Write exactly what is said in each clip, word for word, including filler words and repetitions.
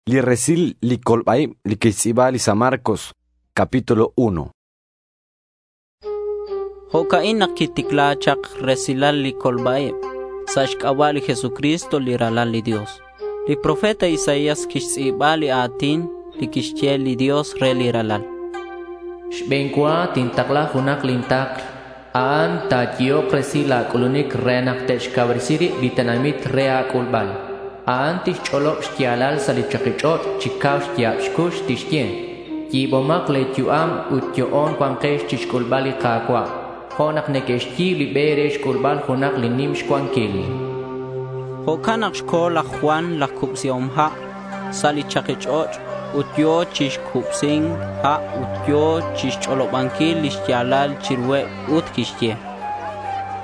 Li resil li kolb'aib' li kixtz'iib'a li San Marcos, capítulo uno. Jo'ca'in nak quiticla chak resilal li colba-ib sa' xc'aba' li Jesucristo li Ralal li Dios. Li profeta Isaías quixtz'i̱ba li a̱tin li quixye li Dios re li Ralal. Xbe̱n cua tintakla junak lin takl. A'an ta̱yehok resil la̱ c'ulunic re nak te'xcauresi rib li tenamit re a̱c'ulbal. A'an tixch'olob xya̱lal sa' li chaki ch'och' chi cau xya̱b xcux tixye: Yi̱bomak le̱ yu'am ut yo'on cua̱nkex chixc'ulbal li Ka̱cua', jo' nak neque'xyi̱b li be re xc'ulbal junak li nim xcuanquil. Jo'can nak co̱ laj Juan laj Cubsihom Ha' sa' li chaki ch'och' ut yo̱ chi cubsi̱nc ha' ut yo̱ chixch'olobanquil li xya̱lal chiruheb ut quixye: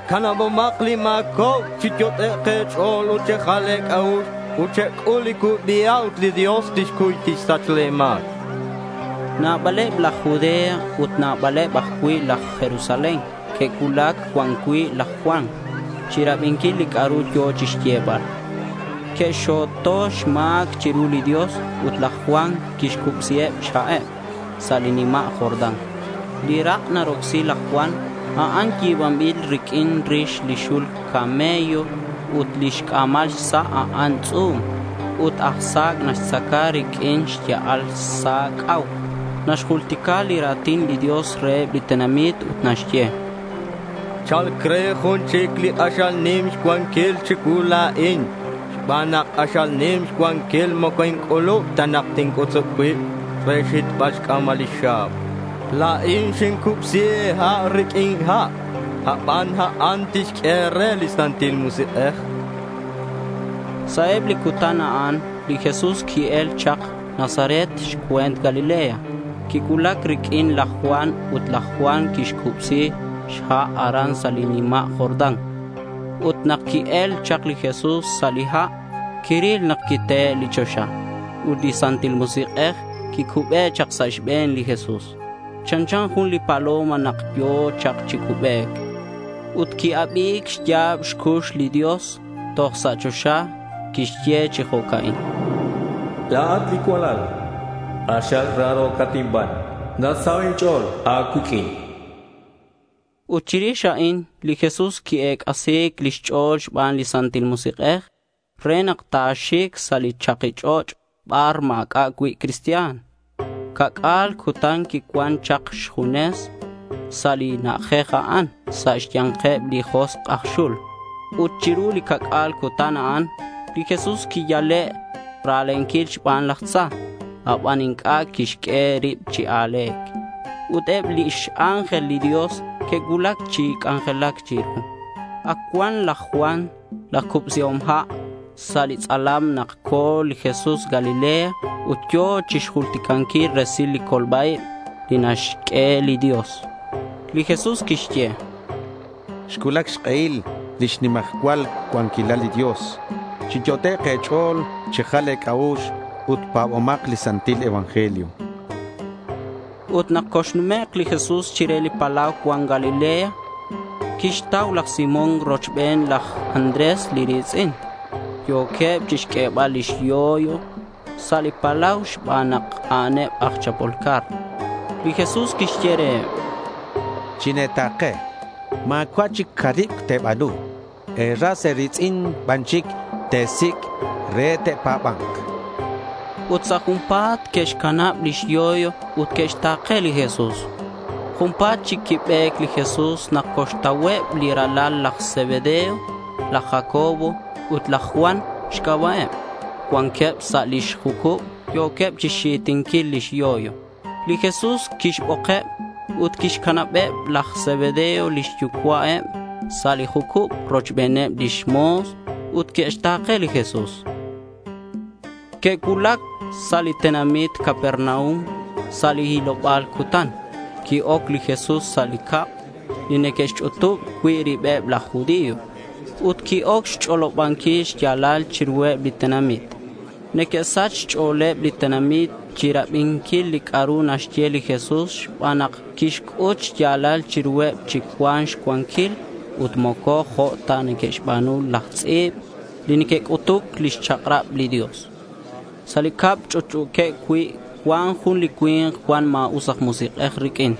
Canabomak li ma̱cobc, chiyot'ek' e̱ch'o̱l ut chejal e̱c'a'ux ut chec'ul li cubi ha' ut li Dios tixcuy tixsach le̱ ma̱c. Nabaleb laj Judea ut nabaleb ajcui' laj Jerusalén que'cuulac cuan cui' laj Juan chirabinquil li c'a'ru yo̱ chixyebal. Que'xxo̱to xma̱c chiru li Dios ut laj Juan quixcubsiheb xha'eb sa' li nima' Jordán. Li rak' narocsi laj Juan, a'an yi̱banbil riq'uin rix li xul camello ut lix c'a̱mal xsa' a'an tz'u̱m. Ut aj sa̱c' naxtzaca riq'uin xya'al sa̱c' c'au. Naxjultica li ra̱tin li Dios reheb li tenamit ut naxye: Cha̱lc re jun chic li k'axal nim xcuanquil chicuu la̱in. Xban nak k'axal nim xcuanquil moco inc'ulub ta nak tinc'utzub cuib re xhitbal xc'a̱mal lix xa̱b. La̱in xincubsi e̱ha' riq'uin ha', aban a'an tixq'ue e̱re li Santil Musik'ej. Sa' eb li cutan a'an li Jesús qui-el chak Nazaret xcue̱nt Galilea. Quicuulac riq'uin laj Juan ut laj Juan quixcubsi xha' aran sa' li nima' Jordán. Ut nak qui-el chak li Jesús sa' li ha', quiril nak quitehe' li choxa ut li Santil Musik'ej quicube chak sa' xbe̱n li Jesús. Chanchan jun li paloma nak yo̱ chak chi cubec. Ut qui-abi̱c xya̱b xcux li Dios toj sa' choxa. Quixye chi jo'ca'in: La̱at li cualal, k'axal raro̱cat inban. Nasaho' inch'o̱l a̱cuiq'uin. Ut chirix a'in li Jesús qui-ec'asi̱c lix ch'o̱l xban li Santil Musik'ej re nak ta̱xic sa' li chaki ch'och' bar ma̱c'a' cui' cristian. Ca'c'a̱l cutan quicuan chak xjunes sa' li na'ajej a'an sa' xya̱nkeb li josk' aj xul. Ut chiru li ca'c'a̱l cutan a'an, li Jesús quiyale' ra̱lenquil xban laj tza, aban inc'a' quixq'ue rib chi a̱le̱c. Ut eb lix ángel li Dios que'cuulac chi c'anjelac chiru. Ac cuan laj Juan laj Cubsihom Ha' sa' li tz'alam nak co̱ li Jesús Galilea ut yo̱ chixjulticanquil resil li colba-ib li naxq'ue li Dios. Li Jesús quixye: Xcuulac xk'ehil lix nimajcual cuanquilal li Dios. Chiyot'ek e̱ch'o̱l, chejal e̱c'a'ux ut pa̱bomak li santil evangelio. Ut nak coxnumek' li Jesús chire li palau cuan Galilea, quixtau laj Simón rochben laj Andrés li ri̱tz'in. Yo̱queb chixq'uebal lix yoyo sa' li palau xban nak a'aneb aj chapol car. Li Jesús quixye reheb: Chine̱ta̱ke. Ma̱cua' chic caribc te̱ba̱nu. E̱ras e̱ri̱tz'in ban chic te̱sic' re te'pa̱ba̱nk. Ut sa' junpa̱t que'xcanab lix yoyo ut que'xta̱ke li Jesús. Junpa̱t chic quibe̱c li Jesús nak coxtauheb li ralal laj Zebedeo, laj Jacobo ut laj Juan xc'aba'eb. Cuanqueb sa' lix jucub yo̱queb chixxitinquil lix yoyo. Li Jesús quixbokeb ut quixcanabeb laj Zebedeo lix yucua'eb sa' li jucub rochbeneb lix mo̱s ut que'xta̱ke li Jesús. Que'cuulac sa' li tenamit Capernaum sa' li hiloba̱l cutan. Qui-oc li Jesús sa' li cab li neque'xch'utub cui' ribeb laj judío ut qui-oc xch'olobanquil xya̱lal chiruheb li tenamit. Neque'sach xch'o̱leb li tenamit chirabinquil li c'a'ru naxye li Jesús xban nak quixc'ut xya̱lal chiruheb chi cuan xcuanquil ut moco jo' ta neque'xba̱nu laj tz'i̱b li neque'c'utuc lix chak'rab li Dios. Sa' li cab ch'utch'u̱queb cui' cuan jun li cui̱nk cuan ma̱us aj musik'ej riq'uin.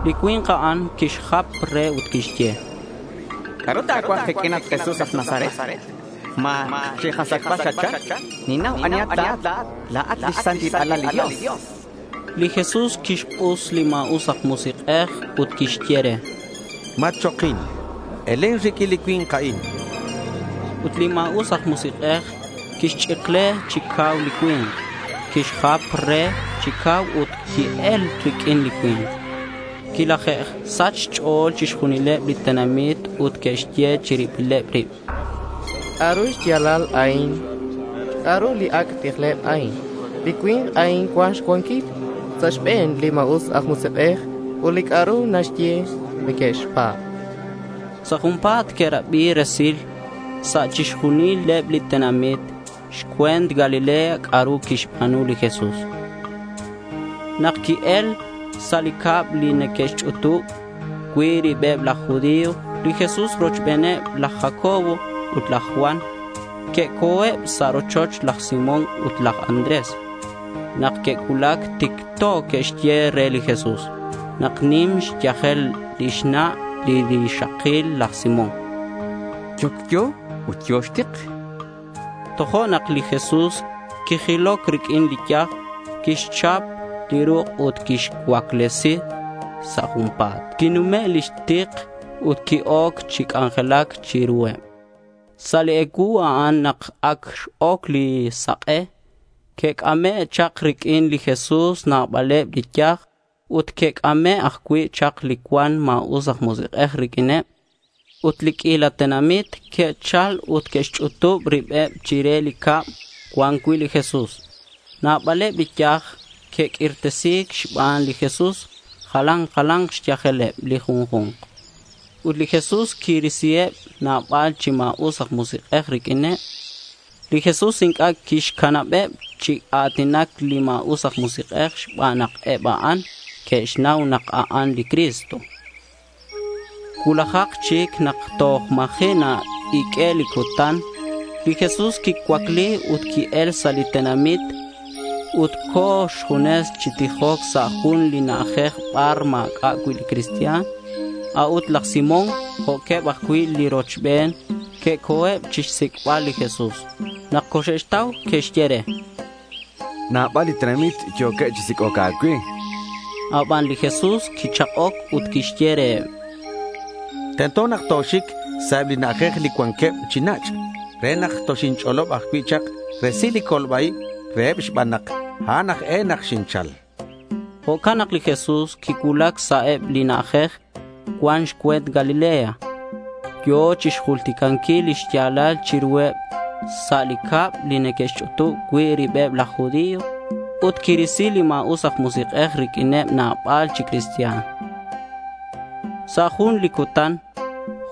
Li cui̱nk a'an quixjap re ut quixye: —¿C'a'ru ta̱cuaj kiq'uin, at Jesús aj Nazaret? ¿Ma chikasachbal xatchal? Ninnau anihat la̱at. La̱at lix Santil Alal li Dios. Li Jesús quixk'us li ma̱us aj musik'ej ut quixye re: —Matchokin. Elen riq'uin li cui̱nk a'in. Ut li ma̱us aj musik'ej quixch'ikle chi cau li cui̱nk. Quixjap re chi cau ut qui-el riq'uin li cui̱nk. Quilaje'sach xch'o̱l chixjunileb li tenamit ut que'xye chi ribileb rib: —¿C'a'ru xya̱lal a'in? ¿C'a'ru li ac' tijleb a'in? Li cui̱nk a'in cuan xcuanquil sa' xbe̱neb li ma̱us aj musik'ej ut li c'a'ru naxye neque'xpa̱b. Sa' junpa̱t que'rabi resil sa' chixjunileb li tenamit xcue̱nt Galilea c'a'ru quixba̱nu li Jesús. Nak qui-el sa' li cab li neque'xch'utub cui' ribeb laj judío, li Jesús rochbeneb laj Jacobo ut laj Juan que'co̱eb sa' rochoch laj Simón ut laj Andrés. Nak que'cuulac ticto que'xye re li Jesús nak nim xyajel lix na' li rixakil laj Simón. Yocyo ut yo̱ xtik. Tojo'nak li Jesús quijiloc riq'uin li yaj, quixchap li ruk' ut quixcuaclesi sa' junpa̱t. Quinume' lix tik ut qui-oc chi c'anjelac chiruheb. Sa' li ecuu a'an nak ac x-oc li sak'e, que'c'ame' chak riq'uin li Jesús nabaleb li yaj ut que'c'ame' ajcui' chak li cuan ma̱us aj musik'ej riq'uineb. Ut li q'uila tenamit que'chal ut que'xch'utub ribeb chire li cab cuan cui' li Jesús. Nabaleb li yaj que'q'uirtesi̱c xban li Jesús, jalan jalan xyajeleb li junju̱nk. Ut li Jesús quirisiheb nabal chi ma̱us aj musik'ej riq'uineb. Li Jesús inc'a' quixcanabeb chi a̱tinac li ma̱us aj musik'ej xban nak eb a'an que'xnau nak a'an li Cristo. Cuulajak chic nak toj ma̱ji' na-iq'ue li cutan, li Jesús quicuacli ut qui-el sa' li tenamit ut co̱ xjunes chi tijoc sa' jun li na'ajej bar ma̱c'a' cui' li cristian. A'ut laj Simón, jo'queb ajcui' li rochben, que'co̱eb chixsic'bal li Jesús. Nak coxe'xtau, que'xye re: —Nabal li tenamit yo̱queb chi sic'oc a̱cue. Aban li Jesús quichak'oc ut quixye reheb: —Tento nak toxic sa' eb li na'ajej li cuanqueb chi nach' re nak toxinch'olob ajcui' chak resil li colba-ib reheb xban nak a'an aj e nak xinchal. Jo'can nak li Jesús quicuulac sa' eb li na'ajej cuan xcue̱nt Galilea. Yo̱ chixjulticanquil lix ya̱lal chiruheb sa' li cab li neque'xch'utub cui' ribeb laj judío ut quirisi li ma̱us aj musik'ej riq'uineb nabal chi cristian. Sa' jun li cutan,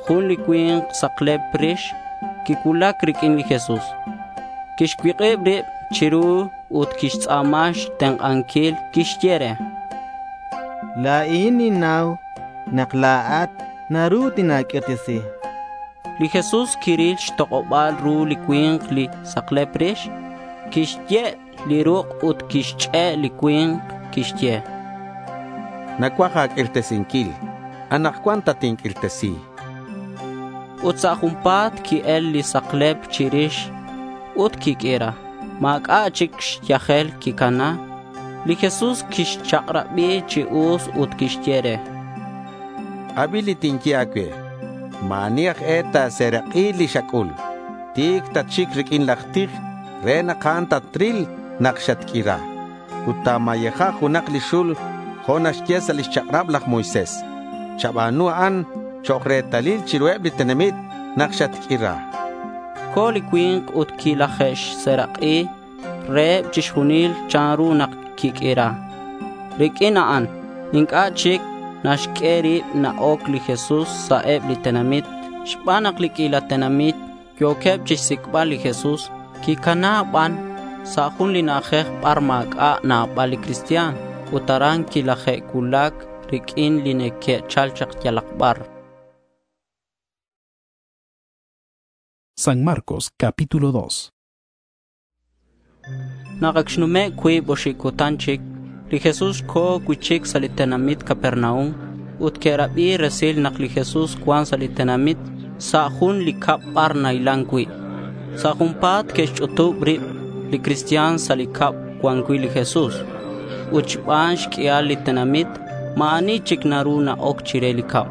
jun li cui̱nk saklep rix quicuulac riq'uin li Jesús. Quixcuik'ib rib chiru ut quixtz'a̱ma xtenk'anquil. Quixye re: —La̱in ninnau nak la̱at naru tina̱q'uirtesi. Li Jesús quiril xtok'oba̱l ru li cui̱nk li saklep rix. Quixye' li ruk' ut quixch'e' li cui̱nk. Quixye: —Nacuaj a̱q'uirtesinquil. Anakcuan tatinq'uirtesi. Ut sa' junpa̱t qui-el li saklep chirix ut quiq'uira. Ma̱c'a' chic xyajel quicana. Li Jesús quixchak'rabi chi us ut quixye re: —Abi li tinye a̱cue. Ma̱ ani aj e ta̱serak'i li xac'ul. Ti̱c tatxic riq'uin laj tij re nak a'an tatril nak xatq'uira. Ut ta̱mayeja junak li xul jo' naxye sa' lix chak'rab laj Moisés. Chaba̱nu a'an chok' retalil chiruheb li tenamit nak xatq'uira. Co̱ li cui̱nk ut quilaje'xserak'i reheb chixjunil chanru nak quiq'uira. Riq'uin a'an inc'a' chic naxq'ue rib na-oc li Jesús sa' eb li tenamit xban nak li q'uila tenamit yo̱queb chixsic'bal li Jesús. Quicana ban sa' jun li na'ajej bar ma̱c'a' nabal li cristian ut aran quilaje'cuulac riq'uin li neque'chal chak yalak bar. San Marcos, capítulo dos. Nak ac xnume' cuib oxib cutan chic, li Jesús co̱ cui'chic sa' li tenamit Capernaum. Ut que'rabi resil nak li Jesús cuan sa' li tenamit sa' jun li cab bar nahilan cui'. Sa' junpa̱t que'xch'utub rib li cristian sa' li cab cuan cui' li Jesús. Ut xban xq'uial li tenamit ma̱ ani chic naru na-oc chire li cab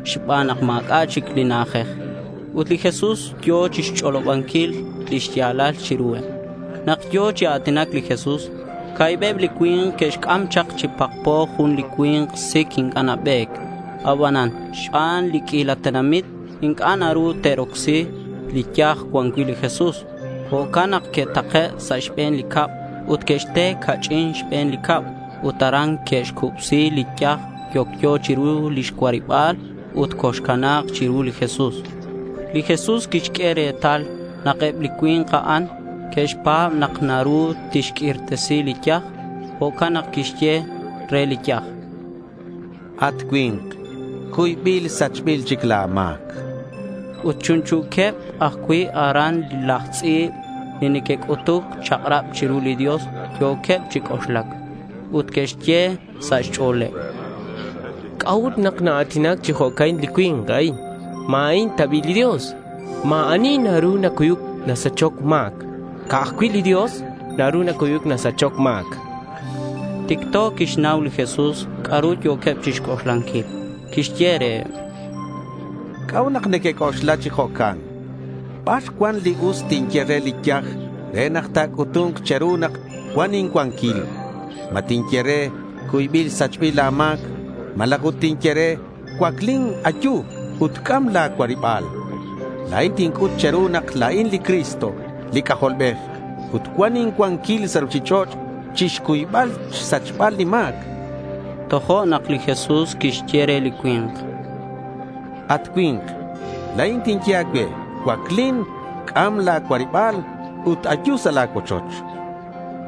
xban nak ma̱c'a' chic li na'ajej. Ut li Jesús yo̱ chixch'olobanquil li xya̱lal chiruheb. Nak yo̱ chi a̱tinac li Jesús, ca̱hibeb li cui̱nk que'xc'am chak chi pakpo jun li cui̱nk sic inc'a' nabe̱c. Abanan xban li q'uila tenamit inc'a' naru te'rocsi li yaj cuan cui' li Jesús. Jo'can nak que'take' sa' xbe̱n li cab ut que'xte ca'ch'in xbe̱n li cab ut aran que'xcubsi li yaj yocyo chiru lix cuariba̱l ut coxcana̱k chiru li Jesús. Li Jesús quixq'ue retal nak eb li cui̱nk a'an que'xpa̱b nak naru tixq'uirtesi li yaj. Jo'can nak quixye re li yaj: —At cui̱nk, cuybil sachbil chic la̱ ma̱c. Ut chunchu̱queb ajcui' aran laj tz'i̱b li neque'c'utuc chak'rab chiru li Dios yo̱queb chi c'oxlac. Ut que'xye sa' xch'o̱leb: —¿C'a'ut nak naa̱tinac chi jo'ca'in li cui̱nk a'in? ¿Ma a'in ta bi' li Dios? Ma̱ ani naru nacuyuc nasachoc ma̱c. Ca'aj cui' li Dios naru nacuyuc nasachoc ma̱c. Ticto quixnau li Jesús c'a'ru yo̱queb chixc'oxlanquil. Quixye reheb: —¿C'a'ut nak nequec'oxla chi jo'can? ¿Bar cuan li us tinye re li yaj re nak ta̱c'utu̱nk che̱ru nak cuan incuanquil? ¿Ma tinye re, “Cuybil sachbil la̱ ma̱c” malaj ut tinye re, “Cuaclin, ayu ut c'am la̱ cuariba̱l”? La̱in tinc'ut che̱ru nak la̱in li Cristo, li C'ajolbej, ut cuan incuanquil sa' ruchich'och' chixcuybal xsachbal li ma̱c. Tojo'nak li Jesús quixye re li cui̱nk: —At cui̱nk, la̱in tinye a̱cue, cuaclin, c'am la̱ cuariba̱l ut ayu sa' la̱ cuochoch.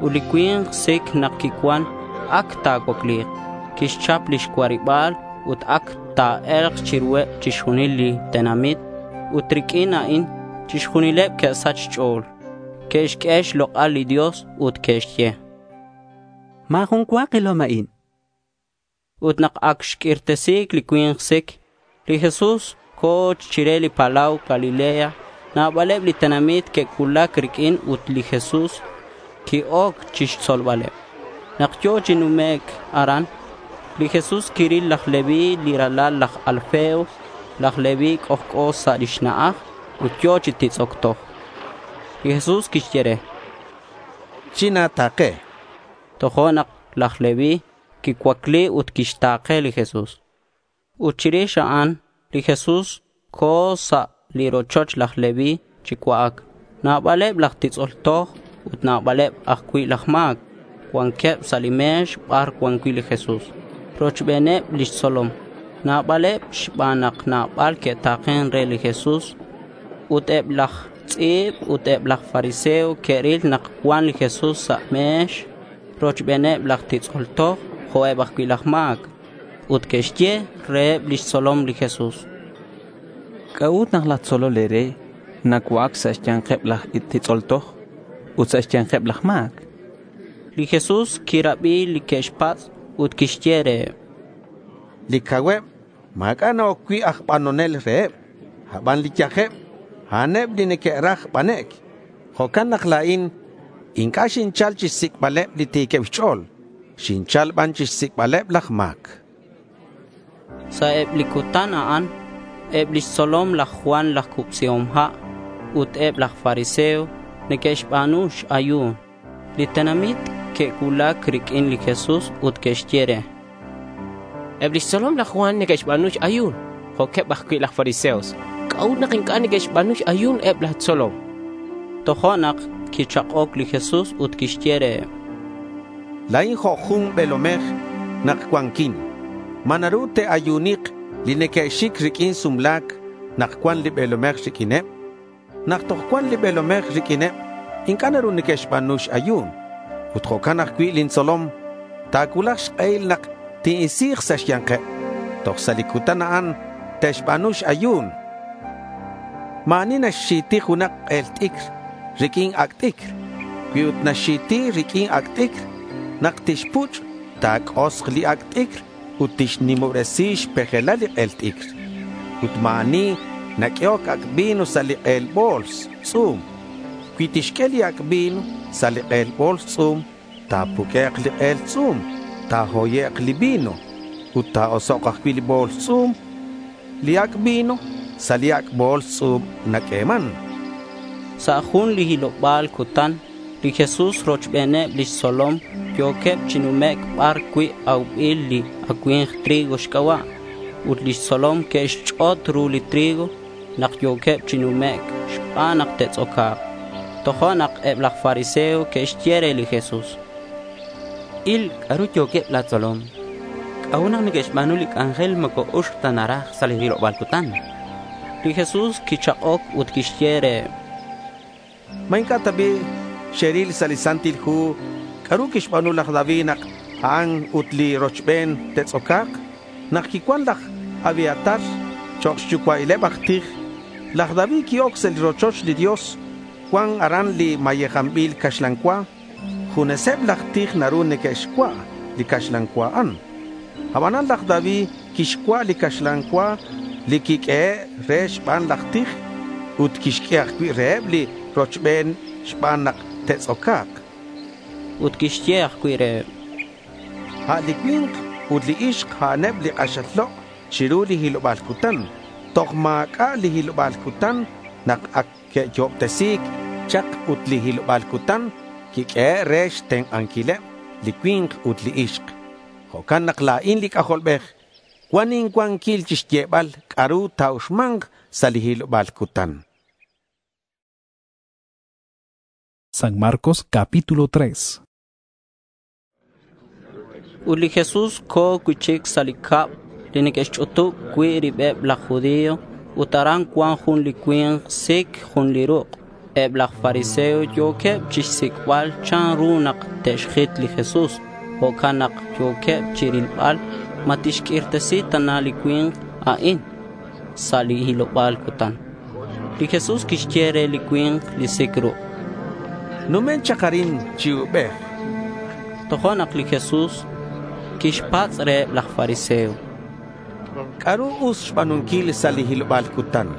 Ut li cui̱nk sic nak quicuan ac ta̱cuacli̱k. Quixchap lix cuariba̱l ut ac ta̱e̱lk chiruheb chixjunil li tenamit. Ut riq'uin a'in chixjunileb que'sach xch'o̱l. Que'xq'ue xlok'al li Dios ut que'xye: —Ma̱ jun cua kilom a'in. Ut nak ac xq'uirtesi̱c li cui̱nk sic, li Jesús co̱ chire li palau Galilea. Nabaleb li tenamit que'cuulac riq'uin ut li Jesús qui-oc chixtzolbaleb. Nak yo̱ chi numec' aran, li Jesús quiril laj Leví li ralal laj Alfeo. Laj Leví c'ojc'o sa' lix na'aj ut yo̱ chi titz'oc toj. Li Jesús quixye re: —China̱ta̱ke. Tojo'nak laj Leví quicuacli ut quixta̱ke li Jesús. Ut chirix a'an li Jesús co̱ sa' li rochoch laj Leví chi cua'ac. Nabaleb laj titz'ol toj ut nabaleb ajcui' laj ma̱c cuanqueb sa' li me̱x bar cuan cui' li Jesús rochbeneb lix tzolom. Nabaleb xban nak nabal que'ta̱ken re li Jesús. Ut eb laj tz'i̱b ut eb laj fariseo que'ril nak cuan li Jesús sa' me̱x rochbeneb laj titz'ol toj jo' eb ajcui' laj ma̱c. Ut que'xye reheb lix tzolom li Jesús: —¿C'a'ut nak laj tzolol e̱re nacua'ac sa' xya̱nkeb laj titz'ol toj ut sa' xya̱nkeb laj ma̱c? Li Jesús quirabi li que'xpatz' ut quixye reheb: —Li cauheb ma̱c'a' na-oc cui' aj banonel reheb. Aban li yajeb, a'aneb li neque'raj banec'. Jo'can nak la̱in inc'a' xinchal chixsic'baleb li ti̱queb xch'o̱l. Xinchal ban chixsic'baleb laj ma̱c. Sa' eb li cutan a'an, eb lix tzolom laj Juan laj Cubsihom Ha' ut eb laj fariseo neque'xba̱nu x-ayu̱n. Li tenamit que'cuulac riq'uin li Jesús ut que'xye re: —Eb lix tzolom laj Juan neque'xba̱nu x-ayu̱n jo'queb ajcui' laj fariseos. ¿C'a'ut nak inc'a' neque'xba̱nu x-ayu̱n eb la̱ tzolom? Tojo'nak quichak'oc li Jesús ut quixye reheb: —La̱in jo' jun be̱lomej nak cuanquin. ¿Ma naru te'ayunik li neque'xic riq'uin sumla̱c nak cuan li be̱lomej riq'uineb? Nak toj cuan li be̱lomej riq'uineb, inc'a' naru neque'xba̱nu x-ayu̱n. Ut jo'can ajcui' lin tzolom. Ta̱cuulak xk'ehil nak tin'isi̱k sa' xya̱nkeb. Toj sa' li cutan a'an te'xba̱nu x-ayu̱n. Ma̱ ani naxxi̱ti junak k'el t'icr riq'uin ac' t'icr. Cui ut naxxiti riq'uin ac' t'icr, nak tixpuch' ta̱c'osk li ac' t'icr ut tixnimobresi xpejelal li k'el t'icr. Ut ma̱ ani naq'uehoc ac' vino sa' li k'el bo̱ls tz'u̱m. Cui tixq'ue li ac' vino sa' li k'el bo̱ls tz'u̱m, ta̱puq'uek' li k'el tz'u̱m, ta̱hoyek' li vino ut ta̱osok' ajcui' li bo̱ls tz'u̱m. Li ac' vino sa' li ac' bo̱ls tz'u̱m naq'ueman. Sa' jun li hiloba̱l cutan, li Jesús rochbeneb lix tzolom yo̱queb chi numec' bar cui' aubil li acui̱mk trigo xc'aba'. Ut lix tzolom que'xch'ot ru li trigo nak yo̱queb chi numec' xban nak te'tz'oca̱k. Tojo'nak eb laj fariseo que'xye re li Jesús: —Il c'a'ru yo̱queb la̱ tzolom. ¿C'a'ut nak neque'xba̱nu li c'anjel moco uxc ta naraj sa' li hiloba̱l cutan? Li Jesús quichak'oc ut quixye reheb: —¿Ma inc'a' ta bi' xeril sa' li Santil Hu c'a'ru quixba̱nu laj David nak a'an ut li rochben te'tz'oca̱k? Nak quicuan laj Abiatar chok' xyucua'ileb aj tij, laj David qui-oc sa' li rochoch li Dios. Cuan aran li mayejanbil caxlan cua. Juneseb laj tij naru neque'xcua' li caxlan cua a'an. Abanan laj David quixcua' li caxlan cua li quiq'uehe' re xban laj tij ut quixq'ue ajcui' reheb li rochben xban nak te'tz'oca̱k. Ut quixye ajcui' reheb: A' li cui̱nk ut li ixk a'aneb li k'axal lok' chiru li hiloba̱l cutan. Toj ma̱c'a' li hiloba̱l cutan nak ac que'yo'obtesi̱c chak ut li hiloba̱l cutan quiq'uehe' re xtenk'anquileb li cui̱nk ut li ixk. Jo'can nak la̱in li C'ajolbej cuan incuanquil chixyebal c'a'ru ta̱uxma̱nk sa' li hiloba̱l cutan. San Marcos capítulo tres. Ut li Jesús co̱ cui'chic sa' li cab li neque'xch'utub cui' ribeb laj judío ut aran cuan jun li cui̱nk sic jun li ruk'. Eb laj fariseo yo̱queb chixsic'bal chanru nak te'xjit li Jesús. Jo'can nak yo̱queb chirilbal ma tixq'uirtesi tana li cui̱nk a'in sa' li hiloba̱l cutan. Li Jesús quixye re li cui̱nk li sic ruk': —Numen chak arin chi ubej. Tojo'nak li Jesús quixpatz' reheb laj fariseo: —¿C'a'ru us xba̱nunquil sa' li hiloba̱l cutan?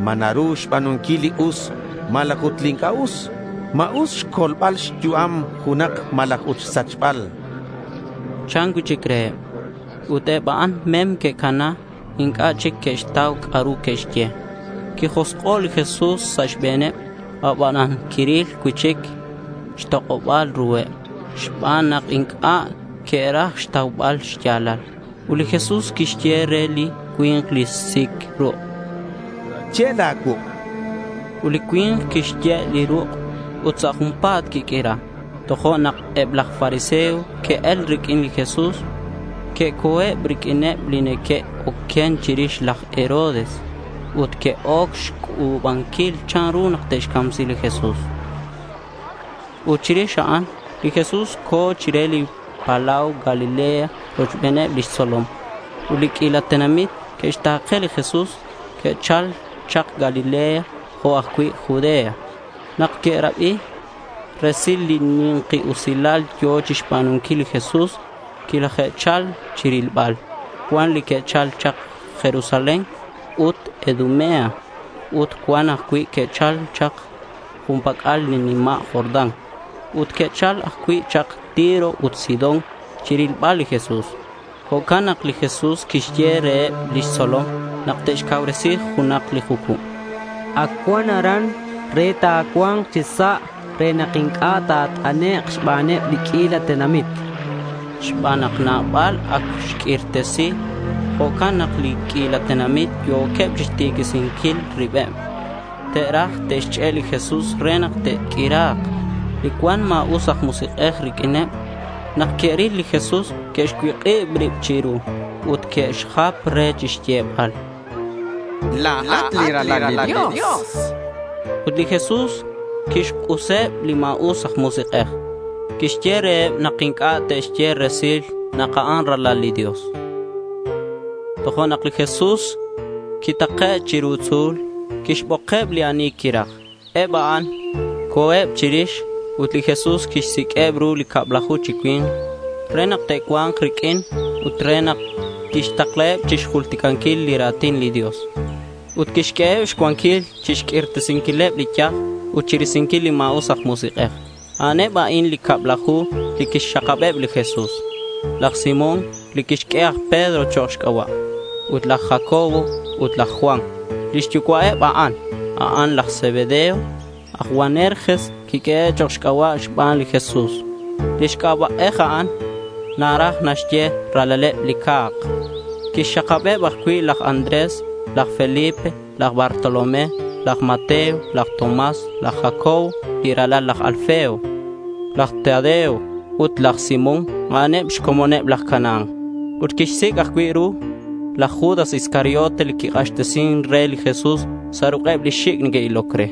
¿Ma naru xba̱nunquil li us malaj ut li inc'a' us? ¿Ma us xcolbal xyu'am junak malaj ut xsachbal? Chan cui'chic reheb. Ut eb a'an mem que'cana. Inc'a' chic que'xtau c'a'ru que'xye. Quijosk'o' li Jesús sa' xbe̱neb, abanan quiril cui'chic xtok'oba̱l ruheb xban nak inc'a' que'raj xtaubal xya̱lal. Ut li Jesús quixye re li cui̱nk li sic ruk': —Ye' la̱ cuuk'. Ut li cui̱nk quixye' li ruk' ut sa' junpa̱t quiq'uira. Tojo'nak eb laj fariseo que'el riq'uin li Jesús. Que'co̱eb riq'uineb li neque'oquen chirix laj Herodes ut que'oc xc'u̱banquil chanru nak te'xcamsi li Jesús. Ut chirix a'an li Jesús co̱ chire li palau Galilea rochbeneb lix tzolom. Ut li q'uila tenamit que'xta̱ke li Jesús. Que'chal chak Galilea jo' ajcui' Judea. Nak que'rabi resil li ni̱nki usilal yo̱ chixba̱nunquil li Jesús, quilaje'chal chirilbal. Cuan li que'chal chak Jerusalén ut Idumea. Ut cuan ajcui' que'chal chak jun pac'al li nima' Jordán. Ut que'chal ajcui' chak Tiro ut Sidón chirilbal li Jesús. Jo'can nak li Jesús quixye reheb lix tzolom nak te'xcauresi junak li jucub. Ac cuan aran re ta̱cua̱nk chi sa' re nak inc'a' ta̱t'anek' xbaneb li q'uila tenamit. Xban nak nabal ac xq'uirtesi, jo'can nak li q'uila tenamit yo̱queb chixtiquisinquil ribeb. Te'raj te'xch'e' li Jesús re nak te'q'uira̱k. Li cuan ma̱us aj musik'ej riq'uineb, nak que'ril li Jesús, que'xcuik'ib rib chiru ut que'xjap re chixyebal: —La̱at li Ralal li Dios. Ut li Jesús quixk'useb li ma̱us aj musik'ej. Quixye reheb nak inc'a' te'xye resil nak a'an Ralal li Dios. Tojo'nak li Jesús quitake' chiru tzu̱l. Quixbokeb li ani quiraj. Eb a'an co̱eb chirix. Ut li Jesús quixsiq'ueb ru li cablaju chi cui̱nk re nak te'cua̱nk riq'uin ut re nak tixtaklaheb chixjulticanquil li ra̱tin li Dios. Ut quixq'ueheb xcuanquil chixq'uirtesinquileb li yaj ut chirisinquil li ma̱us aj musik'ej. A'aneb a'in li cablaju li quixxakabeb li Jesús: laj Simón, li quixq'ue aj Pedro chok' xc'aba', ut laj Jacobo ut laj Juan. Lix yucua'eb a'an, a'an laj Zebedeo. Aj Boanerges quiq'uehe' chok' xc'aba' xban li Jesús. Lix c'aba'ej a'an naraj naxye ralaleb li ca̱k. Quixxakabeb ajcui' laj Andrés, laj Felipe, laj Bartolomé, laj Mateo, laj Tomás, laj Jacobo li ralal laj Alfeo, laj Tadeo ut laj Simón, a'aneb xcomoneb laj Canaán. Ut quixsic' ajcui' ru laj Judas Iscariote li quik'axtesin re li Jesús sa' ruk'eb li xic' neque'iloc re.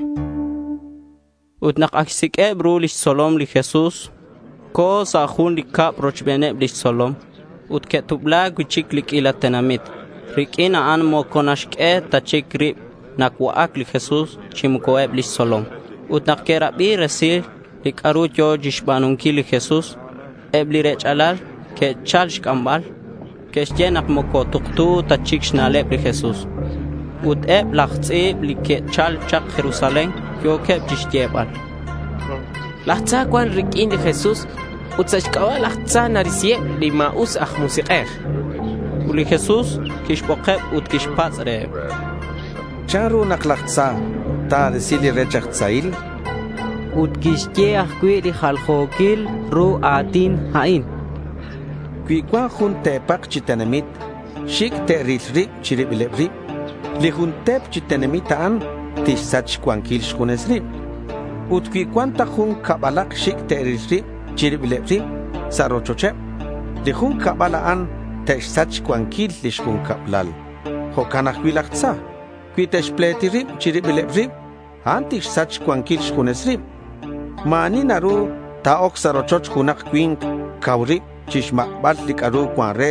Ut nak ac xsiq'ueb ru lix tzolom li Jesús, co̱ sa' jun li cab rochbeneb lix tzolom. Ut que'tubla cui'chic li q'uila tenamit. Riq'uin a'an moco naxq'ue ta chic rib nacua'ac li Jesús chi moco eb lix tzolom. Ut nak que'rabi resil li c'a'ru yo̱ chixba̱nunquil li Jesús, eb li rech'alal que'chal xc'ambal. Que'xye nak moco tuktu ta chic xna'leb li Jesús. Ut eb laj tz'i̱b li que'chal chak Jerusalén yo̱queb chixyebal: Laj tza cuan riq'uin li Jesús ut sa' xc'aba' laj tza narisiheb li ma̱us aj musik'ej. Ut li Jesús quixbokeb ut quixpatz' reheb: ¿Chanru nak laj tza ta̱risi li rech aj tzail? Ut quixye ajcui' li jaljo̱quil ru a̱tin a'in: Cui cuan jun te̱pak chi tenamit xic' te'ril rib chi ribileb rib, li jun te̱p chi tenamit a'an tixsach xcuanquil xjunes rib. Ut cui cuan ta jun cabalak xic' te'ril rib chi ribileb rib sa' rochocheb, li jun cabal a'an te'xsach xcuanquil lix jun cablal. Jo'can ajcui' laj tza. Cui te'xpleti rib chi ribileb rib, a'an tixsach xcuanquil xjunes rib. Ma̱ ani naru ta̱oc sa' rochoch junak cui̱nk cau rib chixmak'bal li c'a'ru cuan re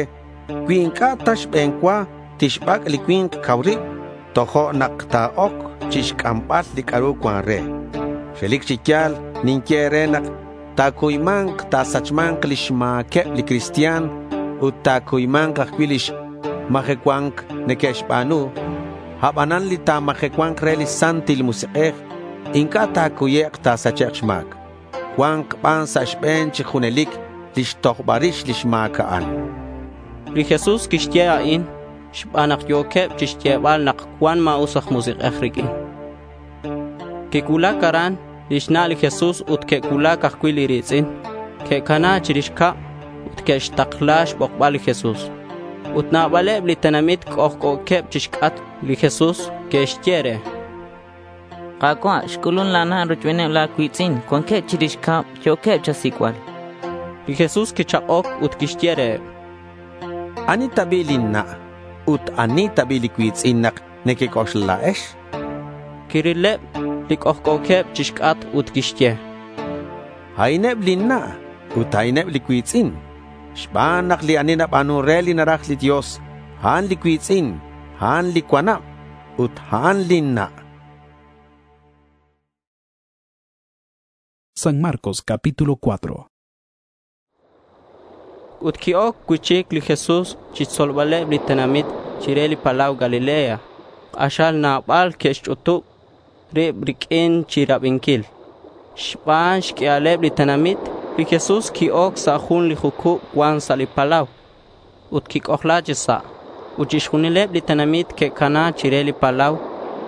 cui inc'a' ta xbe̱n cua tixbac' li cui̱nk cau rib, tojo' nak ta̱oc chixc'ambal li c'a'ru cuan re. Relic chi ya̱l ninye e̱re nak ta̱cuyma̱nk ta̱sachma̱nk lix ma̱queb li cristian ut ta̱cuyma̱nk ajcui' lix majecua̱nc neque'xba̱nu. Abanan li ta̱majecua̱nk re li Santil Musik'ej inc'a' ta̱cuyek' ta̱sachek' xma̱c. Cua̱nk ban sa' xbe̱n chi junelic lix tojbal rix lix ma̱c a'an. Li Jesús quixye a'in xban nak yo̱queb chixyebal nak cuan ma̱us aj musik'ej riq'uin. Quicuulac aran lix na' li Jesús ut que'cuulac ajcui' li ri̱tz'in. Que'cana chirix cab ut que'xtakla xbokbal li Jesús. Ut nabaleb li tenamit c'ojc'o̱queb chixc'atk li Jesús. Que'xye re: —Ka̱cua', xc'ulun la̱ na' rochbeneb la̱ cui̱tz'in. Cuanqueb chirix cab. Yo̱queb cha̱sic'bal. Li Jesús quichak'oc ut quixye reheb: —¿Ani ta bi' lin na' ut ani ta bi' li cui̱tz'in nak nequec'oxla la̱ex? Quirileb li c'ojc'o̱queb chixc'atk ut quixye: —A'ineb lin na' ut a'ineb li cui̱tz'in. Xban nak li ani naba̱nun re li naraj li Dios, a'an li cui̱tz'in, a'an li cuanab ut a'an lin na'. San Marcos capítulo cuatro. Ut qui-oc cui'chic li Jesús chixtzolbaleb li tenamit chire li palau Galilea. K'axal nabal que'xch'utub rib riq'uin chirabinquil. Xban xq'uialeb li tenamit, li Jesús qui-oc sa' jun li jucub cuan sa' li palau ut quic'ojla chi sa'. Ut chixjunileb li tenamit que'cana chire li palau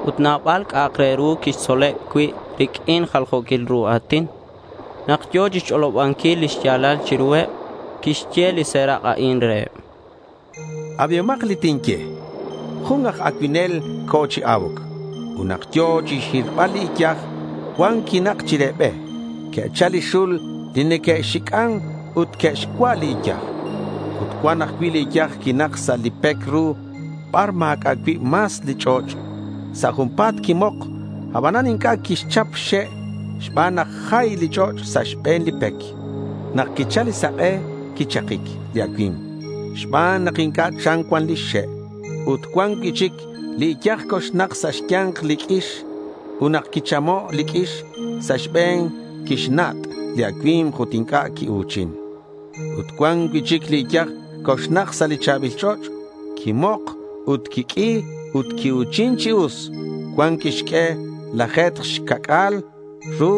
ut nabal c'a'ak re ru quixtzoleb cui' riq'uin jaljo̱quil ru a̱tin. Nak yo̱ chixch'olobanquil lix ya̱lal chiruheb, quixye li serak' a'in reheb: Abihomak li tinye. Jun aj acuinel co̱ chi a̱uc. Ut nak yo̱ chixhirbal li iyaj, cuan quinak chire be. Que'chal li xul li neque'xic'an ut que'xcua' li iyaj. Ut cuan ajcui' li iyaj quinak sa' li pec ru bar ma̱c'a' cui' mas li ch'och'. Sa' junpa̱t quimok, abanan inc'a' quixchap xxe' xban nak jay li ch'och' sa' xbe̱n li pec. Nak quichal li sak'e, quichakic li acui̱mk xban nak inc'a' chan cuan lix xe'. Ut cuan cui'chic li iyaj coxnak sa' xya̱nk li q'uix. Ut nak quichamo' li q'uix sa' xbe̱n, Quixnat' li acui̱mk ut inc'a' quiu̱chin. Ut cuan cui'chic li iyaj coxnak sa' li cha̱bil ch'och'. Quimok ut quiq'ui ut quiu̱chin chi us. Cuan quixq'ue laje̱tk xca'c'a̱l ru,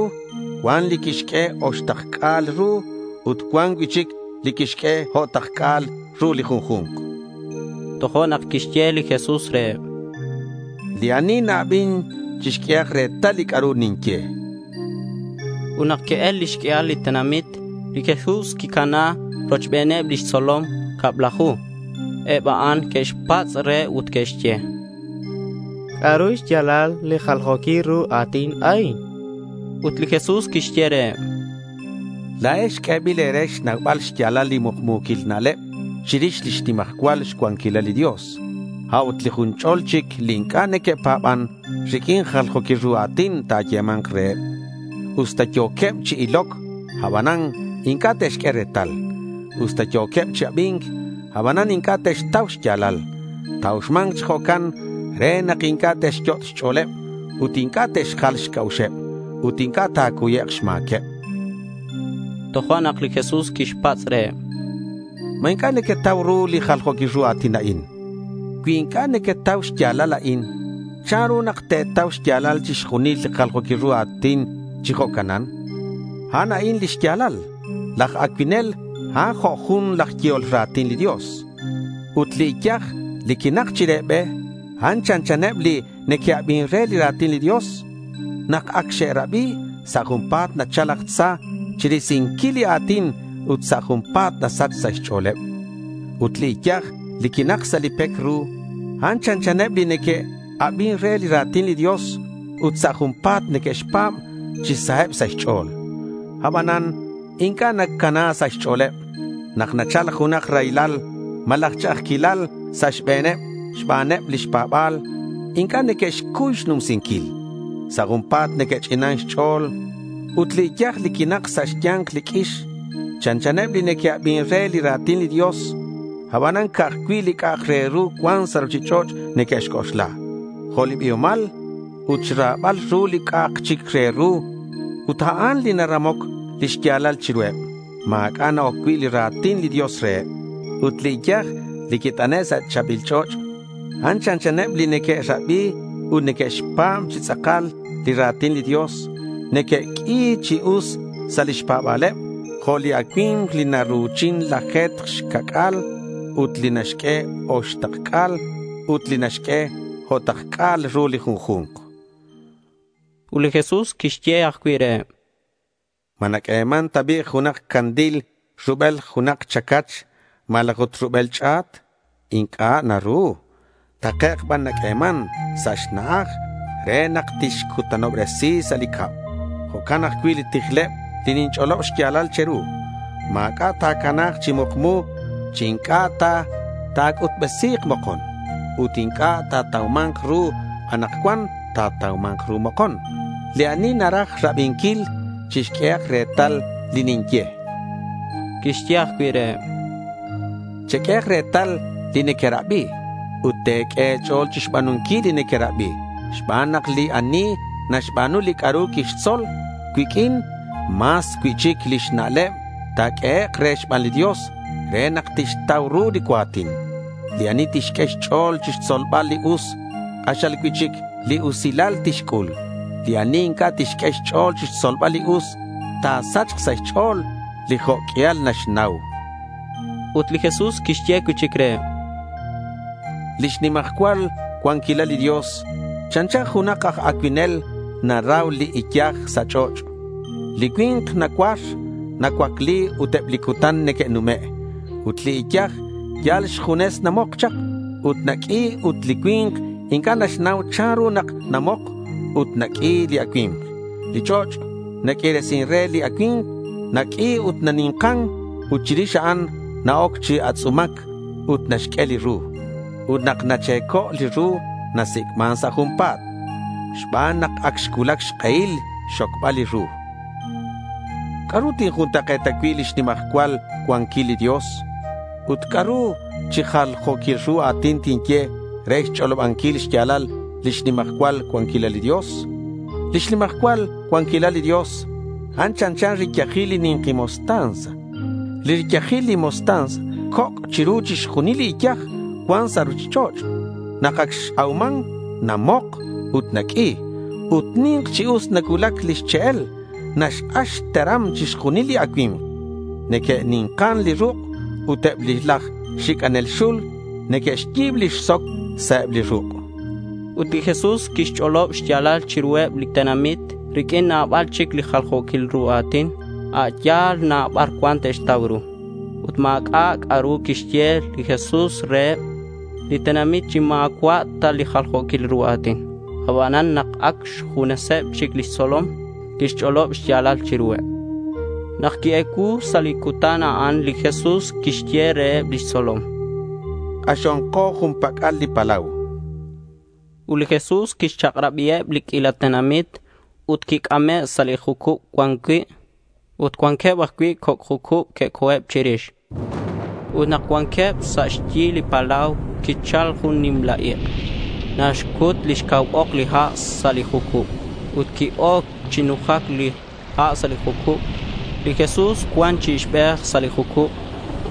cuan li quixq'ue oxtakc'a̱l ru ut cuan cui'chic li quixq'ue o'takc'a̱l ru li junju̱nk. Tojo'nak quixye li Jesús reheb: Li ani na-abin chixq'uehak retal li c'a'ru ninye. Ut nak que'el lix q'uial li tenamit, li Jesús quicana rochbeneb lix tzolom cablaju. Eb a'an que'xpatz' re ut que'xye: ¿C'a'ru xya̱lal li jaljo̱quil ru a̱tin a'in? Ut li Jesús quixye reheb: La̱ex q'uebil e̱re xnaubal xya̱lal li mukmu̱quil na'leb chirix lix nimajcual xcuanquilal li Dios. A'ut li jun ch'ol chic li inc'a' neque'pa̱ban, riq'uin jaljo̱quil ru a̱tin ta̱yema̱nk reheb. Usta yo̱queb chi iloc, abanan inc'a' te'xq'ue retal. Usta yo̱queb chi abi̱nc, abanan inc'a' te'xtau xya̱lal. Ta̱uxma̱nk chi jo'can re nak inc'a' te'xyot' xch'o̱leb ut inc'a' te'xjal xc'a'uxeb ut inc'a' ta̱cuyek' xma̱queb. Tojo'nak li Jesús quixpatz' reheb: —¿Ma inc'a' nequetau ru li jaljo̱quil ru a̱tin a'in? Cui inc'a' nequetau xya̱lal a'in, ¿chanru nak te̱tau xya̱lal chixjunil li jaljo̱quil ru a̱tin chi jo'canan? A'an a'in li xya̱lal. Laj acuinel, a'an jo' jun laj yehol ra̱tin li Dios. Ut li iyaj li quinak chire be, a'an chanchaneb li neque'abin re li ra̱tin li Dios. Nak ac xe'rabi, sa' junpa̱t nachal laj tza chirisinquil li a̱tin ut sa' junpa̱t nasach sa' xch'o̱leb. Ut li iyaj li quinak sa' li pec ru, a'an chanchaneb li neque'abin re li ra̱tin li Dios ut sa' junpa̱t neque'xpa̱b chi saheb sa' xch'o̱l. Abanan inc'a' nacana sa' xch'o̱leb. Nak nachal junak raylal malaj ch'a'ajquilal sa' xbe̱neb xbaneb lix pa̱ba̱l, inc'a' neque'xcuy xnumsinquil. Sa' junpa̱t neque'ch'inan xch'o̱l. Ut li iyaj li quinak sa' xya̱nk li q'uix, chanchaneb li neque'abin re li ra̱tin li Dios. Abanan ca'aj cui' li c'a'ak re ru cuan sa' ruchich'och' neque'xc'oxla, jo' li biomal ut xra̱bal ru li c'a'ak chic re ru. Ut a'an li naramoc lix ya̱lal chiruheb. Ma̱c'a' na-oc cui' li ra̱tin li Dios reheb. Ut li iyaj li quit'ane' sa' cha̱bil ch'och', a'an chanchaneb li neque'rabi ut neque'xpa̱b chi tz'akal li ra̱tin li Dios. Neque'q'ui chi us sa' lix pa̱ba̱leb jo' li acui̱mk li naru̱chin laje̱tk xca'c'a̱l ut li naxq'ue oxtakc'a̱l ut li naxq'ue o'takc'a̱l ru li junju̱nk. Ut li Jesús quixye ajcui' reheb: ¿Ma naq'ueman ta bi' junak candil rubel junak chacach malaj ut rubel ch'a̱t? Inc'a' naru. Takec' ban naq'ueman sa' xna'aj re nak tixcutanobresi sa' li cab. Jo'can ajcui' li tijleb li ninch'olob xya̱lal che̱ru. Ma̱c'a' ta̱cana̱k chi mukmu chi inc'a' ta ta̱c'utbesi̱k mokon. Ut inc'a' ta̱tauma̱nk ru anakcuan, ta̱tauma̱nk ru mokon. Li ani naraj rabinquil, chixq'uehak retal li ninye. Quixye ajcui' reheb: Cheq'uehak retal li nequerabi ut te̱q'ue e̱ch'o̱l chixba̱nunquil li nequerabi xban nak li ani naxba̱nu li c'a'ru quixtzol cuiq'uin, mas cui'chic lix na'leb ta̱q'uehek' re xban li Dios re nak tixtau ru li cua̱tin. Li ani tixq'ue xch'o̱l chixtzolbal li us, k'axal cui'chic li usilal tixc'ul. Li ani inc'a' tixq'ue xch'o̱l chixtzolbal li us, ta̱sachk sa' xch'o̱l li jo' q'uial naxnau. Ut li Jesús quixye cui'chic reheb: Lix nimajcual cuanquilal li Dios chanchan junak aj acuinel naraw li iyaj sa' ch'och'. Li cui̱nk nacuar, nacuacli ut eb li cutan neque'nume'. Ut li iyaj yal xjunes namok chak ut naq'ui ut li cui̱nk inc'a' naxnau chanru nak namok ut naq'ui li acui̱mk. Li ch'och' naq'uiresin re li acui̱mk, naq'ui ut nani̱nkan ut chirix a'an na-oc chi atz'umac ut naxq'ue li ru. Ut nak nache̱co' li ru, nasic'man sa' junpa̱t xban nak ac xcuulac xk'ehil xxocbal li ru. ¿C'a'ru tinjuntak'e̱ta cui' lix nimajcual cuanquil li Dios? Ut ¿c'a'ru chi jaljo̱quil ru a̱tin tinye re xch'olobanquil xya̱lal lix nimajcual cuanquilal li Dios? Lix nimajcual cuanquilal li Dios, A'an chanchan riyajil li ni̱nki mostaza. Li riyajil li mostaza coc' chiru chixjunil li iyaj cuan sa' ruchich'och'. Nak ac x-auman, namok ut naq'ui. Ut ni̱nk chi us nacuulac lix che'el. Naxk'ax xteram chixjunil li acui̱mk. Neque'ni̱nkan li ruk' ut eb laj xic'anel xul neque'xyi̱b lix soc sa' eb li ruk'. Ut li Jesús quixch'olob xya̱lal chiruheb li tenamit riq'uin nabal chic li jaljo̱quil ru a̱tin a' yal na bar cuan te'xtau ru. Ut ma̱c'a' c'a'ru quixye li Jesús reheb li tenamit chi ma̱cua' ta li jaljo̱quil ru a̱tin. Abanan nak ac xjuneseb chic lix tzolom, quixch'olob xya̱lal chiruheb. Nak qui-ecuu sa' li cutan a'an, li Jesús quixye reheb lix tzolom: K'axonko jun pac'al li palau. Ut li Jesús quixchak'rabiheb li q'uila tenamit ut quic'ame' sa' li jucub cuan cui'. Ut cuanqueb ajcui' coc' jucub que'co̱eb chirix. Ut nak cuanqueb sa' xyi li palau, quichal jun nimla ik'. Naxcut lix cau ok li ha' sa' li jucub. Ut qui-oc chi nujac li ha' sa' li jucub. Li Jesús cuan chi ixbej sa' li jucub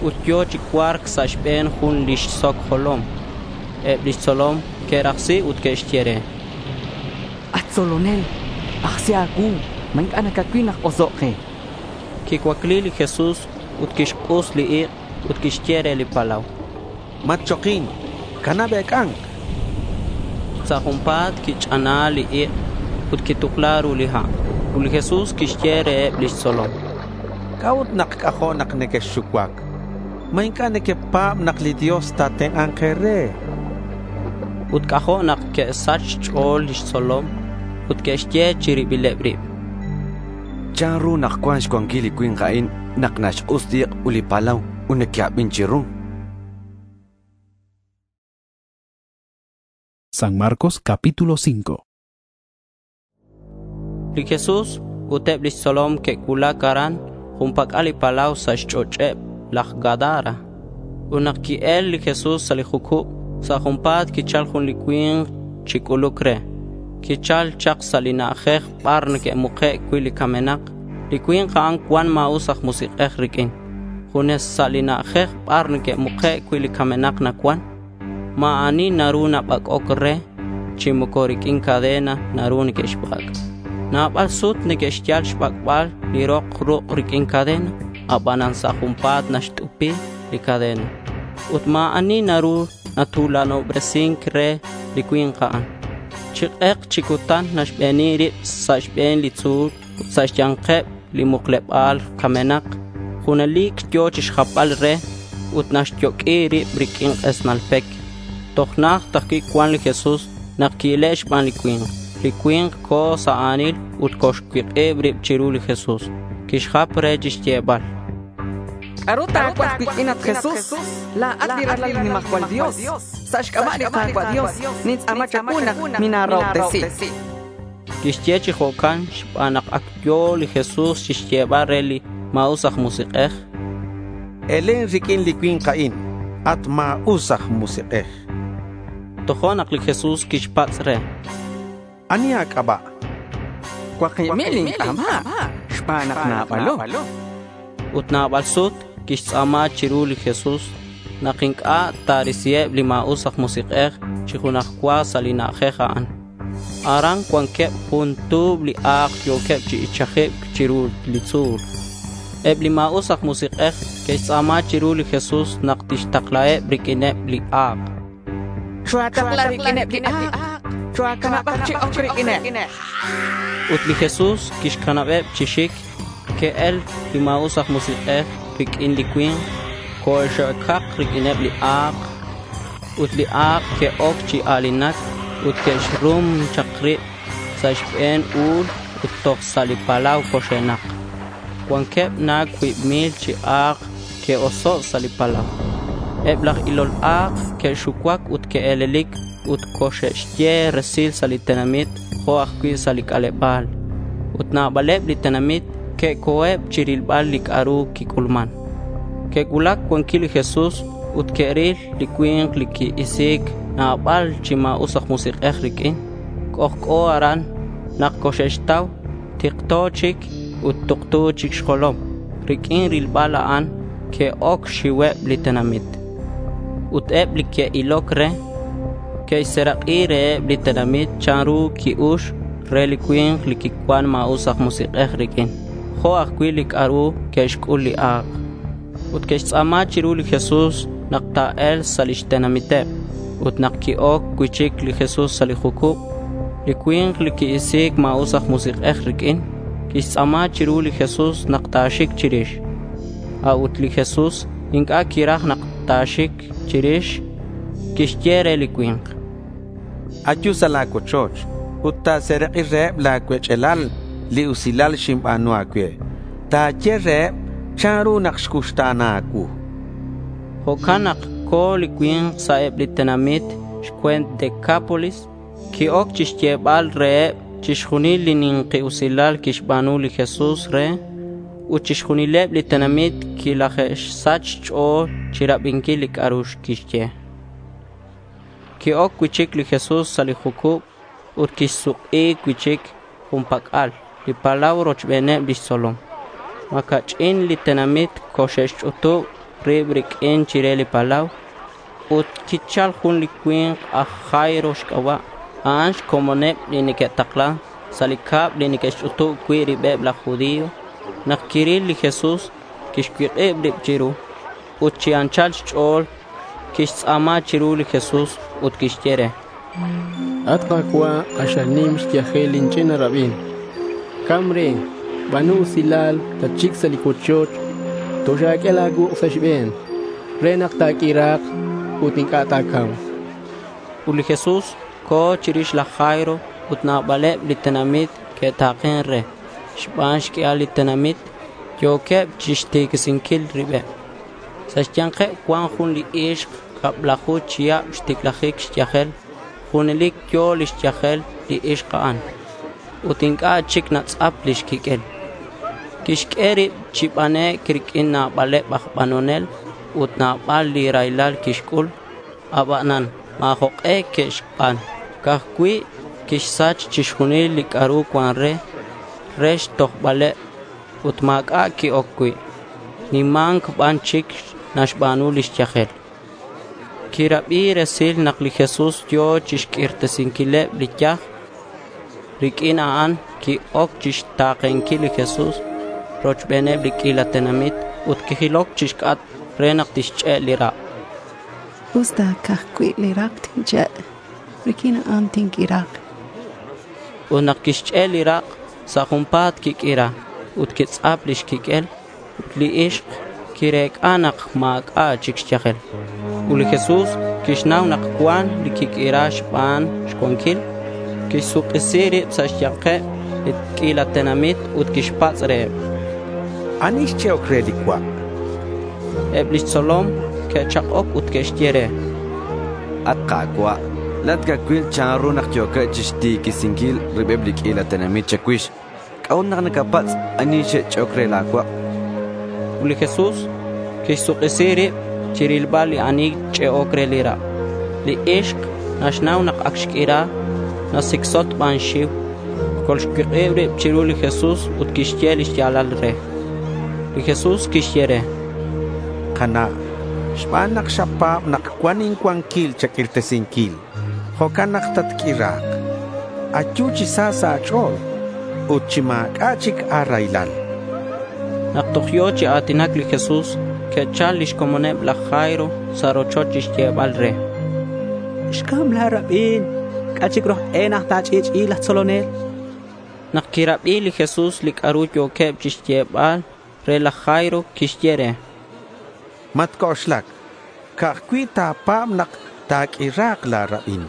ut yo̱ chi cua̱rc sa' xbe̱n jun lix soc jolom. Eb lix tzolom que'rajsi ut que'xye re: At tzolonel, ajsi a̱cuu. ¿Ma inc'a' nacacuil nak osoc' ke? Quicuacli li Jesús ut quixk'us li ik' ut quixye re li palau: —Matchokin. Canab ec'a̱nc. Sa' junpa̱t quich'ana li ik' ut quitukla ru li ha'. Ut li Jesús quixye reheb lix tzolom: —¿C'a'ut nak c'ajo' nak nequexxucuac? ¿Ma inc'a' nequepa̱b nak li Dios ta̱tenk'a̱nk e̱re? Ut c'ajo' nak que'sach xch'o̱l lix tzolom ut que'xye chi ribileb rib: ¿Chanru nak cuan xcuanquil li cui̱nk a'in nak naxk'us li ik' ut li palau ut neque'abin chiru? San Marcos capítulo cinco. Li Jesús ut eb lix tzolom que'cuulac aran junpac'al li palau sa' xch'och'eb laj Gadara. Ut nak qui-el li Jesús sa' li jucub, sa' junpa̱t quichal jun li cui̱nk chi c'uluc re. Quichal chak sa' li na'ajej bar neque'muke' cui' li camenak. Li cui̱nk a'an cuan ma̱us aj musik'ej riq'uin. Junes sa' li na'ajej bar neque'muke' cui' li camenak nacuan. Ma̱ ani naru nabac'oc re, chi moco riq'uin cadena naru neque'xbac'. Nabal sut neque'xyal xbac'bal li rok ruk' riq'uin cadena, abanan sa' junpa̱t naxt'upi li cadena. Ut ma̱ ani naru natulanobresin re li cui̱nk a'an. Chi k'ek chi cutan naxbeni rib sa' xbe̱n li tzu̱l ut sa' xya̱nkeb li mukleba̱l camenak. Junelic yo̱ chixjapbal re ut naxyoq'ui rib riq'uin k'esnal pec. Toj najt ajcui' cuan li Jesús nak qui-ile' xban li cui̱nk. Li cui̱nk co̱ sa' a̱nil ut coxcuik'ib rib chiru li Jesús. Quixjap re chixyebal: ¿C'a'ru ta̱cuaj cuiq'uin, at Jesús? La̱at li ralal li nimajcual Dios. Sa' xc'aba' li Ka̱cua' Dios, nintz'a̱ma cha̱cuu nak mina̱rahobtesi. Quixye chi jo'can xban nak ac yo̱ li Jesús chixyebal re li ma̱us aj musik'ej: —Elen riq'uin li cui̱nk a'in, at ma̱us aj musik'ej. Tojo'nak li Jesús quixpatz' re: —¿Ani a̱c'aba'? —Cuakib mil inc'aba' xban nak nabalo. Ut nabal sut quixtz'a̱ma chiru li Jesús nak inc'a' ta̱risiheb li ma̱us aj musik'ej chi junaj cua sa' li na'ajej a'an. Aran cuanqueb jun tu̱b li a̱k yo̱queb chi ichajibc chiru li tzu̱l. Eb li ma̱us aj musik'ej que'xtz'a̱ma chiru li Jesús nak tixtaklaheb riq'uineb li a̱k. Choatakla riq'uineb li a̱k. Choacanabak chi oc riq'uineb. Ut li Jesús quixcanabeb chi xic. Que'el li ma̱us aj musik'ej riq'uin li cui̱nk. Coxe'ocak riq'uineb li a̱k. Ut li a̱k que'oc chi a̱linac ut que'xrum chak rib sa' xbe̱n u̱l ut toj sa' li palau coxe'nak. Cuanqueb na cuib mil chi a̱k que'oso' sa' li palau. Eb laj ilol a̱k que'xucuac ut que'e̱lelic ut coxe'xye resil sa' li tenamit jo' ajcui' sa' li c'aleba̱l. Ut nabaleb li tenamit que'co̱eb chirilbal li c'a'ru quic'ulman. Que'cuulac cuanquil li Jesús ut que'ril li cui̱nk li qui-isi̱c nabal chi ma̱us aj musik'ej riq'uin. C'ojc'o aran nak coxe'xtau. Tikto chic Ut tuktu chic xjolom. Riq'uin rilbal a'an que'oc xxiuheb li tenamit. Ut eb li que'iloc re, que'xserak'i reheb li tenamit chanru qui-ux re li cui̱nk li quicuan ma̱us aj musik'ej riq'uin, jo' ajcui' li c'a'ru que'xc'ul li a̱k. Ut que'xtz'a̱ma chiru li Jesús nak ta̱e̱lk sa' lix tenamiteb. Ut nak qui-oc cui'chic li Jesús sa' li jucub, li cui̱nk li qui-isi̱c ma̱us aj musik'ej riq'uin quixtz'a̱ma chiru li Jesús nak ta̱xic chirix. A'ut li Jesús inc'a' quiraj nak ta̱xic chirix. Quixye re li cui̱nk: —Ayu sa' la̱ cuochoch ut ta̱serak'i reheb la̱ cuech'alal li usilal xinba̱nu a̱cue. Ta̱ye reheb chanru nak xcuxta̱na a̱cuu. Jo'can nak co̱ li cui̱nk sa' eb li tenamit xcue̱nt Decápolis. Qui-oc chixyebal reheb chixjunil li ni̱nki usilal quixba̱nu li Jesús re. Ut chixjunileb li tenamit quilaje'sach xch'o̱l chirabinquil li c'a'ru quixye. Qui-oc cui'chic li Jesús sa' li jucub ut quisuk'i cui'chic jun pac'al li palau rochbeneb lix tzolom. Ma̱ ca'ch'in li tenamit coxe'xch'utub rib riq'uin chire li palau. Ut quichal jun li cui̱nk aj Jairo xc'aba'. A'an xcomoneb li neque'taklan sa' li cab li neque'xch'utub cui' ribeb laj judío. Nak quiril li Jesús, quixcuik'ib rib chiru. Ut chi anchal xch'o̱l quixtz'a̱ma chiru li Jesús ut quixye re: —At Ka̱cua', k'axal nim xyajel lin ch'ina rabin. Cam re. Ba̱nu usilal, tatxic sa' li cuochoch. Toxa̱q'ue la̱ cuuk' sa' xbe̱n re nak ta̱q'uira̱k ut inc'a' ta̱ca̱mk. Ut li Jesús co̱ chirix laj Jairo ut nabaleb li tenamit que'ta̱ken re. Xban xq'uial li tenamit yo̱queb chixtiquisinquil ribeb. Sa' xya̱nkeb cuan jun li ixk cablaju chihab xticlajic xyajel. Junelic yo̱ lix yajel li ixk a'an ut inc'a' chic natz'ap lix quiq'uel. Quixq'ue rib chi banec' riq'uin nabaleb aj banonel ut nabal li raylal quixc'ul. Abanan ma̱ jok'e que'xban. Ca'aj cui' quixsach chixjunil li c'a'ru cuan re, re xtojbaleb ut ma̱c'a' qui-oc cui'. Nima̱nc ban chic naxba̱nu lix yajel. Quirabi resil nak li Jesús yo̱ chixq'uirtesinquileb li yaj. Riq'uin a'an qui-oc chixta̱kenquil li Jesús rochbeneb li q'uila tenamit ut quijiloc chixc'atk re nak tixch'e' li rak'. Usta ca'ajcui' li rak' tinch'e', riq'uin a'an tinq'uira̱k. Ut nak quixch'e' li rak', sa' junpa̱t quiq'uira ut quitz'ap lix quiq'uel. Ut li ixk quirec'a nak ma̱c'a' chic xyajel. Ut li Jesús quixnau nak cuan li quiq'uira xban xcuanquil. Quixsuk'isi rib sa' xya̱nkeb li q'uila tenamit ut quixpatz' reheb: —¿Ani xch'e'oc re li cuak'? Eb lix tzolom que'chak'oc ut que'xye re: —At Ka̱cua', la̱at nacacuil chanru nak yo̱queb chixtiquisinquil ribeb li q'uila tenamit cha̱cuix. ¿C'a'ut nak nacapatz' ani xch'e'oc re la̱ cuak'? Ut li Jesús quixsuk'isi rib chirilbal li ani xch'e'oc re li rak'. Li ixk naxnau nak ac xq'uira. Nasicsot xban xxiu. Colxcuik'ib rib chiru li Jesús ut quixye lix ya̱lal re. Li Jesús quixye re: —Kana', xban nak xapa̱b nak cuan incuanquil cha̱q'uirtesinquil, jo'can nak tatq'uira̱k. Ayu chi sa sa' a̱ch'o̱l ut chi ma̱c'a' chic a̱raylal. Nak toj yo̱ chi a̱tinac li Jesús, que'chal lix comoneb laj Jairo sa' rochoch chixyebal re: —Xcam la̱ rabin. ¿C'a' chic ru aj e nak ta̱ch'i'ch'i'i laj tzolonel? Nak quirabi li Jesús li c'a'ru yo̱queb chixyebal re laj Jairo, quixye re: —Matc'oxlac. Ca'aj cui' ta̱pa̱b nak ta̱q'uira̱k la̱ rabin.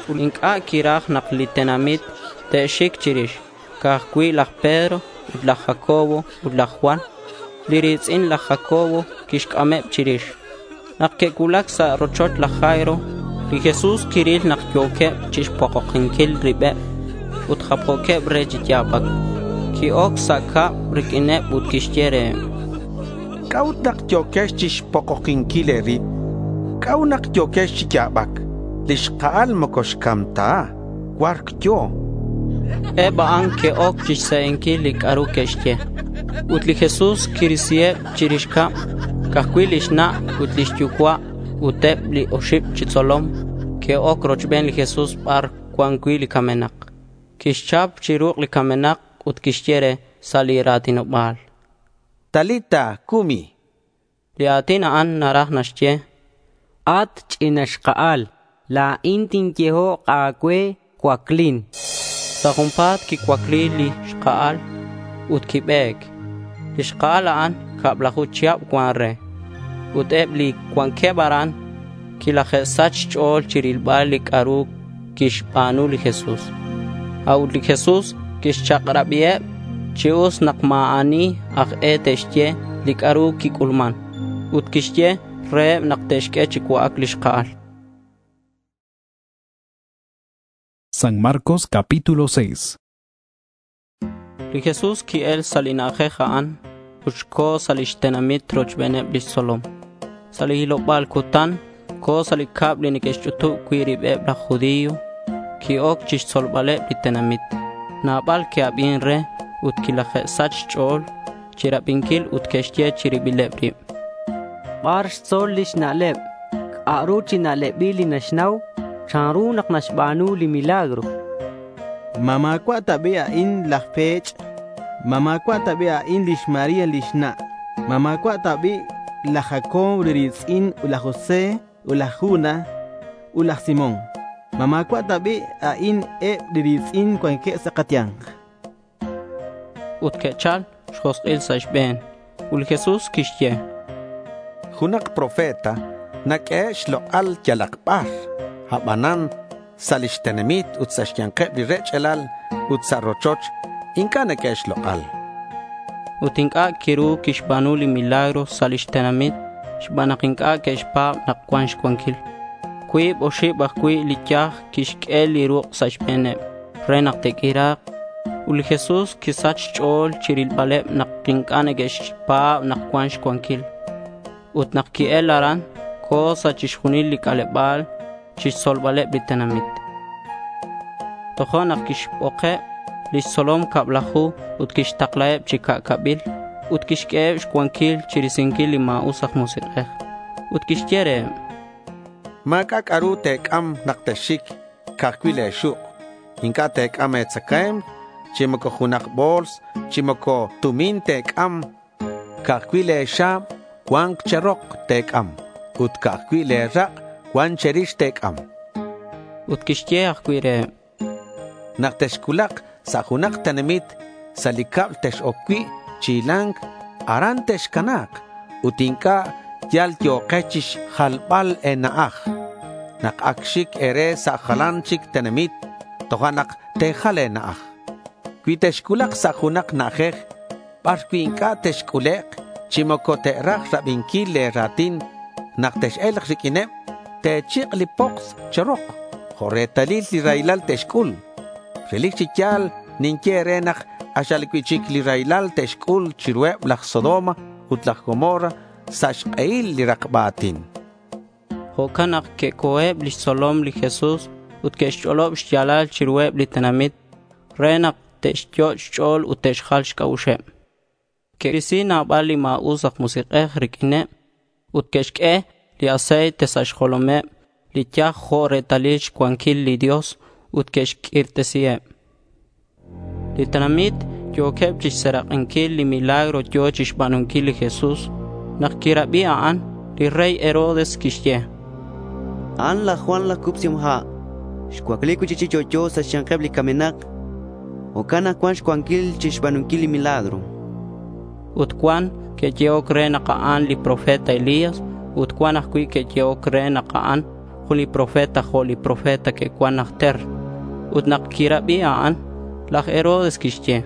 Ut inc'a' quiraj nak li tenamit te'xic chirix. Ca'aj cui' laj Pedro ut laj Jacobo ut laj Juan, li ri̱tz'in laj Jacobo, quixc'ameb chirix. Nak que'cuulac sa' rochoch laj Jairo, li Jesús quiril nak yo̱queb chixpokokinquil ribeb ut japjo̱queb re chi ya̱bac. Qui-oc sa' cab riq'uineb ut quixye reheb: —¿C'a'ut nak yo̱quex chixpokokinquil e̱rib? ¿C'a'ut nak yo̱quex chi ya̱bac? Li xka'al moco xcam ta. Cua̱rc yo̱. Eb a'an que'oc chixse'enquil li c'a'ru que'xye. Ut li Jesús quirisiheb chirix cab. Ca'aj cui' lix na' ut lix yucua' ut eb li oxib chi tzolom que'oc rochben li Jesús bar cuan cui' li camenak. Quixchap chi ruk' li camenak ut quixye re sa' li ra̱tinoba̱l: —Talita, cumi. Li a̱tin a'an naraj naxye: At ch'ina xka'al, la̱in tinyehok a̱cue, cuaclin. Sa' junpa̱t quicuacli li xka'al ut quibe̱c. Li xka'al a'an cablaju chihab cuan re. Ut eb li cuanqueb aran quilaje'sach xch'o̱l chirilbal li c'a'ru quixba̱nu li Jesús. A'ut li Jesús quixchak'rabiheb chi us nak ma̱ ani aj e te'xye li c'a'ru quic'ulman. Ut quixye reheb nak te'xq'ue chi cua'ac li xka'al. San Marcos capítulo seis. Li Jesús qui'el sa' li na'ajej a'an ut co̱ sa' lix tenamit rochbeneb lix tzolom. Sa' li hiloba̱l cutan co̱ sa' li cab li neque'xch'utub cui' ribeb laj judío. Qui-oc chixtzolbaleb li tenamit. Nabal que'abin re ut quilaje'sach xch'o̱l chirabinquil ut que'xye chi ribileb rib: Bar xtzol lix na'leb? ¿C'a'ru chi na'lebil li naxnau? ¿Chanru nak naxba̱nu li milagro? ¿Ma ma̱cua' ta bi' a'in laj pech'? ¿Ma ma̱cua' ta bi' a'in lix María lix na'? ¿Ma ma̱cua' ta bi' laj Jacobo li ri̱tz'in ut laj José ut laj Judas ut laj Simón? ¿Ma ma̱cua' ta bi' a'in eb li ri̱tz'in cuanqueb sa' kaya̱nk? Ut que'chal xjosk'il sa' xbe̱n. Ut li Jesús quixye: Junak profeta naq'uehe' xlok'al yalak bar. Abanan sa' lix tenamit ut sa' xya̱nkeb li rech'alal ut sa' rochoch inc'a' neque'xq'ue xlok'al. Ut inc'a' quiru quixba̱nu li milagro sa' lix tenamit xban nak inc'a' que'xpa̱b nak cuan xcuanquil. Cuib oxib ajcui' li yaj quixq'ue li ruk' sa' xbe̱neb re nak te'q'uira̱k. Ut li Jesús quisach xch'o̱l chirilbaleb nak inc'a' neque'xpa̱b nak cuan xcuanquil. Ut nak qui-el aran, co̱ sa' chixjunil li c'aleba̱l chixtzolbaleb li tenamit. Tojo'nak quixbokeb lix tzolom cablaju ut quixtaklaheb chi ca'cabil ut quixq'ueheb xcuanquil chirisinquil li ma̱us aj musik'ej. Ut quixye reheb: Ma̱c'a' c'a'ru te̱c'am nak texxic, ca'aj cui' le̱ xuk'. Inc'a' te̱c'am e̱tzacae̱mk, chi moco junak bo̱ls, chi moco tumin te̱c'am. Ca'aj cui' le̱ xa̱b cua̱nk che̱rok te̱c'am ut ca'aj cui' le̱ rak' cuan che̱rix te̱c'am. Ut quixye ajcui' reheb: Nak texcuulak sa' junak tenamit, sa' li cab tex-oc cui' chi hila̱nc, aran texcana̱k ut inc'a' yal yo̱kex chixjalbal e̱na'aj. Nak ac xic e̱re sa' jalan chic tenamit, tojo'nak te̱jal e̱na'aj. Cui texcuulak sa' junak na'ajej bar cui' inc'a' texc'ulek' chi moco te'raj rabinquil le̱ ra̱tin, nak tex-e̱lk riq'uineb, te̱chik' li poks che̱rok jo' retalil li raylal te'xc'ul. Relic chi ya̱l ninye e̱re nak k'axal cui'chic li raylal te'xc'ul chiruheb laj Sodoma ut laj Gomorra sa' xk'ehil li rakba a̱tin. Jo'can nak que'co̱eb lix tzolom li Jesús ut que'xch'olob xya̱lal chiruheb li tenamit re nak te'xyot' xch'o̱l ut te'xjal xc'a'uxeb. Que'risi nabal li ma̱us aj musik'ej riq'uineb ut que'xq'ue li aceite sa' xjolomeb li yaj jo' retalil xcuanquil li Dios ut que'xq'uirtesiheb. Li tenamit yo̱queb chixserak'inquil li milagro yo̱ chixba̱nunquil li Jesús. Nak quirabi a'an, li rey Herodes quixye: A'an laj Juan laj Cubsihom Ha'. Xcuacli cui'chic chi yo'yo sa' xya̱nkeb li camenak. Jo'can nak cuan xcuanquil chixba̱nunquil li milagro. Ut cuan que'yehoc re nak a'an li profeta Elías ut cuan ajcui' que'yehoc re nak a'an jun li profeta jo' li profeta que'cuan najter. Ut nak quirabi a'an, laj Herodes quixye: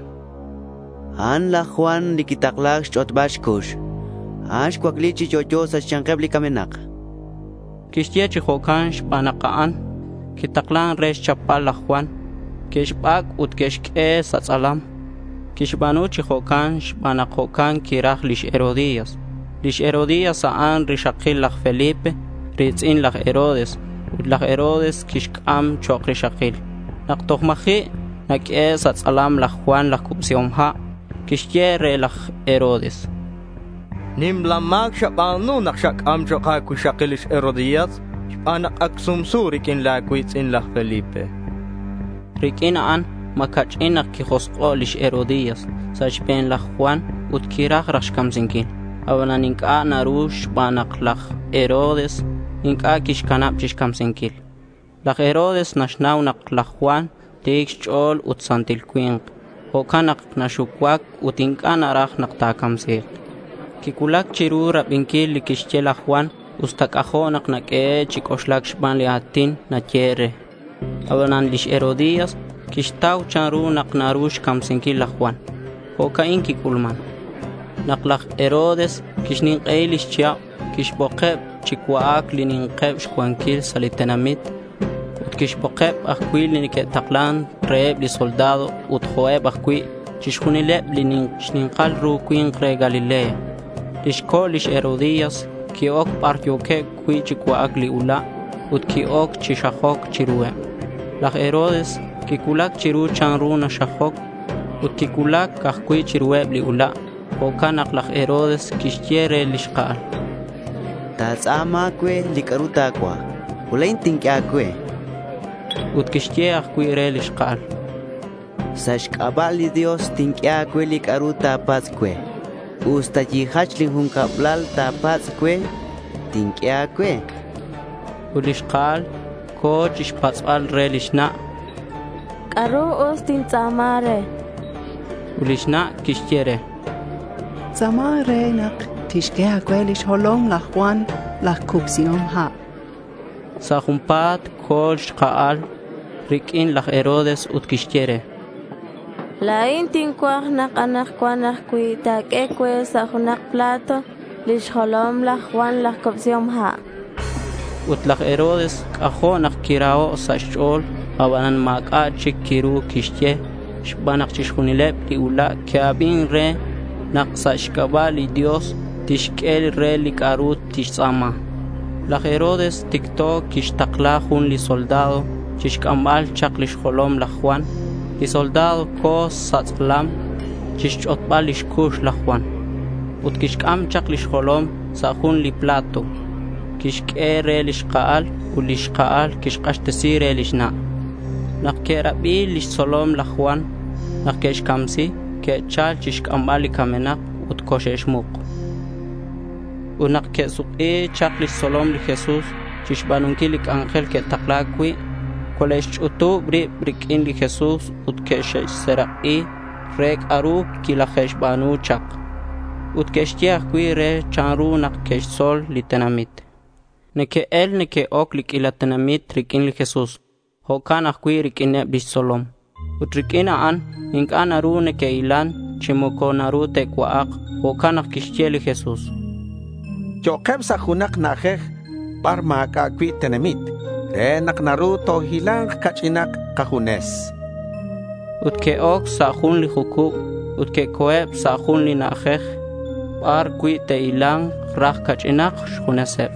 A'an laj Juan li quitakla̱c xch'otbal xcux. A'an xcuacli chi yo'yo sa' xya̱nkeb li camenak. Quixye chi jo'can xban nak a'an quitaklan re xchapbal laj Juan. Que'xbac' ut que'xq'ue sa' tz'alam. Quixba̱nu chi jo'can xban nak jo'can quiraj lix Herodías. Lix Herodías a'an rixakil laj Felipe, ri̱tz'in laj Herodes. Ut laj Herodes quixc'am chok' rixakil. Nak toj ma̱ji' naq'uehe' sa' tz'alam laj Juan laj Cubsihom Ha', quixye re laj Herodes: Nimla ma̱c xaba̱nu nak xac'am chok' a̱cuixakil lix Herodías xban nak ac sumsu riq'uin la̱ cui̱tz'in laj Felipe. Riq'uin a'an ma̱ ca'ch'in nak quijosk'o' lix Herodías sa' xbe̱n laj Juan ut quiraj raj xcamsinquil. Abanan inc'a' naru xban nak laj Herodes inc'a' quixcanab chixcamsinquil. Laj Herodes naxnau nak laj Juan ti̱c xch'o̱l ut santil cui̱nk. Jo'can nak naxucuac ut inc'a' naraj nak ta̱camsi̱k. Quicuulac chiru rabinquil li quixye laj Juan usta c'ajo' nak naq'uehe' chi c'oxlac xban li a̱tin nayehe' re. Abanan lix Herodías quixtau chanru nak naru xcamsinquil laj Juan. Jo'ca'in quic'ulman. Nak laj Herodes quixnink'ei lix chihab, quixbokeb chi cua'ac li ni̱nkeb xcuanquil sa' li tenamit. Ut quixbokeb ajcui' li neque'taklan reheb li soldado ut jo'eb ajcui' chixjunileb li xni̱nkal ru cui̱nk re Galilea. Lix co' lix Herodías qui-oc bar yo̱queb cui' chi cua'ac li ula' ut qui-oc chi xajoc chiruheb. Laj Herodes quicuulac chiru chanru naxajoc ut quicuulac ajcui' chiruheb li ula'. Jo'can nak laj Herodes quixye re li xka'al: Ta̱tz'a̱ma cue li c'a'ru ta̱cuaj ut la̱in tinq'ue a̱cue. Ut quixye ajcui' re li xka'al: Sa' xc'aba' li Dios tinq'ue a̱cue li c'a'ru ta̱patz' cue. Usta yijach lin jun cablal ta̱patz' cue, tinq'ue a̱cue. Ut li xka'al co̱ chixpatz'bal re lix na': —¿C'a'ru us tintz'a̱ma re? Ut lix na' quixye re: Tz'a̱ma re nak tixq'ue a̱cue lix jolom laj Juan laj Cubsihom Ha'. Sa' junpa̱t co̱ li xka'al riq'uin laj Herodes ut quixye re: —La̱in tincuaj nak anakcuan ajcui' ta̱q'ue cue sa' junak plato lix jolom laj Juan laj Cubsihom Ha'. Ut laj Herodes c'ajo' nak quiraho' sa' xch'o̱l. Abanan ma̱c'a' chic quiru quixye xban nak chixjunileb li ula' que'abin re nak sa' xc'aba' li Dios tixq'ue re li c'a'ru tixtz'a̱ma. Laj Herodes ticto quixtakla jun li soldado chixc'ambal chak lix jolom laj Juan. Li soldado co̱ sa' tz'alam chixch'otbal lix cux laj Juan. Ut quixc'am chak lix jolom sa' jun li plato. Quixq'ue re li xka'al ut li xka'al quixk'axtesi re lix na'. Nak que'rabi lix tzolom laj Juan nak que'xcamsi, que'chal chixc'ambal li camenak ut coxe'xmuk. Ut nak que'suk'i chak lix tzolom li Jesús chixba̱nunquil li c'anjel que'takla̱c cui', cole'xch'utub rib riq'uin li Jesús ut que'xserak'i re c'a'ru quilaje'xba̱nu chak. Ut que'xye ajcui' re chanru nak que'xtzol li tenamit. Neque'el neque'oc li q'uila tenamit riq'uin li Jesús. Jo'can ajcui' riq'uineb lix tzolom. Ut riq'uin a'an inc'a' naru neque'hilan chi moco naru te'cua'ak. Jo'can nak quixye li Jesús: —Yo'keb sa' junak na'ajej bar ma̱c'a' cui' tenamit re nak naru tohila̱nk ca'ch'inak kajunes. Ut que'oc sa' jun li jucub ut que'co̱eb sa' jun li na'ajej bar cui' te'hila̱nk raj ca'ch'inak xjuneseb.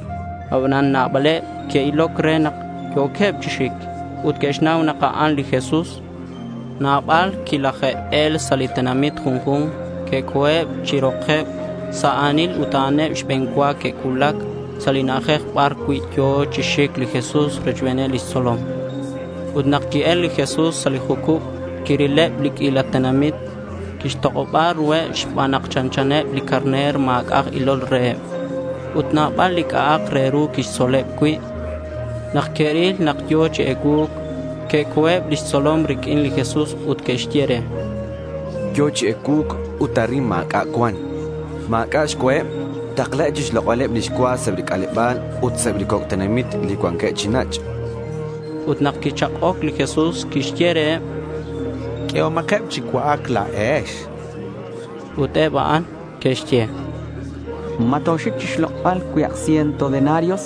Abanan nabaleb que'iloc re nak yo̱queb chi xic ut que'xnau nak a'an li Jesús. Nabal quilaje'el sa' li tenamit junju̱nk. Que'co̱eb chi rokeb sa' a̱nil ut a'aneb xbe̱n cua que'cuulac sa' li na'ajej bar cui' yo̱ chi xic li Jesús rochbeneb lix tzolom. Ut nak qui-el li Jesús sa' li jucub, quirileb li q'uila tenamit. Quixtok'oba ruheb xban nak chanchaneb li carner ma̱c'a' aj ilol reheb. Ut nabal li c'a'ak re ru quixtzoleb cui'. Nak que'ril nak yo̱ chi ecuu̱c, que'co̱eb lix tzolom riq'uin li Jesús ut que'xye re: —Yo̱ chi ecuu̱c ut arin ma̱c'a' cuan. Ma̱c'a' xcuaheb. Taklaheb chixlok'baleb lix cua sa' eb li c'aleba̱l ut sa' eb li coc' tenamit li cuanqueb chi nach'. Ut nak quichak'oc li Jesús, quixye reheb: —Q'uehomakeb chi cua'ac la̱ex. Ut eb a'an que'xye: —¿Ma toxic chixlok'bal cuib ciento denarios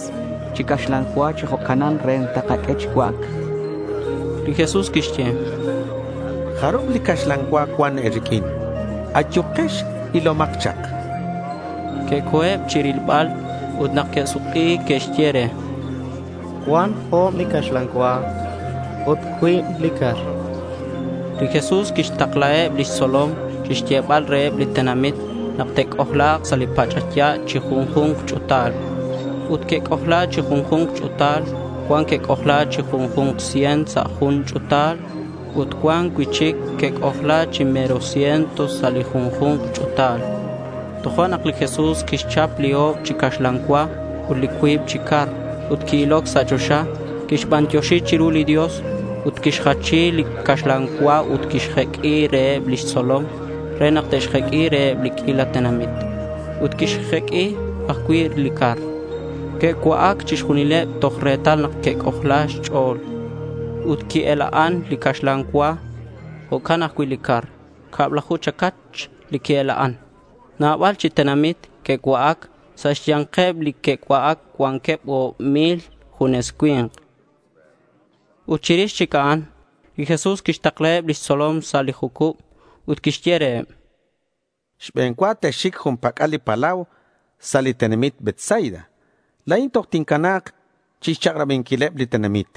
chi caxlan cua chi jo'canan re takaq'ue chi cua'ac? Li Jesús quixye: —¿Jarub li caxlan cua cuan e̱riq'uin? Ayukex, ilomak chak. Que'co̱eb chirilbal ut nak que'suk'i que'xye re: —Cuan o̱b li caxlan cua ut cuib li car. Li Jesús quixtaklaheb lix tzolom chixyebal reheb li tenamit nak te'c'ojla̱k sa' li pach'aya' chi junju̱nk ch'u̱tal. Ut que'c'ojla chi junju̱nk ch'u̱tal. Cuan que'c'ojla chi junju̱nk cien sa' jun ch'u̱tal ut cuan cui'chic que'c'ojla chi mero ciento sa' li junju̱nk ch'u̱tal. Tojo'nak li Jesús quixchap li o̱b chi caxlan cua ut li cuib chi car ut qui-iloc sa' choxa. Quixbantioxi chiru li Dios ut quixjachi li caxlan cua ut quixjeq'ui reheb lix tzolom re nak te'xjeq'ui reheb li q'uila tenamit. Ut quixjeq'ui ajcui' li car. Que'cua'ac chixjunileb toj retal nak que'c'ojla xch'o̱l. Ut qui-ela'an li caxlan cua, jo'can ajcui' li car. Cablaju chacach li qui-ela'an. Nabal chi tenamit que'cua'ac. Sa' xya̱nkeb li que'cua'ac cuanqueb o̱b mil junes cui̱nk. Ut chirix chic a'an, li Jesús quixtaklaheb lix tzolom sa' li jucub ut quixye reheb: Xbe̱n cua texxic jun pac'al li palau sa' li tenamit Betsaida. La̱in toj tincana̱k chixchak'rabinquileb li tenamit.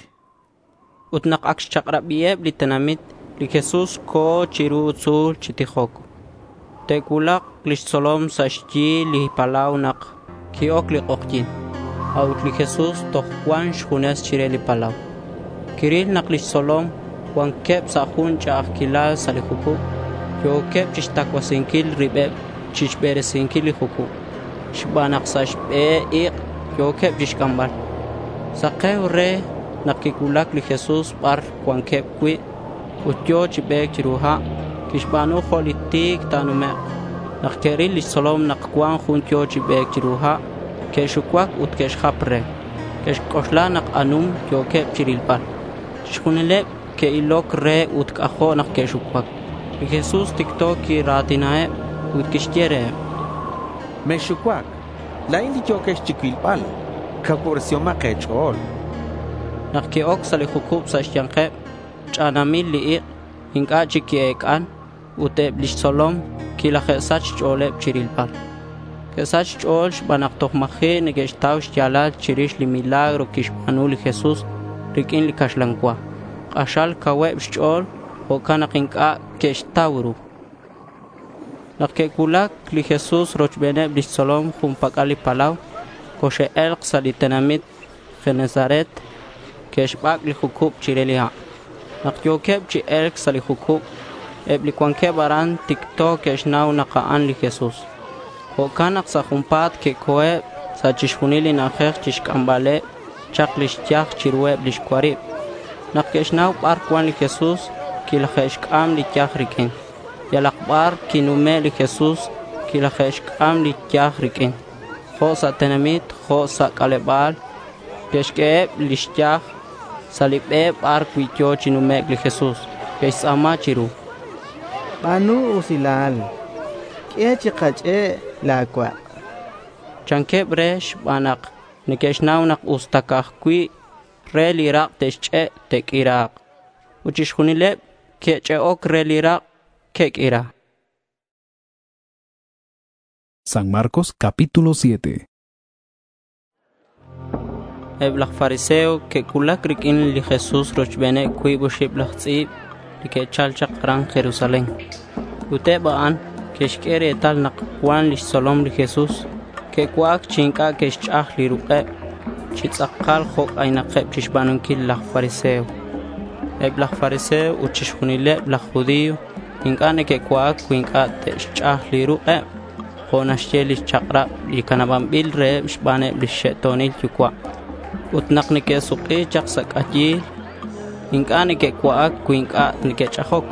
Ut nak ac xchak'rabiheb li tenamit, li Jesús co̱ chiru tzu̱l chi tijoc. Te'cuulak lix tzolom sa' xyi li palau nak qui-oc li k'ojyi̱n. A'ut li Jesús toj cuan xjunes chire li palau. Quiril nak lix tzolom cuanqueb sa' jun ch'a'ajquilal sa' li jucub. Yo̱queb chixtacuasinquil ribeb chixberesinquil li jucub xban nak sa' xbe ik' yo̱queb chixc'ambal. Sake̱u re nak quicuulac li Jesús bar cuanqueb cui' ut yo̱ chi be̱c chiru ha'. Quixba̱nu jo' li ti̱c ta̱numek'. Nak que'ril lix tzolom nak cuan jun yo̱ chi be̱c chiru ha', que'xucuac ut que'xjap re. Que'xc'oxla nak anum yo̱queb chirilbal. Chixjunileb que'iloc re ut c'ajo' nak que'xucuac. Li Jesús ticto quira̱tinaheb ut quixye reheb: Mexxucuac. La̱in li yo̱quex chicuilbal. Cacuubresihomak e̱ch'o̱l. Nak que'oc sa' li jucub sa' xya̱nkeb, ch'anamil li ik'. Inc'a' chic qui-ec'an ut eb lix tzolom quilaje'sach xch'o̱leb chirilbal. Que'sach xch'o̱l xban nak toj ma̱ji' neque'xtau xya̱lal chirix li milagro quixba̱nu li Jesús riq'uin li caxlan cua. K'axal cauheb xch'o̱l jo'can nak inc'a' que'xtau ru. Nak que'cuulac li Jesús rochbeneb lix tzolom jun pac'al li palau, coxe'e̱lk sa' li tenamit Genesaret. Que'xbac' li jucub chire li ha'. Nak yo̱queb chi e̱lc sa' li jucub, eb li cuanqueb aran ticto que'xnau nak a'an li Jesús. Jo'can nak sa' junpa̱t que'co̱eb sa' chixjunil li na'ajej chixc'ambaleb chak lix yaj chiruheb lix cuarib. Nak que'xnau bar cuan li Jesús, quilaje'xc'am li yaj riq'uin. Yalak bar quinume' li Jesús, quilaje'xc'am li yaj riq'uin. Jo' sa' tenamit, jo' sa' c'aleba̱l, que'xq'ueheb lix yaj sa' li be bar cui' yo̱ chi numec' li Jesús. Que'xtz'a̱ma chiru: —Ba̱nu usilal, q'ue chikach'e' la̱ cuak', chanqueb re xban nak neque'xnau nak usta ca'aj cui' re li rak' te'xch'e', te'q'uira̱k. Ut chixjunileb que'ch'e'oc re li rak' que'q'uira. San Marcos capítulo siete. Eb laj fariseo que'cuulac riq'uin li Jesús rochbeneb cuib oxib laj tz'i̱b li que'chal chak aran Jerusalén. Ut eb a'an que'xq'ue retal nak cuan lix tzolom li Jesús que'cua'ac chi inc'a' que'xch'aj li ruk'eb chi tz'akal jo' c'aynakeb chixba̱nunquil laj fariseo. Eb laj fariseo ut chixjunileb laj judío inc'a' neque'cua'ac cui inc'a' te'xch'aj li ruk'eb jo' naxye lix chak'rab li canabanbil reheb xbaneb lix xe'to̱nil yucua'. Ut nak neque'suk'i chak sa' c'ayil, inc'a' neque'cua'ac cui inc'a' neque'ch'ajoc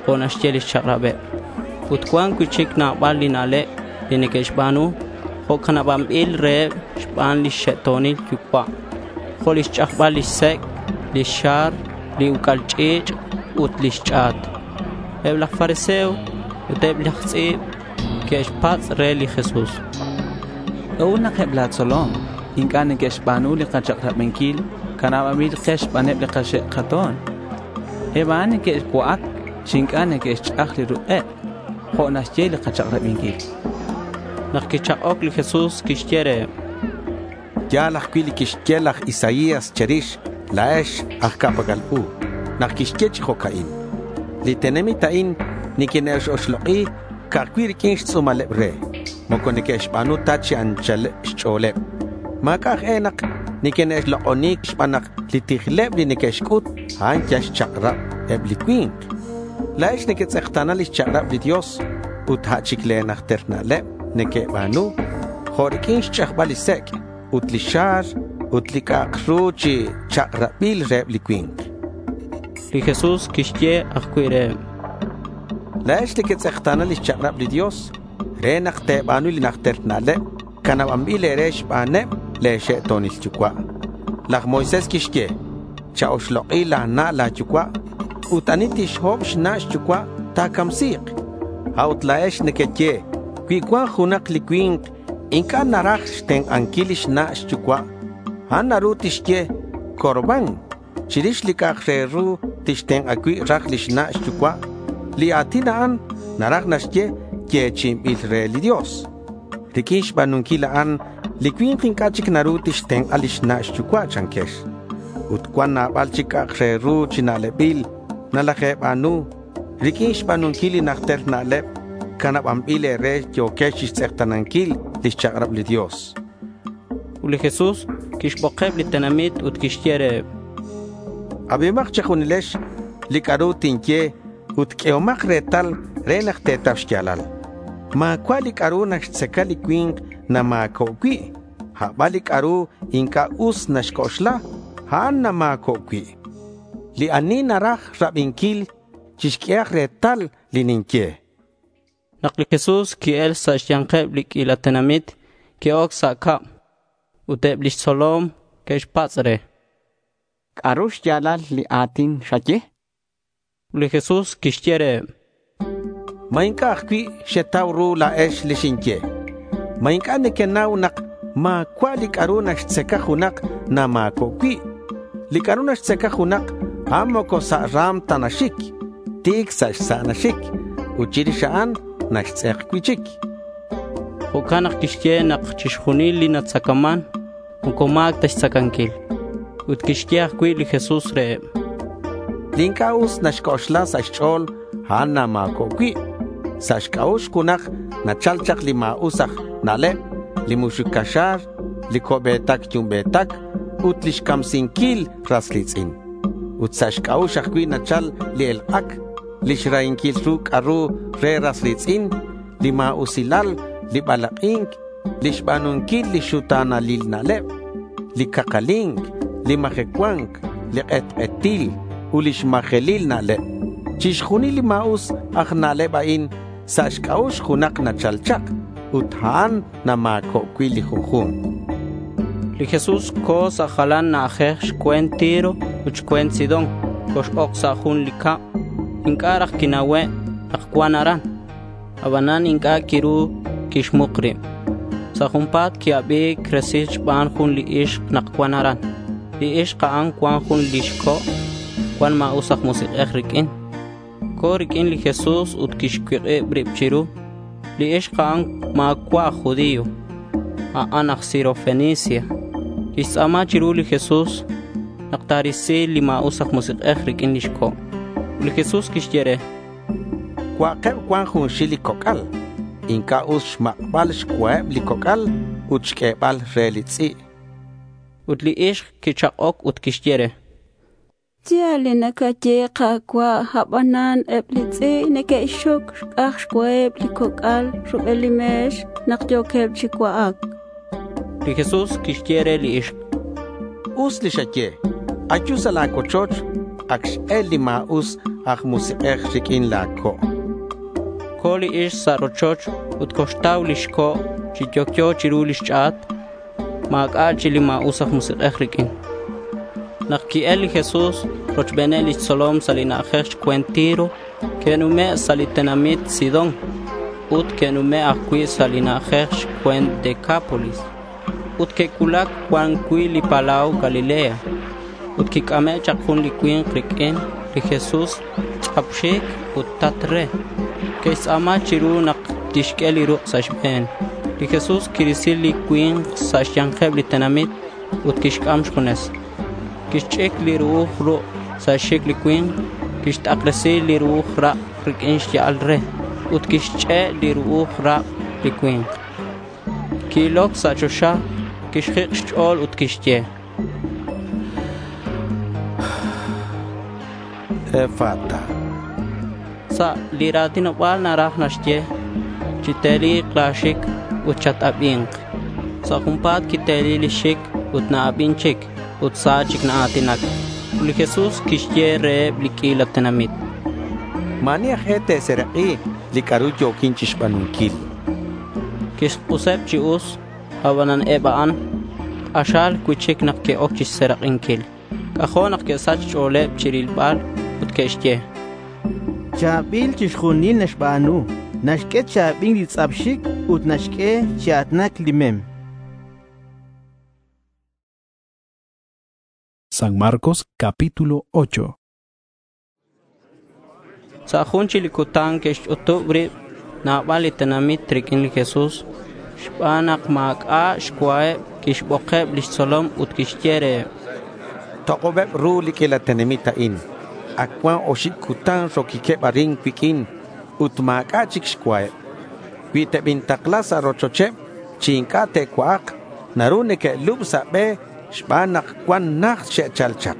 jo' naxye lix chak'rabeb. Ut cuan cui'chic nabal li na'leb li neque'xba̱nu jo' canabanbil reheb xban lix xe'to̱nil yucua', jo' lix ch'ajbal lix sec', lix xa̱r, li uc'al ch'i̱ch' ut lix ch'a̱t. Eb laj fariseo ut eb laj tz'i̱b que'xpatz' re li Jesús: —¿C'a'ut nak eb la̱ tzolom inc'a' neque'xba̱nu li kachak'rabanquil canabanbil ke xbaneb li kaxe' kato̱n? Eb a'an neque'cua'ac chi inc'a' neque'xch'aj li ruk'eb jo' naxye li kachak'rabinquil. Nak quichak'oc li Jesús, quixye reheb: —Ya̱l ajcui' li quixye laj Isaías che̱rix la̱ex aj ca'pac'al u nak quixye chi jo'ca'in: Li tenamit a'in niquine'x-oxlok'i ca'aj cui' riq'uin xtz'u̱maleb re. Moco neque'xba̱nu ta chi anchaleb xch'o̱leb. Ma̱c'a' aj e nak niquine'xlok'oni xban nak li tijleb li neque'xc'ut, a'an yal xchak'rab eb li cui̱nk. La̱ex nequetz'ekta̱na lix chak'rab li Dios ut a' chic le̱ najter na'leb nequeba̱nu, jo' riq'uin xch'ajbal li sec' ut li xa̱r ut li c'a'ak ru chi chak'rabil reheb li cui̱nk. Li Jesús quixye ajcui' reheb: La̱ex nequetz'ekta̱na lix chak'rab li Dios re nak te̱ba̱nu li najter na'leb canabanbil e̱re xbaneb le̱ xe'to̱nil yucua'. Laj Moisés quixye, “Cha-oxlok'i la̱ na' la̱ yucua' ut ani tixhob xna' xyucua' ta̱camsi̱k.” A'ut la̱ex nequeye, “Cui cuan junak li cui̱nk inc'a' naraj xtenk'anquil lix na' xyucua', a'an naru tixye Corbán chirix li c'a'ak re ru tixtenk'a cui' raj lix na' xyucua'.” Li a̱tin a'an naraj naxye yechi'inbil re li Dios. Riq'uin xba̱nunquil a'an, li cui̱nk inc'a' chic naru tixtenk'a lix na' xyucua', chanquex. Ut cuan nabal chic c'a'ak re ru chi na'lebil nalaje̱ba̱nu. Riq'uin xba̱nunquil li najter na'leb canabanbil e̱re yo̱quex chixtz'ekta̱nanquil lix chak'rab li Dios. Ut li Jesús quixbokeb li tenamit ut quixye reheb: Abihomak che̱junilex li c'a'ru tinye ut q'uehomak retal re nak te̱tau xya̱lal. Ma̱cua' li c'a'ru naxtzaca li cui̱nk nama̱co' cui'. A' ban li c'a'ru inc'a' us naxc'oxla, a'an nama̱co' cui'. Li ani naraj rabinquil, chixq'uehak retal li ninye. Nak li Jesús qui-el sa' xya̱nkeb li q'uila tenamit, qui-oc sa' cab. Ut eb lix tzolom que'xpatz' re: —¿C'a'ru xya̱lal li a̱tin xaye? Ut li Jesús quixye reheb: —¿Ma inc'a' ajcui' xetau ru la̱ex li xinye? ¿Ma inc'a' nequenau nak ma̱cua' li c'a'ru naxtzaca junak nama̱co' cui'? Li c'a'ru naxtzaca junak, a'an moco sa' ra̱m ta naxic. Ti̱c sa' xsa' naxic ut chirix a'an naxtz'ek cui'chic. Jo'can nak quixye nak chixjunil li natzacaman moco ma̱c ta xtzacanquil. Ut quixye ajcui' li Jesús reheb: Li inc'a' us naxc'oxla sa' xch'o̱l, a'an nama̱co' cui'. Sa' xc'a'ux junak nachal chak li ma̱us aj na'leb, li muxuc caxa̱r, li co'be̱tac yumbe̱tac, ut lix camsinquil ras ri̱tz'in. Ut sa' xc'a'ux ajcui' nachal li elk'ac, lix rahinquil ru c'a'ru re ras ri̱tz'in, li ma̱usilal, li balak'i̱nc, lix ba̱nunquil li xuta̱nalil na'leb, li cakali̱nc, li majecua̱nc, li k'etk'etil ut lix majelil na'leb. Chixjunil li ma̱us aj na'leb a'in sa' xc'a'ux junak nachal chak ut a'an nama̱co' cui' li junju̱nk. Li Jesús co̱ sa' jalan na'ajej xcue̱nt Tiro ut xcue̱nt Sidón. Cox-oc sa' jun li cab. Inc'a' raj quina'ue' nak cuan aran. Abanan inc'a' quiru quixmuk rib. Sa' junpa̱t qui-abi̱c resil xban jun li ixk nak cuan aran. Li ixk a'an cuan jun lix co' cuan ma̱us aj musik'ej riq'uin. Co̱ riq'uin li Jesús ut quixcuik'ib rib chiru. Li ixk a'an ma̱cua' aj judío. A'an aj Sirofenicia. Quixtz'a̱ma chiru li Jesús nak ta̱risi li ma̱us aj musik'ej riq'uin lix co'. Ut li Jesús quixye re: Cua'keb cuan junxil li coc'al. Inc'a' us xmak'bal xcuaheb li coc'al ut xq'uebal re li tz'i'. Ut li ixk quichak'oc ut quixye re: Ya̱l li nacaye, Ka̱cua'. Abanan eb li tz'i' neque'xxoc xc'aj xcuaheb li coc'al rubel li me̱x nak yo̱queb chi cua'ac. Li Jesús quixye re li ixk: Us li xaye. Ayu sa' la̱ cuochoch. Ac x-el li ma̱us aj musik'ej riq'uin la̱ co'. Co̱ li ixk sa' rochoch ut coxtau lix co' chi yocyo chiru lix ch'a̱t. Ma̱c'a' chic li ma̱us aj musik'ej riq'uin. Nak qui-el li Jesús rochbeneb lix tzolom sa' li na'ajej xcue̱nt Tiro, que'nume' sa' li tenamit Sidón ut que'nume' ajcui' sa' li na'ajej xcue̱nt Decápolis. Ut que'cuulac cuan cui' li palau Galilea. Ut quic'ame' chak jun li cui̱nk riq'uin li Jesús tz'ap xic ut tat re. Que'xtz'a̱ma chiru nak tixq'ue li ruk' sa' xbe̱n. Li Jesús quirisi li cui̱nk sa' xya̱nkeb li tenamit ut quixc'am xjunes. Quixch'ic li ru'uj ruk' sa' xxic li cui̱nk. Quixt'akresi li ru'uj rak' riq'uin xya'al re ut quixch'e' li ru'uj rak' li cui̱nk. Qui-iloc sa' choxa, quixjik' xch'o̱l ut quixye: Efata. Sa' li ra̱tinoba̱l naraj naxye, chiteli̱k la̱ xic ut chat-abi̱nk. Sa' junpa̱t quiteli lix xic ut na-abin chic ut sa chic naa̱tinac. Ut li Jesús quixye reheb li q'uila tenamit: —Ma̱ ani aj e te̱serak'i li c'a'ru yo̱quin chixba̱nunquil. Quixk'useb chi us, abanan eb a'an k'axal cui'chic nak que'oc chixserak'inquil. C'ajo' nak que'sach xch'o̱leb chirilbal ut que'xye: —Cha̱bil chixjunil naxba̱nu. Naxq'ue chi abi̱nc li tz'ap xic ut naxq'ue chi a̱tinac li mem. San Marcos capítulo ocho. Sa' jun chic li cutan que'xch'utub rib nabal li tenamit riq'uin li Jesús. Xban nak ma̱c'a' xcuaheb quixbokeb lix tzolom ut quixye reheb: —Tok'obeb ru li q'uila tenamit a'in. Ac cuan oxib cutan roquiqueb arin cuiq'uin ut ma̱c'a' chic xcuaheb. Cui tebintakla sa' rochocheb chi inc'a' te'cua'ak, naru neque'lub sa' be xban nak cuan najt xe'chal chak.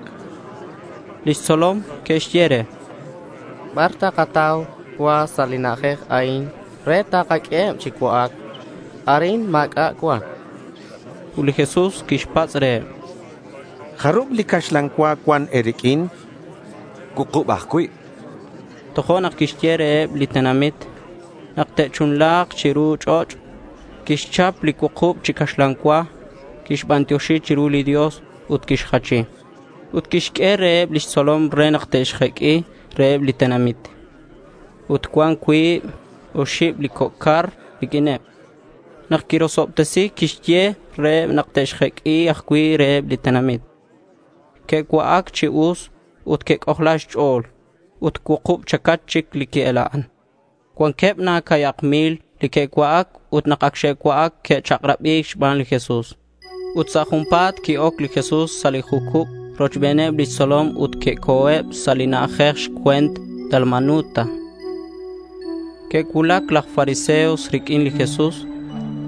Lix tzolom que'xye re: —¿Bar takatau cua sa' li na'ajej a'in re takaq'ueheb chi cua'ac? Arin ma̱c'a' cuan. Ut li Jesús quixpatz' reheb: —¿Jarub li caxlan cua cuan e̱riq'uin? —Cuukub ajcui'. Tojo'nak quixye reheb li tenamit nak te'chunla̱k chiru ch'och'. Quixchap li cuukub chi caxlan cua, quixbantioxi chiru li Dios ut quixjachi. Ut quixq'ue reheb lix tzolom re nak te'xjeq'ui reheb li tenamit. Ut cuan cuib oxib li coc' car riq'uineb. Nak quirosobtesi, quixye reheb nak te'xjeq'ui ajcui' reheb li tenamit. Que'cua'ac chi us ut que'c'ojla xch'o̱l. Ut cuukub chacach chic li qui'ela'an. Cuanqueb na ca̱yak mil li que'cua'ac ut nak ac xe'cua'ac que'chak'rabi̱c xban li Jesús. Ut sa' junpa̱t qui-oc li Jesús sa' li jucub rochbeneb lix tzolom ut que'co̱eb sa' li na'ajej xcue̱nt Dalmanuta. Que'cuulac laj fariseos riq'uin li Jesús.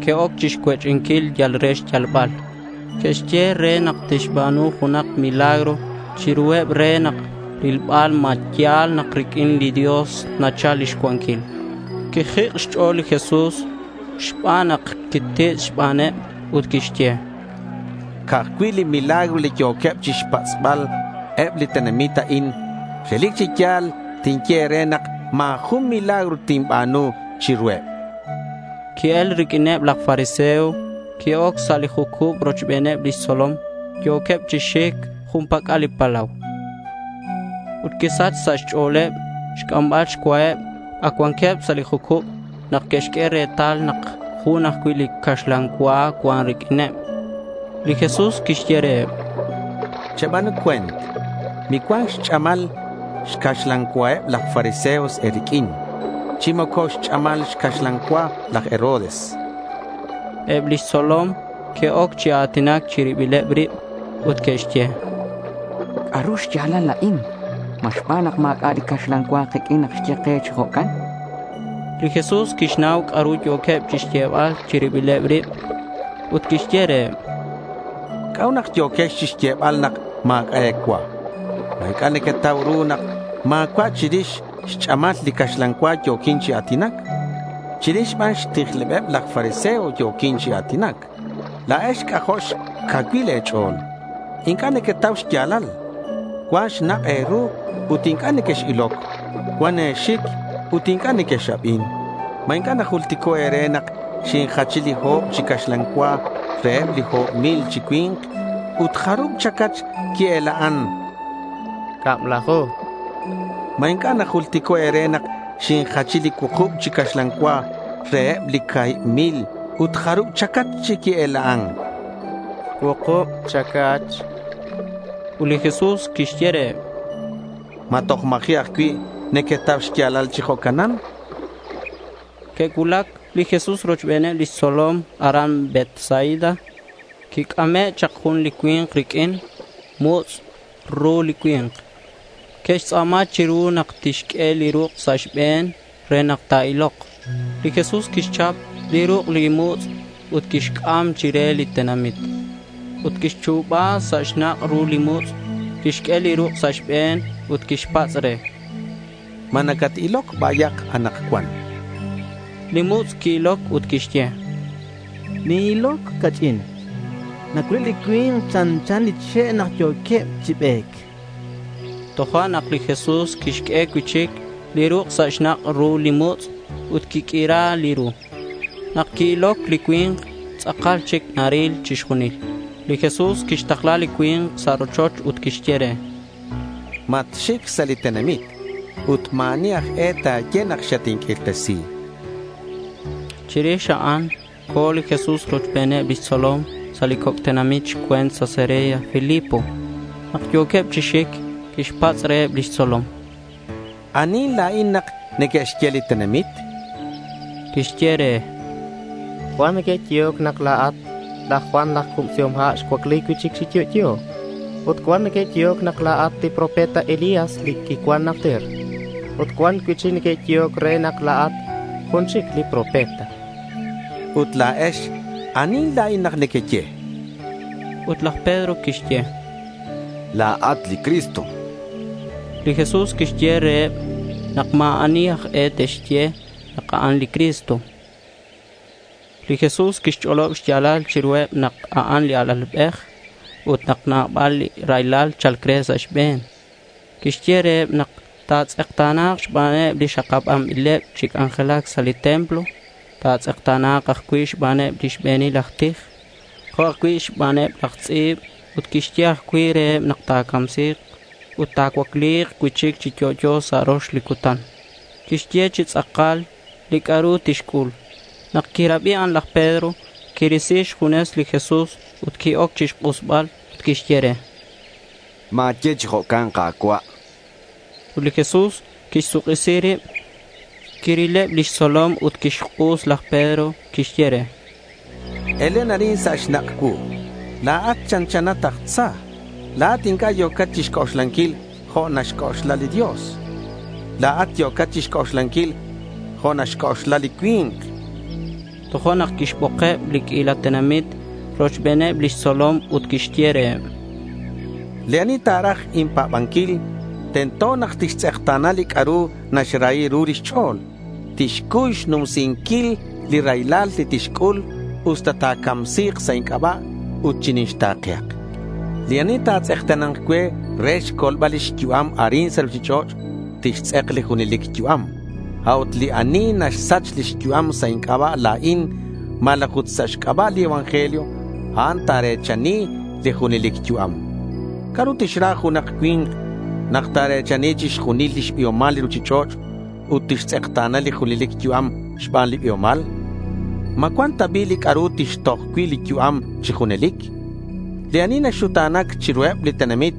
Que'oc chixcuech'inquil yal re xyalbal. Que'xye re nak tixba̱nu junak milagro chiruheb re nak rilbal ma ya̱l nak riq'uin li Dios nachal lix cuanquil. Quijik' xch'o̱l li Jesús xban nak quititz' xbaneb ut quixye: —Ca'aj cui' li milagro li yo̱queb chixpatz'bal eb li tenamit a'in, relic chi ya̱l tinye e̱re nak ma̱ jun milagro tinba̱nu chiruheb. Qui-el riq'uineb laj fariseo. Qui-oc sa' li jucub rochbeneb lix tzolom. Yo̱queb chi xic jun pac'al li palau. Ut quisach sa' xch'o̱leb xc'ambal xcuaheb. Ac cuanqueb sa' li jucub nak que'xq'ue retal nak jun ajcui' li caxlan cua cuan riq'uineb. Li Jesús quixye reheb: —Cheba̱nu cue̱nt. Micuan xch'amal xcaxlan cuaheb laj fariseos e̱riq'uin, chi moco xch'amal xcaxlan cua laj Herodes. Eb lix tzolom que'oc chi a̱tinac chi ribileb rib ut que'xye: —¿C'a'ru xya̱lal a'in? ¿Ma xban nak ma̱c'a' li caxlan cua kiq'uin nak xye ke chi jo'can? Li Jesús quixnau c'a'ru yo̱queb chixyebal chi ribileb rib ut quixye reheb: —¿C'a'ut nak yo̱quex chixyebal nak ma̱c'a' e̱cua? ¿Ma inc'a' nequetau ru nak ma̱cua' chirix xch'amal li caxlan cua yo̱quin chi a̱tinac? Chirix ban xtijlebeb laj fariseo yo̱quin chi a̱tinac. La̱ex c'ajo' xcacuil e̱ch'o̱l. Inc'a' nequetau xya̱lal. Cuan xnak' e̱ru ut inc'a' nequex-iloc. Cuan e̱xic ut inc'a' nequex-abin. ¿Ma inc'a' najultico' e̱re nak xinjachi li o̱b chi caxlan cua reheb li o̱b mil chi cui̱nk ut jarub chacach qui-ela'an? Cablaju. ¿Ma inc'a' najultico' e̱re nak xinjachi li cuukub chi caxlan cua reheb li ca̱hib mil ut jarub chacach chi qui-ela'an? Cuukub chacach. Ut li Jesús quixye reheb: —¿Ma toj ma̱ji' ajcui' nequetau xya̱lal chi jo'canan? Que'cuulac li Jesús rochbeneb lix tzolom aran Betsaida. Quic'ame' chak jun li cui̱nk riq'uin. Mutz' ru li cui̱nk. Ke'xtz'a̱ma chiru nak tixq'ue li ruk' sa' xbe̱n re nak ta̱ilok. Li Jesús quixchap li ruk' li mutz' ut quixc'am chire li tenamit. Ut quixchu̱ba sa' xnak' ru li mutz', quixq'ue li ruk' sa' xbe̱n ut quixpatz' re: —¿Ma nacat-iloc bayak anakcuan? Li mutz' qui-iloc ut quixye: —Nin-iloc ca'ch'in. Nacuileb li cui̱nk chanchan li che' nak yo̱queb chi be̱c. Tojo'nak li Jesús quixq'ue cui'chic li ruk' sa' xnak' ru li mutz' ut quiq'uira li ru. Nak qui-iloc li cui̱nk, tz'akal chic naril chixjunil. Li Jesús quixtakla li cui̱nk sa' rochoch ut quixye re: —Matxic sa' li tenamit ut ma̱ ani aj e ta̱ye nak xatinq'uirtesi. Chirix a'an co̱ li Jesús rochbeneb lix tzolom sa' li coc' tenamit xcue̱nt Cesarea Filipo. Nak yo̱queb chi xic, quixpatz' reheb lix tzolom: —¿Anihin la̱in nak neque'xye li tenamit? Que'xye re: —Cuan neque'yehoc nak la̱at laj Juan laj Cubsihom Ha' xcuacli cui'chic chi yo'yo. Ut cuan neque'yehoc nak la̱at li profeta Elías li quicuan najter. Ut cuan cui'chic neque'yehoc re nak la̱at jun chic li profeta. Ut la̱ex, ¿anihin la̱in nak nequeye? Ut laj Pedro quixye: —La̱at li Cristo. Li Jesús quixye reheb nak ma̱ ani aj e te'xye nak a'an li Cristo. Li Jesús quixch'olob xya̱lal chiruheb nak a'an li Alalbej ut nak nabal li raylal cha̱lc re sa' xbe̱n. Quixye reheb nak ta̱tz'ekta̱na̱k xbaneb li xakabanbileb chi c'anjelac sa' li templo. Ta̱tz'ekta̱na̱k ajcui' xbaneb li xbe̱nil aj tij, jo' ajcui' xbaneb laj tz'i̱b. Ut quixye ajcui' reheb nak ta̱camsi̱k ut ta̱cuacli̱k cui'chic chi yo'yo sa' rox li cutan. Quixye chi tz'akal li c'a'ru tixc'ul. Nak quirabi a'an laj Pedro, quirisi xjunes li Jesús ut qui-oc chixk'usbal ut quixye re: —Ma̱ye chi jo'can, Ka̱cua'. Ut li Jesús quixsuk'isi rib, quirileb lix tzolom ut quixk'us laj Pedro. Quixye re: —Elen arin sa' xnak' cuu. La̱at chanchanat aj tza. La̱at inc'a' yo̱cat chixc'oxlanquil jo' naxc'oxla li Dios. La̱at yo̱cat chixc'oxlanquil jo' naxc'oxla li cui̱nk. Tojo'nak quixbokeb li q'uila tenamit rochbeneb lix tzolom ut quixye reheb: —Li ani ta̱raj inpa̱banquil, tento nak tixtz'ekta̱na li c'a'ru naxrahi ru lix ch'o̱l. Tixcuy xnumsinquil li raylal li tixc'ul usta ta̱camsi̱k sa' inc'aba' ut chinixta̱kehak. Li ani ta̱tz'ekta̱na̱nk cue re xcolbal lix yu'am arin sa' ruchich'och', tixtz'ek li junelic yu'am. A'ut li ani naxsach lix yu'am sa' inc'aba' la̱in malaj ut sa' xc'aba' li evangelio, a'an ta̱re̱chani li junelic yu'am. ¿C'a'ru tixra junak cui̱nk nak ta̱re̱chani chixjunil lix biomal li ruchich'och' ut tixtz'ekta̱na li junelic yu'am xban li biomal? ¿Ma cuan ta bi' li c'a'ru tixtoj cui' li yu'am chi junelic? Li ani naxuta̱nac chiruheb li tenamit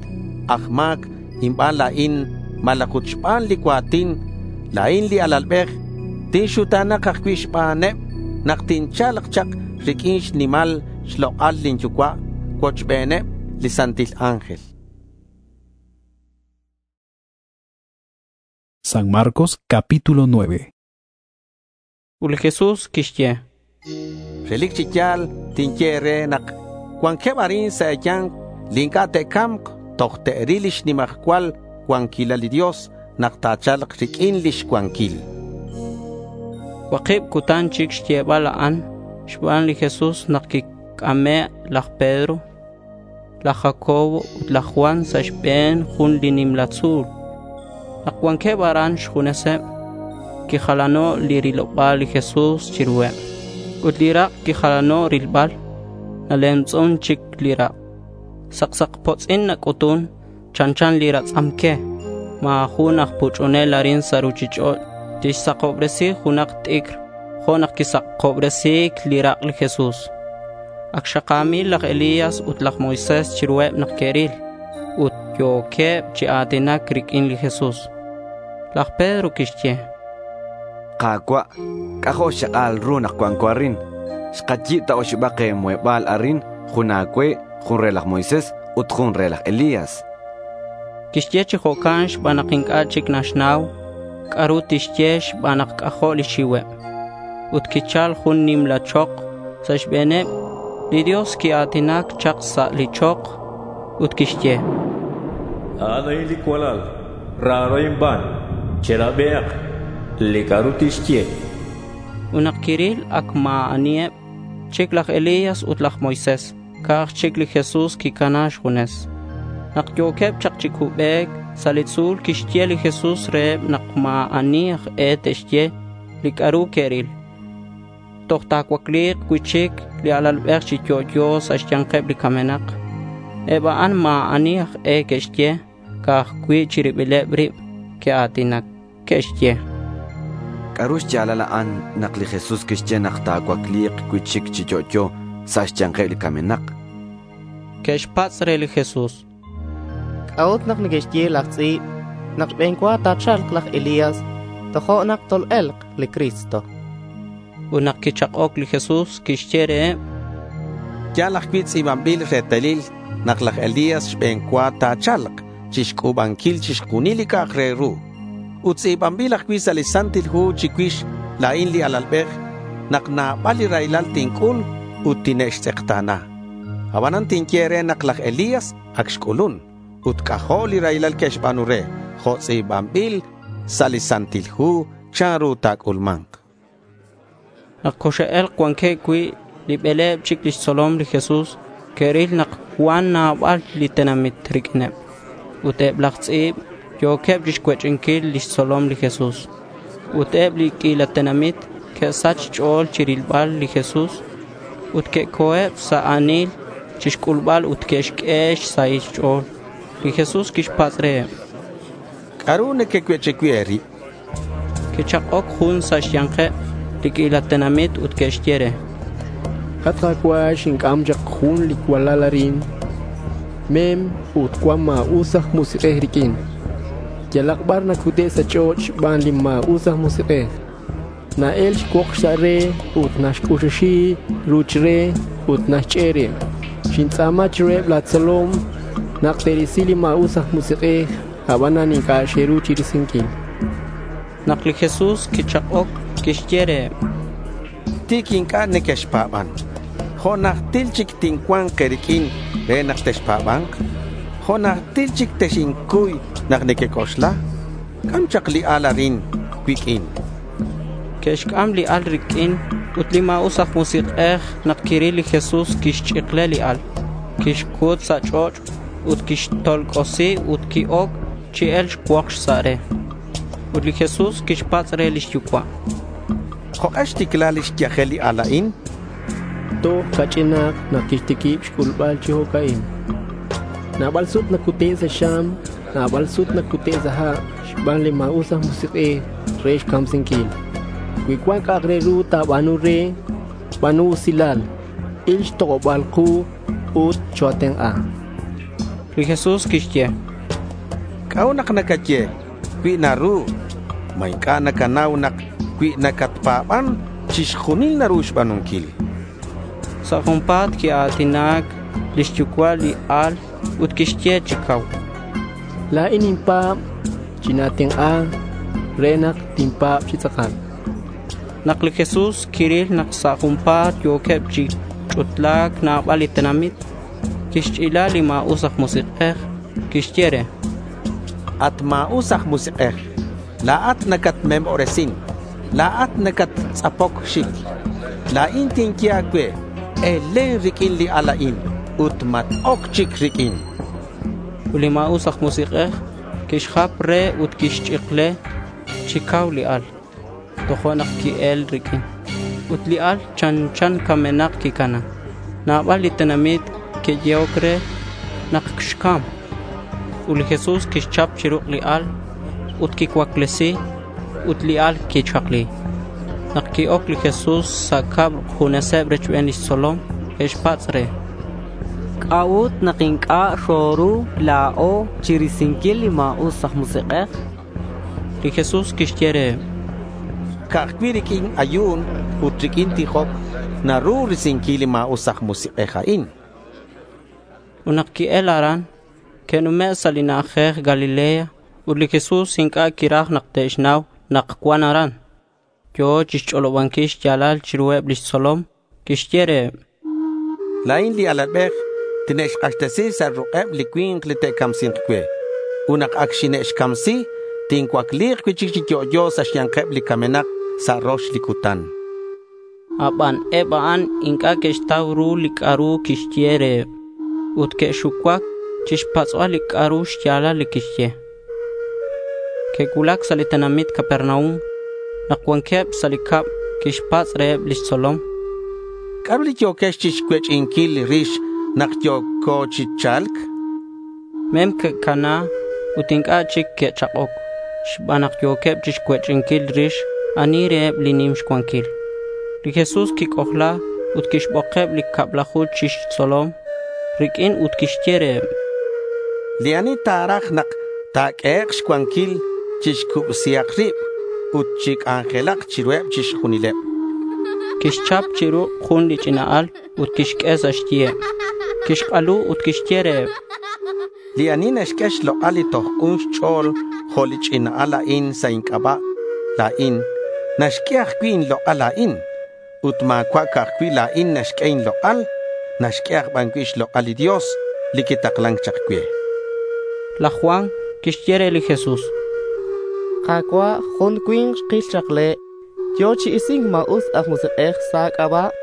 aj ma̱c inban la̱in malaj ut xban li cua̱tin, la̱in li alalbej, tinxuta̱nak ajcui' xbaneb nak tincha̱lk chak riq'uin xnimal xlok'al lin Yucua' cuochbeneb li santil ángel. San Marcos capítulo nueve. Ut li Jesús quixye: —Relic chi ya̱l tinye e̱re nak cuanqueb arin sa' e̱ya̱nk li inc'a' te'ca̱mk toj te'ril lix nimajcual cuanquilal li Dios nak ta̱cha̱lk riq'uin lix cuanquil. Cuakib cutan chic xyebal a'an xban li Jesús nak quic'ame' laj Pedro, laj Jacobo ut laj Juan sa' xbe̱n jun li nimla tzu̱l. Nak cuanqueb aran xjuneseb, quijalano' li riloba̱l li Jesús chiruheb. Ut li rak' quijalano' rilbal. Nalemtz'un chic li rak'. Saksakpotz'in nac'utun chanchan li ratz'am que. Ma̱ jun aj puch'unel arin sa' ruchich'och' tixsakobresi junak t'icr jo' nak quisakobresi̱c li rak' li Jesús. Ac xaka̱mil laj Elías ut laj Moisés chiruheb nak que'ril ut yo̱queb chi a̱tinac riq'uin li Jesús. Laj Pedro quixye: —Ka̱cua', c'ajo' xchak'al ru nak cuanco arin. Xkayi̱b ta oxibak muheba̱l arin, jun a̱cue, jun re laj Moisés ut jun re laj Elías. Quixye chi jo'can xban nak inc'a' chic naxnau c'a'ru tixye xban nak c'ajo' lix xiuheb. Ut quichal jun nimla chok sa' xbe̱neb. Li Dios quia̱tinac chak sa' li chok ut quixye: A'an a'in li cualal raro inban. Cherabihak li c'a'ru tixye. Ut nak quiril ac ma̱ aniheb chic laj Elías ut laj Moisés. Ca'aj chic li Jesús quicana xjunes. Nak yo̱queb chak chi cubec sa' li tzu̱l quixye li Jesús reheb nak ma̱ ani aj e te'xye li c'a'ru que'ril. Toj ta̱cuacli̱k cui'chic li alalbej chi yo'yo sa' xya̱nkeb li camenak. Eb a'an ma̱ ani aj e que'xye. Ca'aj cui' chi ribileb rib que'a̱tinac. Que'xye: C'a'ru xya̱lal a'an nak li Jesús quixye nak ta̱cuacli̱k cui'chic chi yo'yo sa' xya̱nkeb li camenak? Que'xpatz' re li Jesús: C'a'ut nak neque'xye laj tz'i̱b nak xbe̱n cua ta̱cha̱lk laj Elías tojo'nak tol-e̱lk li Cristo? Ut nak quichak'oc li Jesús quixye reheb: Ya̱l ajcui' tz'i̱banbil retalil nak laj Elías xbe̱n cua ta̱cha̱lk chixc'u̱banquil chixjunil li c'a'ak re ru. Ut tz'i̱banbil ajcui' sa' li Santil Hu chicuix la̱in li Alalbej nak nabal li raylal tinc'ul ut tine'xtz'ekta̱na. Abanan tinye e̱re nak laj Elías ac xc'ulun ut c'ajo' li raylal que'xba̱nu re jo' tz'i̱banbil sa' li Santil Hu chanru ta̱c'ulma̱nk. Nak coxe'e̱lk cuanqueb cui' li bele̱b chic lix tzolom li Jesús, que'ril nak cuan nabal li tenamit riq'uineb. Ut eb laj tz'i̱b yo̱queb chixcuech'inquil lix tzolom li Jesús. Ut eb li q'uila tenamit que'sach xch'o̱l chirilbal li Jesús ut que'co̱eb sa' a̱nil chixc'ulbal ut que'xq'ue xsahil xch'o̱l. Li Jesús quixpatz' reheb: —¿C'a'ru nequecuech'i cui' e̱rib? Quichak'oc jun sa' xya̱nkeb li q'uila tenamit ut quixye re: At Ka̱cua', xinc'am chak jun li cualal arin. Mem ut cuan ma̱us aj musik'ej riq'uin. Yalak bar nacute' sa' ch'och' xban li ma̱us aj musik'ej. Na-el xcuok sa' re ut naxc'uxuxi ruch re ut naxch'e' rib. Xintz'a̱ma chiruheb la̱ tzolom nak te'risi li ma̱us aj musik'ej, abanan inc'a' xe'ru chirisinquil. Nak li Jesús quichak'oc, quixye reheb: —Ti̱c inc'a' nequexpa̱ban. Jo' najtil chic tincua̱nk e̱riq'uin re nak texpa̱ba̱nk? Jo' najtil chic texincuy nak nequec'oxla? C'am chak li al arin cuiq'uin. Que'xc'am li al riq'uin ut li ma̱us aj musik'ej nak quiril li Jesús quixch'ikle li al. Quixcut sa' ch'och' ut quixtolc'osi ut qui-oc chi e̱lc xcuokx sa' re. Ut li Jesús quixpatz' re lix yucua': —¿Jok'e xticla lix yajel li al a'in? Toj ca'ch'inak nak quixtiquib xc'ulbal chi jo'ca'in. Nabal sut nacute' sa' xam, nabal sut nacute' sa' ha' xban li ma̱us aj musik'ej re xcamsinquil. Cui cuan c'a'ak re ru ta̱ba̱nu re, ba̱nu usilal. Il xtok'oba̱l ku ut choa̱tenk'a. Li Jesús quixye: —¿C'a'ut nak nacaye, “Cui naru”? ¿Ma inc'a' nacanau nak cui nacatpa̱ban, chixjunil naru xba̱nunquil? Sa' junpa̱t quia̱tinac lix yucua' li al ut quixye chi cau: —La̱in ninpa̱b. China̱tenk'a re nak tinpa̱b chi tz'akal. Nak li Jesús quiril nak sa' junpa̱t yo̱queb chi ch'utla̱c nabal li tenamit, quixch'ila li ma̱us aj musik'ej. Quixye re: —At ma̱us aj musik'ej, la̱at nacatmemobresin. La̱at nacattz'apoc xic. La̱in tinye a̱cue, elen riq'uin li al a'in ut mat-oc chic riq'uin. Ut li ma̱us aj musik'ej quixjap re ut quixch'ikle chi cau li al. Tojo'nak qui-el riq'uin. Ut li al chanchan camenak quicana. Nabal li tenamit que'yehoc re nak xcam. Ut li Jesús quixchap chi ruk' li al ut quixcuaclesi ut li al quixakli. Nak qui-oc li Jesús sa' cab juneseb rochben lix tzolom, que'xpatz' re: —¿C'a'ut nak inc'a' xoru la̱o chirisinquil li ma̱us aj musik'ej? Li Jesús quixye reheb: —Ca'aj cui' riq'uin ayu̱n ut riq'uin tijoc naru risinquil li ma̱us aj musik'ej a'in. Ut nak qui-el aran, Ke'nume' sa' li na'ajej Galilea ut li Jesús inc'a' quiraj nak te'xnau nak cuan aran. Yo̱ chixch'olobanquil xya̱lal chiruheb lix tzolom. Quixye reheb: La̱in li alalbej tine'xk'axtesi sa' ruk'eb li cui̱nk li te'camsi̱nk cue. Ut nak ac xine'xcamsi, tincuacli̱k cui'chic chi yo'yo sa' xya̱nkeb li camenak sa' rox li cutan. Aban eb a'an inc'a' que'xtau ru li c'a'ru quixye reheb ut que'xucuac chixpatz'bal li c'a'ru xya̱lal li quixye. Que'cuulac sa' li tenamit Capernaum. Nak cuanqueb sa' li cab, quixpatz' reheb lix tzolom: —¿C'a'ru li yo̱quex chixcuech'inquil rix nak yo̱co chi cha̱lc? Mem que'cana ut inc'a' chic que'chak'oc xban nak yo̱queb chixcuech'inquil rix ani reheb li nim xcuanquil. Li Jesús quic'ojla ut quixbokeb li cablaju chi xtzolom riq'uin ut quixye reheb: Li ani ta̱raj nak ta̱q'uehek' xcuanquil, chixcubsihak rib ut chic'anjelak chiruheb chixjunileb. Quixchap chi ruk' jun li ch'ina al ut quixq'ue sa' xyiheb. Quixk'alu ut quixye reheb: Li ani naxq'ue xlok'al li toj k'un xch'o̱l jo' li ch'ina al a'in sa' inc'aba' la̱in, naxq'ue ajcui' inlok'al la̱in. Ut ma̱cua' ca'aj cui' la̱in naxq'ue inlok'al, naxq'ue aj ban cui' xlok'al li Dios li quitaklan chak cue. Laj Juan quixye re li Jesús: Ka̱cua', jun cui̱nk xkil chak le' yo̱ chi isi̱nc ma̱us aj musik'ej sa' a̱c'aba'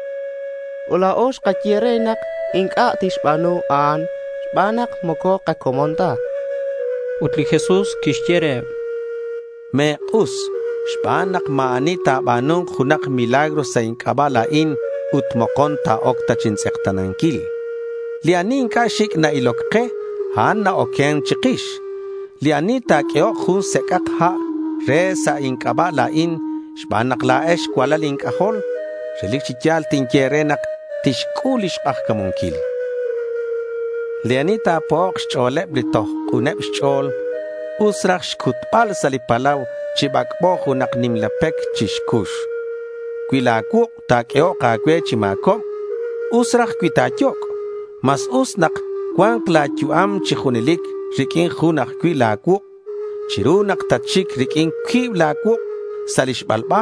ut la̱o xkaye re nak inc'a' tixba̱nu a'an xban nak moco kacomon ta. Ut li Jesús quixye reheb: Me̱k'us xban nak ma̱ ani ta̱ba̱nu̱nk junak milagro sa' inc'aba' la̱in ut mokon ta̱oc ta chintz'ekta̱nanquil. Li ani inc'a' xic' na-iloc ke, a'an na-oquen chikix. Li ani ta̱q'uehok jun sec'ak ha' re sa' inc'aba' la̱in xban nak la̱ex cualal inc'ajol, relic chi ya̱l tinye e̱re nak tixc'ul lix k'ajca̱munquil. Li ani ta̱po'ok xch'o̱leb li toj k'uneb xch'o̱l, us raj xcutbal sa' li palau chi bac'bo junak nimla pec chi xcux. Cui la̱ cuuk' ta̱q'uehok a̱cue chi ma̱cobc, us raj cui ta̱yoc'. Mas us nak cua̱nk la̱ yu'am chi junelic riq'uin jun ajcui' la̱ cuuk' chiru nak tatxic riq'uin cuib la̱ cuuk' sa' li xbalba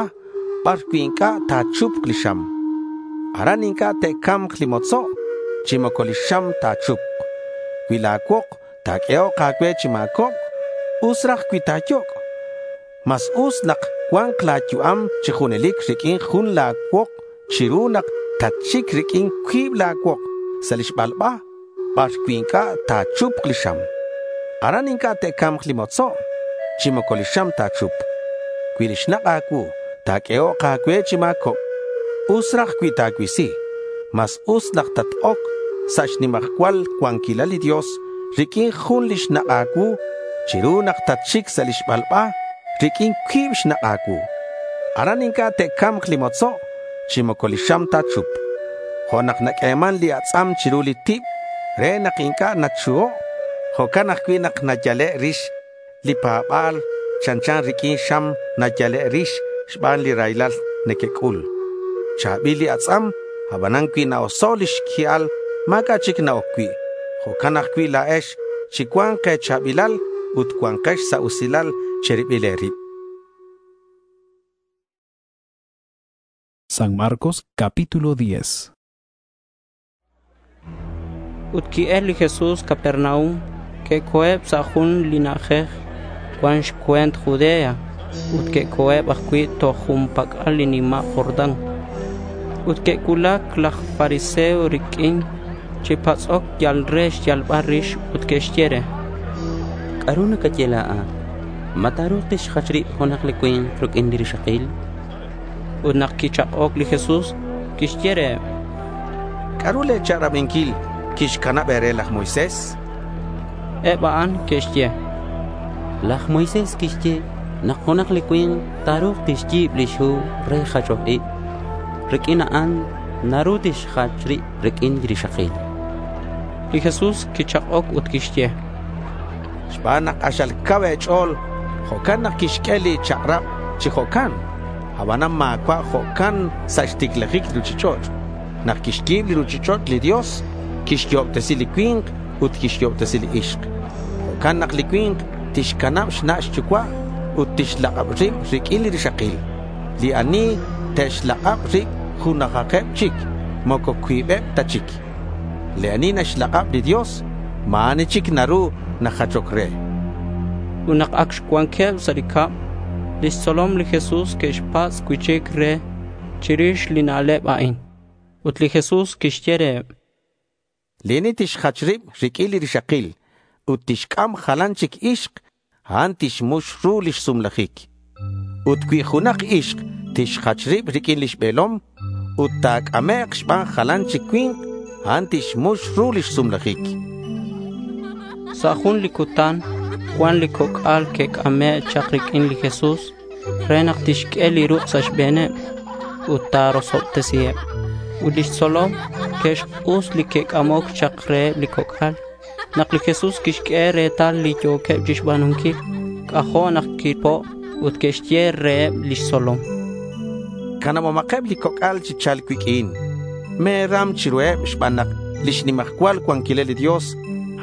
bar cui' inc'a' ta̱chupk li xam. Aran inc'a' te'ca̱mk li motzo' chi moco li xam ta̱chupk. Cui la̱ cuok ta̱q'uehok a̱cue chi ma̱cobc, us raj cui ta̱yoc'. Mas us nak cua̱nk la̱ yu'am chi junelic riq'uin jun la̱ cuok chiru nak tatxic riq'uin cuib la̱ cuok sa' li xbalba bar cui' inc'a' ta̱chupk li xam. Aran inc'a' te'ca̱mk li motzo' chi moco li xam ta̱chupk. Cui li xnak' a̱cuu ta̱q'uehok a̱cue chi ma̱cobc, us raj cui ta̱cuisi. Mas us nak tat-oc sa' xnimajcual cuanquilal li Dios riq'uin jun li xnak' a̱cuu chiru nak tatxic sa' li xbalba riq'uin cuib xnak' a̱cuu. Aran inc'a' te'ca̱mk li motzo' chi moco li xam ta̱chupk. Jo' nak naq'ueman li atz'am chiru li tib re nak inc'a' nachuho', jo'can ajcui' nak nayale' rix li pa̱ba̱l chanchan riq'uin xam nayale' rix xban li raylal nequec'ul. Cha̱bil li atz'am, abanan cui na-oso' lix qui'al, ma̱c'a' chic na-oc cui'. Jo'can ajcui' la̱ex chicua̱nk e̱cha̱bilal ut cua̱nkex sa' usilal che̱ribil e̱rib. San Marcos capítulo diez. Ut ki'el li Jesús Capernaum, que'co̱eb sa' jun li na'ajej cuan xcue̱nt Judea ut que'co̱eb ajcui' toj jun pac'al li nima' Jordán. Ut que'cuulac laj fariseo riq'uin chi patz'oc yal re xyalbal rix ut que'xye re: —¿C'a'ru nacaye la̱at? ¿Ma ta̱ru̱k tixjach rib junak li cui̱nk riq'uin li rixakil? Ut nak quichak'oc li Jesús, quixye reheb: —¿C'a'ru le̱ chak'rabinquil quixcanab e̱re laj Moisés? Eb a'an que'xye: Laj Moisés quixye nak junak li cui̱nk ta̱ru̱k tixyi̱b lix hu re jachoj ib. Riq'uin a'an naru tixjach rib riq'uin li rixakil. Li Jesús quichak'oc ut quixye: —Xban nak k'axal cau e̱ch'o̱l, jo'can nak quixq'ue li chak'rab chi jo'can. Abanan ma̱cua' jo'can sa' xticlajic li ruchich'och'. Nak quixyi̱b li ruchich'och' li Dios, quixyo'obtesi li cui̱nk ut quixyo'obtesi li ixk. Jo'can nak li cui̱nk tixcanab xna' xyucua' ut tixlak'ab rib riq'uin li rixakil. Li ani te'xlak'ab rib junajakeb chic, moco cuibeb ta chic. Li ani naxlak'ab li Dios, ma̱ ani chic naru najachoc re. Ut nak ac cuanqueb sa' li cab, lix tzolom li Jesús que'xpatz' cui'chic re chirix li na'leb a'in. Ut li Jesús quixye reheb: Li ani tixjach rib riq'uin li rixakil ut tixc'am jalan chic ixk, a'an tixmux ru lix sumlajic. Ut cui junak ixk tixjach rib riq'uin lix be̱lom ut ta̱c'amek' xban jalan chic cui̱nk, a'an tixmux ru lix sumlajic. Sa' jun li cutan cuan li coc'al que'c'ame' chak riq'uin li Jesús re nak tixq'ue li ruk' sa' xbe̱neb ut ta̱rosobtesiheb. Ut lix tzolom que'xk'us li que'c'amoc chak reheb li coc'al. Nak li Jesús quixq'ue retal li yo̱queb chixba̱nunquil, c'ajo' nak quipo' ut quixye reheb lix tzolom: Canabomakeb li coc'al chi cha̱lc cuiq'uin. Me̱ram chiruheb xban nak lix nimajcual cuanquilal li Dios,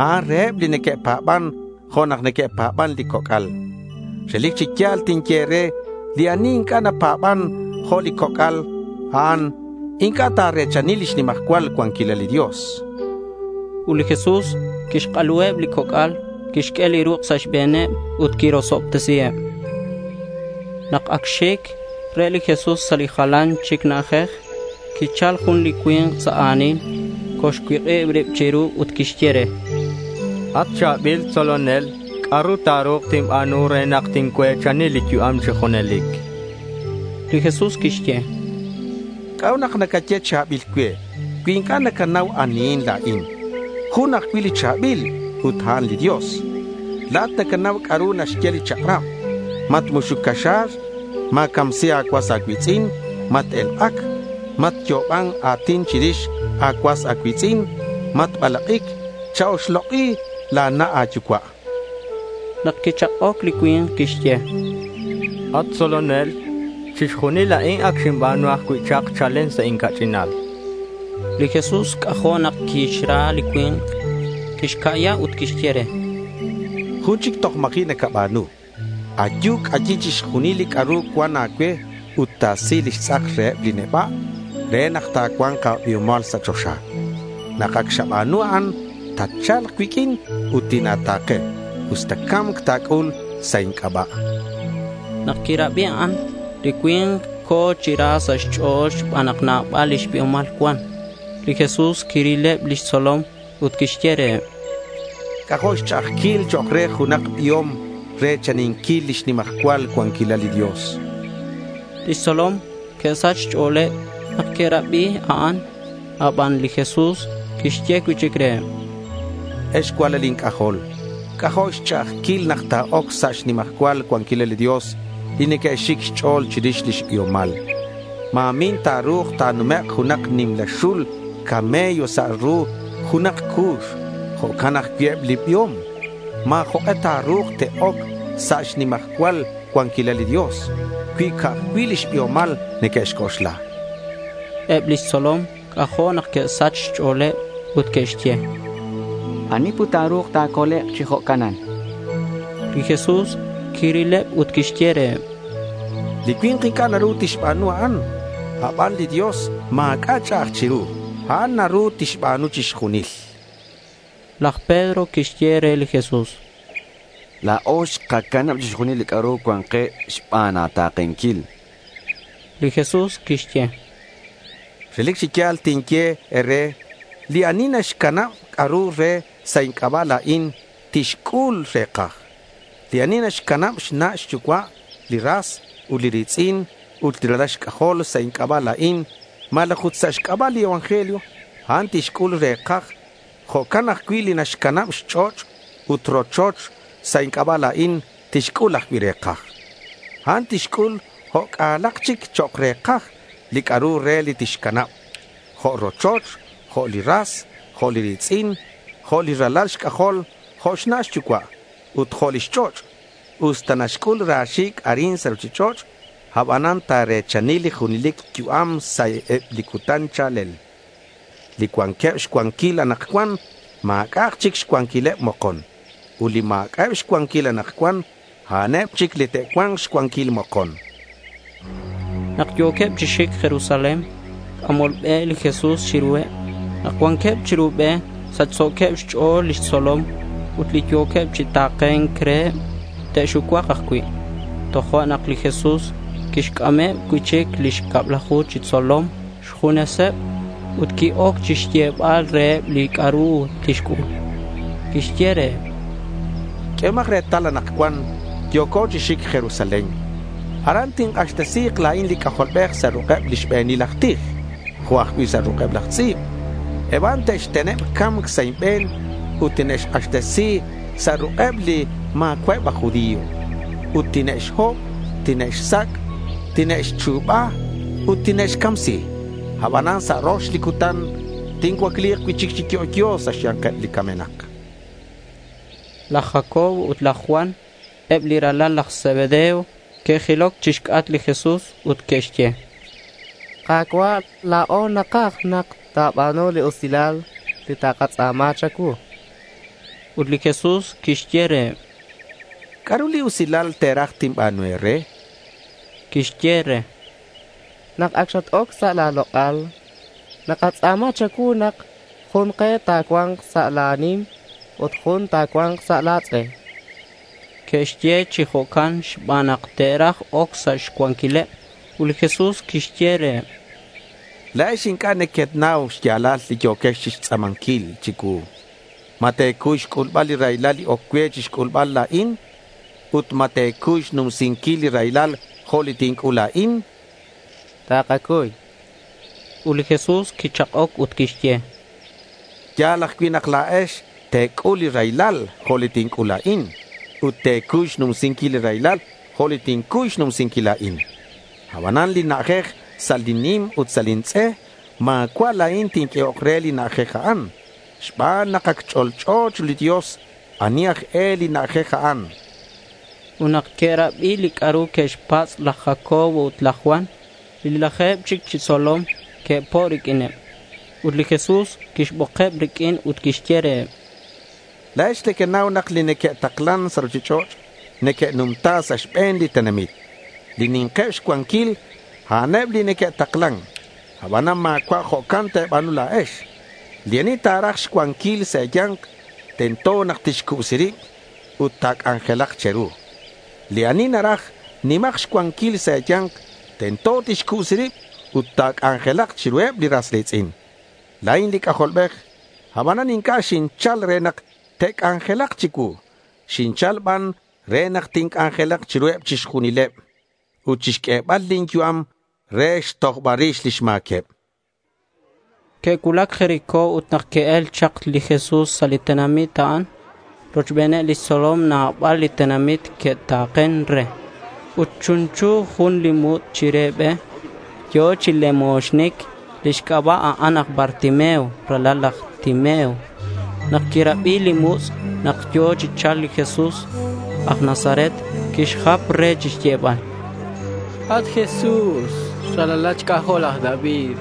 a'an reheb li neque'pa̱ban jo' nak neque'pa̱ban li coc'al. Relic chi ya̱l tinye e̱re, li ani inc'a' napa̱ban jo' li coc'al, a'an inc'a' ta̱re̱chani lix nimajcual cuanquilal li Dios. Ut li Jesús quixk'aluheb li coc'al, quixq'ue li ruk' sa' xbe̱neb ut quirosobtesiheb. Nak ac xic re li Jesús sa' li jalan chic na'ajej, quichal jun li cui̱nk sa' a̱nil, coxcuik'ib rib chiru ut quixye re: At cha̱bil tzolonel, ¿c'a'ru ta̱ru̱k tinba̱nu re nak tincue̱chani li yu'am chi junelic? Li Jesús quixye: ¿C'a'ut nak nacaye cha̱bil cue cui inc'a' nacanau anihin la̱in? Jun ajcui' li cha̱bil ut a'an li Dios. La̱at nacanau c'a'ru naxye li chak'rab. Matmuxuc caxa̱r, ma̱camsi a̱cuas a̱cui̱tz'in, mat-elk'ac, matyo'oban a̱tin chirix a̱cuas a̱cui̱tz'in, matbalak'ic, cha-oxlok'i la̱ na' a̱yucua'. Nak quichak'oc li cui̱nk, quixye: At tzolonel, chixjunil a'in ac xinba̱nu ajcui' chak chalen sa' inca'ch'inal. Li Jesús c'ajo' nak quixra li cui̱nk. Quixca'ya ut quixye re: Jun chic toj ma̱ji' nacaba̱nu. Ayu, c'ayi chixjunil li c'a'ru cuan a̱cue ut ta̱si lix tz'ak reheb li neba' re nak ta̱cua̱nk a̱biomal sa' choxa. Nak ac xaba̱nu a'an, tatcha̱lk cuiq'uin ut tina̱ta̱ke usta ca̱mc ta̱c'ul sa' inc'aba'. Nak quirabi a'an, li cui̱nk co̱ chi ra sa' xch'o̱l xban nak nabal lix biomal cuan. Li Jesús quirileb lix tzolom ut quixye reheb: C'ajo' xch'a'ajquil chok' re junak biom re̱chaninquil lix nimajcual cuanquilal li Dios. Lix tzolom que'sach xch'o̱leb nak que'rabi a'an. Aban li Jesús quixye cui'chic reheb: Ex cualal inc'ajol, c'ajo' xch'a'ajquil nak ta̱oc sa' xnimajcual cuanquilal li Dios li neque'xic xch'o̱l chirix lix biomal. Ma̱min ta̱ru̱k ta̱numek' junak nimla xul camello sa' ru junak cu̱x. Jo'can ajcui' eb li biom. Ma̱ jok'e ta̱ru̱k te'oc sa' xnimajcual cuanquilal li Dios cui ca'aj cui' lix biomal neque'xc'oxla. Eb lix tzolom c'ajo' nak que'sach xch'o̱leb ut que'xye: ¿Ani put ta̱ru̱k ta̱colek' chi jo'canan? Li Jesús quirileb ut quixye reheb: Li cui̱nk inc'a' naru tixba̱nu a'an. Aban li Dios ma̱c'a' ch'a'aj chiru. A'an naru tixba̱nu chixjunil. Laj Pedro quixye re li Jesús: La̱o xkacanab chixjunil li c'a'ru cuan ke xban a̱ta̱kenquil. Li Jesús quixye: Relic chi ya̱l tinye e̱re, li ani naxcanab c'a'ru re sa' inc'aba' la̱in, tixc'ul rekaj. Li ani naxcanab xna' xyucua', li ras ut li ri̱tz'in ut li ralal xc'ajol sa' inc'aba' la̱in, malaj ut sa' xc'aba' li evangelio, a'an tixc'ul rekaj. Jo'can ajcui' li naxcanab xch'och' ut rochoch sa' inc'aba' la̱in, tixc'ul ajcui' rekaj. A'an tixc'ul jo' c'alak chic chok' rekaj li c'a'ru re li tixcanab, jo' rochoch, jo' li ras, jo' li ri̱tz'in, jo' li ralal xc'ajol, jo' xna' xyucua' ut jo' lix ch'och'. Usta naxc'ul ra̱xic' arin sa' ruchich'och', abanan ta̱re̱chani li junelic yu'am sa' eb li cutan cha̱lel. Li cuanqueb xcuanquil anakcuan, ma̱c'a'ak chic xcuanquileb mokon. Ut li maak'a'eb' xcuanquil anakcuan, a'aneb chic li te'cua̱nk xcuanquil mokon. Nak yo̱queb chi xic Jerusalén, c'amol be li Jesús chiruheb. Nak cuanqueb chiru be, sachso̱queb xch'o̱l lix tzolom ut li yo̱queb chi ta̱ke̱nc reheb te'xucuak ajcui'. Tojo'nak li Jesús quixc'ameb cui'chic lix cablaju chi tzolom xjuneseb ut qui-oc chixyebal reheb li c'a'ru tixc'ul. Quixye reheb: Q'uehomak retal anakcuan yo̱co chi xic Jerusalén. Aran tink'axtesi̱k la̱in li C'ajolbej sa' ruk'eb li xbe̱nil aj tij, jo' ajcui' sa' ruk'eb laj tz'i̱b. Eb a'an te'xteneb ca̱mc sa' inbe̱n ut tine'xk'axtesi sa' ruk'eb li ma̱cua'eb aj judío. Ut tine'xhob, tine'xsac', tine'xchu̱ba ut tine'xcamsi. Abanan sa' rox li cutan tincuacli̱k cui'chic chi yo'yo sa' xya̱nkeb li camenak. Laj Jacobo ut laj Juan, eb li ralal laj Zebedeo, que'jiloc chixc'atk li Jesús ut que'xye: Ka̱cua', la̱o nakaj nak ta̱ba̱nu li usilal li takatz'a̱ma cha̱cuu. Ut li Jesús quixye reheb: ¿C'a'ru li usilal te̱raj tinba̱nu e̱re? Quixye re: Nak ac xat-oc sa' la̱ lok'al, nakatz'a̱ma cha̱cuu nak jun ke ta̱cua̱nk sa' la̱ nim ut jun ta̱cua̱nk sa' la̱ tz'e. Que'xye chi jo'can xban nak te'raj oc sa' xcuanquileb. Ut li Jesús quixye reheb: La̱ex inc'a' nequenau xya̱lal li yo̱quex chixtz'a̱manquil chicuu. ¿Ma te̱cuy xc'ulbal li raylal li oc cue chixc'ulbal la̱in? Ut ¿ma te̱cuy xnumsinquil li raylal jo' li tinc'ul la̱in? Takacuy. Ut li Jesús quichak'oc ut quixye: Ya̱l ajcui' nak la̱ex te̱c'ul li raylal jo' li tinc'ul la̱in. Ut te̱cuy xnumsinquil li raylal jo' li tincuy xnumsinquil la̱in. Abanan li na'ajej sa' lin nim ut sa' lin tz'e, ma̱cua' la̱in tinq'uehok re li na'ajej a'an. Xban nak ac ch'olch'o chiru li Dios ani aj e li na'ajej a'an. Ut nak que'rabi li c'a'ru que'xpatz' laj Jacobo ut laj Juan, li laje̱b chic chi tzolom que'po' riq'uineb. Ut li Jesús quixbokeb riq'uin ut quixye reheb: La̱ex nequenau nak li neque'taklan sa' ruchich'och' neque'numta sa' xbe̱n li tenamit. Li ni̱nkeb xcuanquil, a'aneb li neque'taklan. Abanan ma̱cua' jo'can te̱ba̱nu la̱ex. Li ani ta̱raj xcuanquil sa' e̱ya̱nk, tento nak tixcubsi rib ut ta̱c'anjelak che̱ru. Li ani naraj nimak xcuanquil sa' e̱ya̱nk, tento tixcubsi rib ut ta̱c'anjelak chiruheb li ras ri̱tz'in. La̱in li C'ajolbej, abanan inc'a' xinchal re nak te'c'anjelak chicuu. Xinchal ban re nak tinc'anjelak chiruheb chixjunileb ut chixq'uebal lin yu'am re xtojbal rix lix ma̱queb. Que'cuulac Jericó ut nak qui-el chak li Jesús sa' li tenamit a'an, rochbeneb lix tzolom nabal li tenamit que'ta̱ken re. Ut chunchu jun li mutz' chire be. Yo̱ chi lemoxnic. Lix c'aba' a'an aj Bartimeo, ralal laj Timeo. Nak quirabi li mutz' nak yo̱ chi cha̱lc li Jesús aj Nazaret, quixjap re chixyebal: At Jesús, ralalat xc'ajol laj David,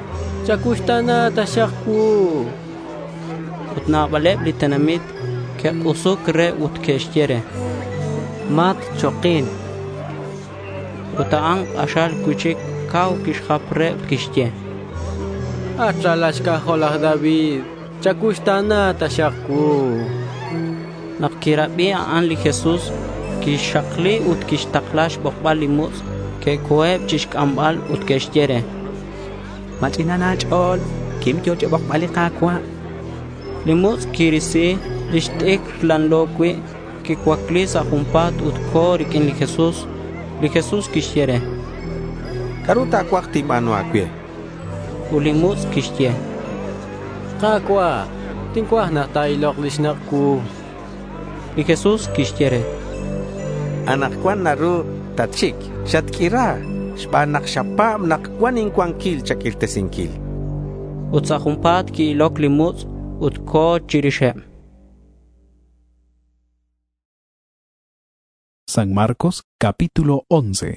chacuxta̱na taxak cuu. Ut nabaleb li tenamit que'k'usuc re ut que'xye re: —Matchokin. Ut a'an k'axal cui'chic cau quixjap re ut quixye: At ralal xc'ajol laj David, chacuxta̱na taxak cuu. Nak quirabi a'an li Jesús, quixakli ut quixtakla xbokbal li mutz'. Que'co̱eb chixc'ambal ut que'xye re: —Ma ch'inan a̱ch'o̱l. Quim, yo̱ cha̱bokbal li Ka̱cua'. Li mutz' quirisi lix t'icr lanlo cui', quicuacli sa' junpa̱t ut co̱ riq'uin li Jesús. Li Jesús quixye re: —¿C'a'ru ta̱cuaj tinba̱nu a̱cue? Ut li mutz' quixye: —Ka̱cua', tincuaj nak ta̱ilok li xnak' cuu. Li Jesús quixye re: —Anakcuan naru tatxic. Xatq'uira xban nak xapa̱b nak cuan incuanquil cha̱q'uirtesinquil. Ut sa' junpa̱t qui-iloc li mutz' ut co̱ chirixeb. San Marcos capítulo once.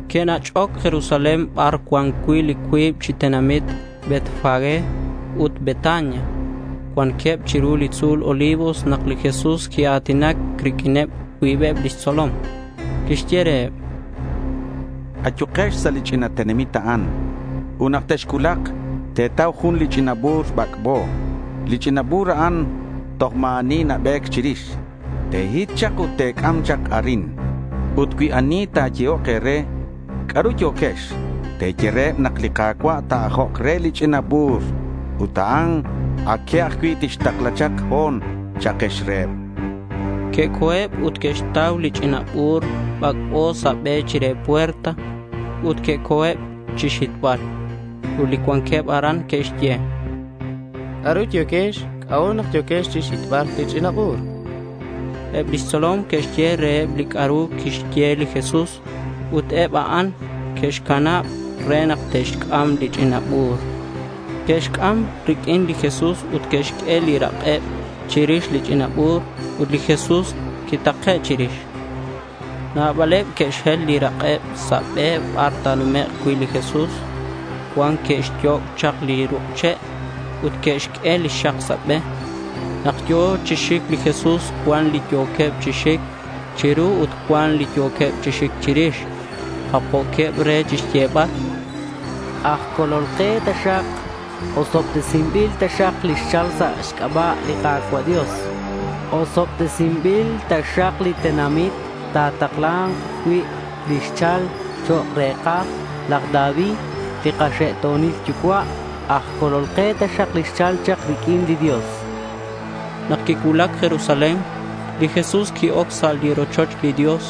Que'nach'oc Jerusalén bar cuan cui' li cuib chi tenamit Betfagé ut Betania. Cuanqueb chiru li tzu̱l Olivos nak li Jesús quia̱tinac riq'uineb cuibeb lix tzolom. Quixye reheb: —Ayukex sa' li ch'ina tenamit a'an. Ut nak texcuulak, te̱tau jun li ch'ina bu̱r bac'bo. Li ch'ina bu̱r a'an toj ma̱ ani nabe̱c chirix. Te̱hit chak ut te̱c'am chak arin. Ut cui ani ta̱yehok e̱re, ¿C'a'ru yo̱quex? Te̱ye reheb nak li Ka̱cua' ta̱ajok re li ch'ina bu̱r ut a'an aque ajcui' tixtakla chak ho̱n, cha'kex reheb. Que'co̱eb ut que'xtau li ch'ina bu̱r bac'bo sa' be chire puerta ut que'co̱eb chixhitbal. Ut li cuanqueb aran que'xye: —¿C'a'ru yo̱quex? ¿C'a'ut nak yo̱quex chixhitbal li ch'ina bu̱r? Eb lix tzolom que'xye reheb li c'a'ru quixye li Jesús ut eb a'an que'xcanab re nak te'xc'am li ch'ina bu̱r. Que'xc'am riq'uin li Jesús ut que'xq'ue li rak'eb chirix li ch'ina bu̱r ut li Jesús quitake' chirix. Nabaleb que'xhel li rak'eb sa' be bar ta̱numek' cui' li Jesús. Cuan que'xyoc' chak li ruk' che' ut que'xq'ue lix xak sa' be. Nak yo̱ chi xic li Jesús, cuan li yo̱queb chi xic chiru ut cuan li yo̱queb chi xic chirix. Japjo̱queb re chixyebal: Aj Colol ke taxak. Osobtesinbil taxak li xchal sa' xc'aba' li Ka̱cua' Dios. Osobtesinbil taxak li tenamit ta̱takla̱nk cui' li xchal chok' re̱kaj laj David li kaxe'to̱nil yucua'. Aj Colol ke taxak li xchal chak riq'uin li Dios. Nak quicuulac Jerusalén, li Jesús qui-oc sa' li rochoch li Dios.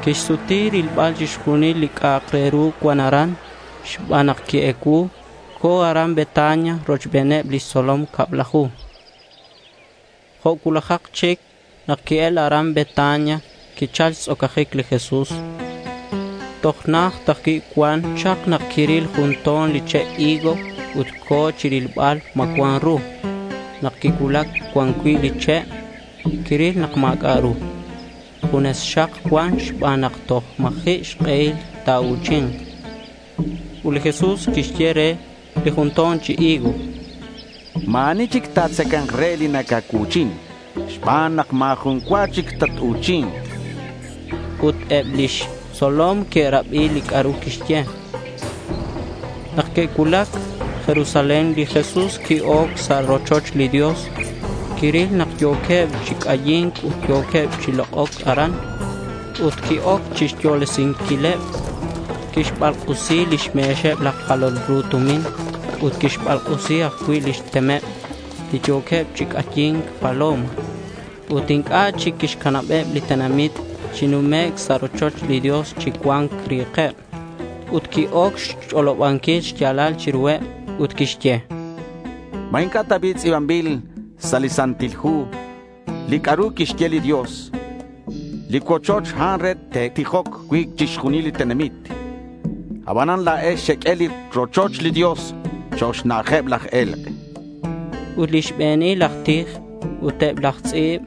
Quixsuti rilbal chixjunil li c'a'ak re ru cuan aran xban nak qui-ecuu. Co̱ aran Betania rochbeneb lix tzolom cablaju. Jo' cuulajak chic nak qui-el aran Betania, quichal xtz'ocajic li Jesús. Toj najt ajcui' cuan chak nak quiril jun to̱n li che' higo ut co̱ chirilbal ma cuan ru. Nak quicuulac cuan cui' li che', quiril nak ma̱c'a' ru. Junes xak cuan xban nak toj ma̱ji' xk'ehil ta̱u̱chi̱nk. Ut li Jesús quixye re li jun to̱n chi higo: —Ma̱ ani chic ta̱tzaca̱nk re li nacacuu̱chin xban nak ma̱ jun cua chic tat-u̱chi̱nk. Ut eb lix tzolom que'rabi li c'a'ru quixye. Nak que'cuulac Jerusalén, li Jesús qui-oc sa' rochoch li Dios. Quiril nak yo̱queb chi c'ayi̱nc ut yo̱queb chi lok'oc aran. Ut qui-oc chixyolesinquileb. Quixbalk'usi lix me̱xeb laj jalol ru tumin ut quixbalk'usi ajcui' lix temeb li yo̱queb chi c'ayi̱nc paloma. Ut inc'a' chic quixcanabeb li tenamit chi numec' sa' rochoch li Dios chi cuan ri̱keb. Ut qui-oc xch'olobanquil xya̱lal chiruheb ut quixye: —¿Ma inc'a' ta bi' tz'i̱banbil sa' li Santil Hu li c'a'ru quixye li Dios? Li cuochoch a'an re te'tijok cui' chixjunil li tenamit. Abanan la̱ex xeq'ue li rochoch li Dios chok' xna'ajeb laj e̱lk'. Ut li xbe̱nil aj tij ut eb laj tz'i̱b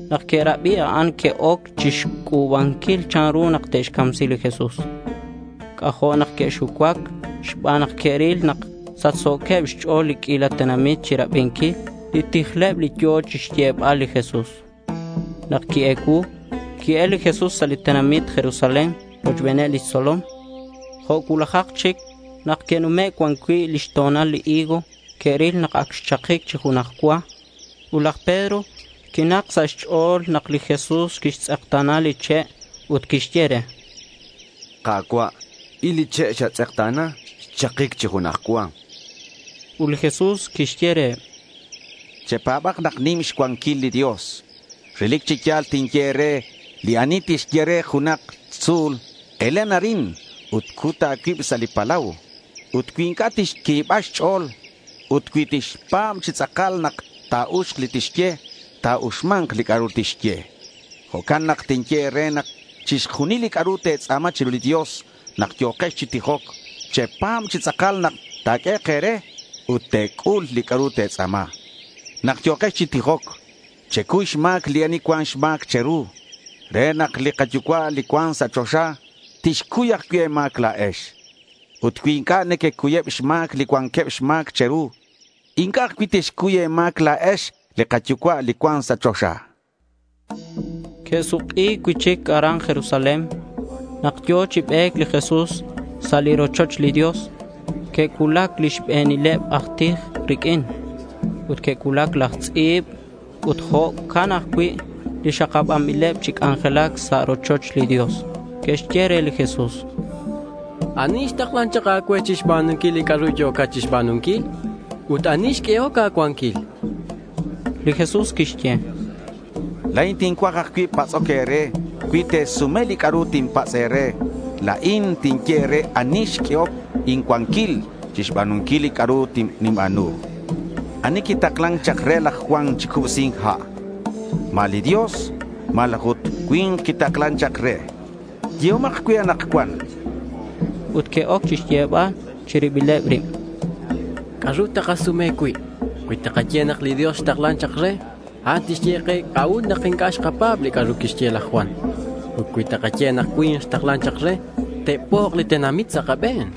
nak que'rabi a'an que'oc chixc'u̱banquil chanru nak te'xcamsi li Jesús. C'ajo' nak que'xucuac xban nak que'ril nak sachso̱queb xch'o̱l li q'uila tenamit chirabinquil li tijleb li yo̱ chixyebal li Jesús. Nak qui-ecuu, qui-el li Jesús sa' li tenamit Jerusalén rochbeneb lix tzolom. Jo' cuulajak chic nak que'nume' cuan cui' lix to̱nal li higo, que'ril nak ac xchakic chi junaj cua. Ut laj Pedro quinak sa' xch'o̱l nak li Jesús quixtz'ekta̱na li che' ut quixye re: —Ka̱cua', il li che' xatz'ekta̱na, xchakic chi junaj cua. Ut li Jesús quixye reheb: —Chepa̱bak nak nim xcuanquil li Dios. Relic chi ya̱l tinye e̱re, li ani tixye re junak tzu̱l, elen arin ut cut a̱cuib sa' li palau. Ut cui inc'a' tixqui̱ba xch'o̱l ut cui tixpa̱b chi tz'akal nak ta̱uxk li tixye, ta̱uxma̱nk li c'a'ru tixye. Jo'can nak tinye e̱re nak chixjunil li c'a'ru te̱tz'a̱ma chiru li Dios nak yo̱kex chi tijoc, chepa̱b chi tz'akal nak ta̱q'uehek' e̱re ut te̱c'ul li c'a'ru te̱tz'a̱ma. Nak yo̱kex chi tijoc, checuy xma̱c li ani cuan xma̱c che̱ru re nak li kaYucua' li cuan sa' choxa tixcuy ajcui' e̱ma̱c la̱ex. Ut cui inc'a' nequecuyeb xma̱c li cuanqueb xma̱c che̱ru, inc'a' ajcui' tixcuy e̱ma̱c la̱ex li kaYucua' li cuan sa' choxa. Que'suk'i cui'chic aran Jerusalén. Nak yo̱ chi be̱c li Jesús sa' li rochoch li Dios, que'cuulac li xbe̱nileb aj tij riq'uin. Ut que'cuulac laj tz'i̱b ut jo'can ajcui' li xakabanbileb chi c'anjelac sa' rochoch li Dios. Que'xye re li Jesús: —¿Ani xtaklan chak a̱cue chixba̱nunquil li c'a'ru yo̱cat chixba̱nunquil? Ut ¿ani xq'uehoc a̱cuanquil? Li Jesús quixye: —La̱in tincuaj ajcui' patz'oc e̱re. Cui te̱sume li c'a'ru tinpatz' e̱re, la̱in tinye e̱re ani xq'uehoc incuanquil chixba̱nunquil li c'a'ru ninba̱nu. ¿Ani quitaklan chak re laj Juan chi cubsi̱nc ha'? ¿Ma li Dios malaj ut cui̱nk quitaklan chak re? Yehomak cue anakcuan. Ut que'oc chixyebal chi ribileb rib: —¿C'a'ru takasume cui'? Cui takaye nak li Dios xtaklan chak re, a'an tixye ke c'a'ut nak inc'a' xkapa̱b li c'a'ru quixye laj Juan. Ut cui takaye nak cui̱nk xtaklan chak re, te'pok' li tenamit sa' kabe̱n.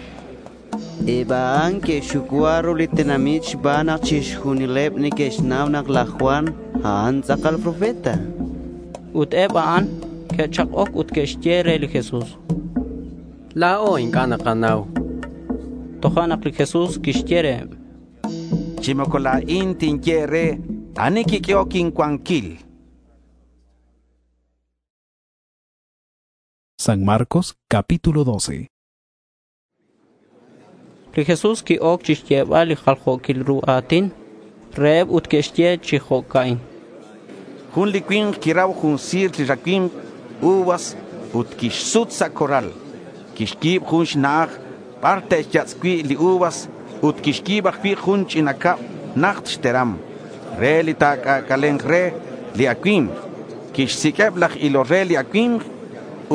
Eb a'an que'xxucua ru li tenamit xban nak chixjunileb neque'xnau nak laj Juan, a'an tz'akal profeta. Ut eb a'an que'chak'oc ut que'xye re li Jesús: —La̱o inc'a' nakanau. Tojo'nak li Jesús quixye reheb: —Chi moco la̱in tinye e̱re ani quiq'uehoc incuanquil. San Marcos capítulo doce. Li Jesús qui-oc chixyebal li jaljo̱quil ru a̱tin reheb ut quixye chi jo'ca'in: Jun li cui̱nk quirau jun si̱r li racui̱mk uvas ut quixsut sa' corral. Quixyi̱b jun xna'aj bar te'xyatz' cui' li uvas ut quixyi̱b ajcui' jun ch'ina cab najt xteram re li ta̱c'ac'ale̱nk re li acui̱mk. Quixsiq'ueb laj ilol re li acui̱mk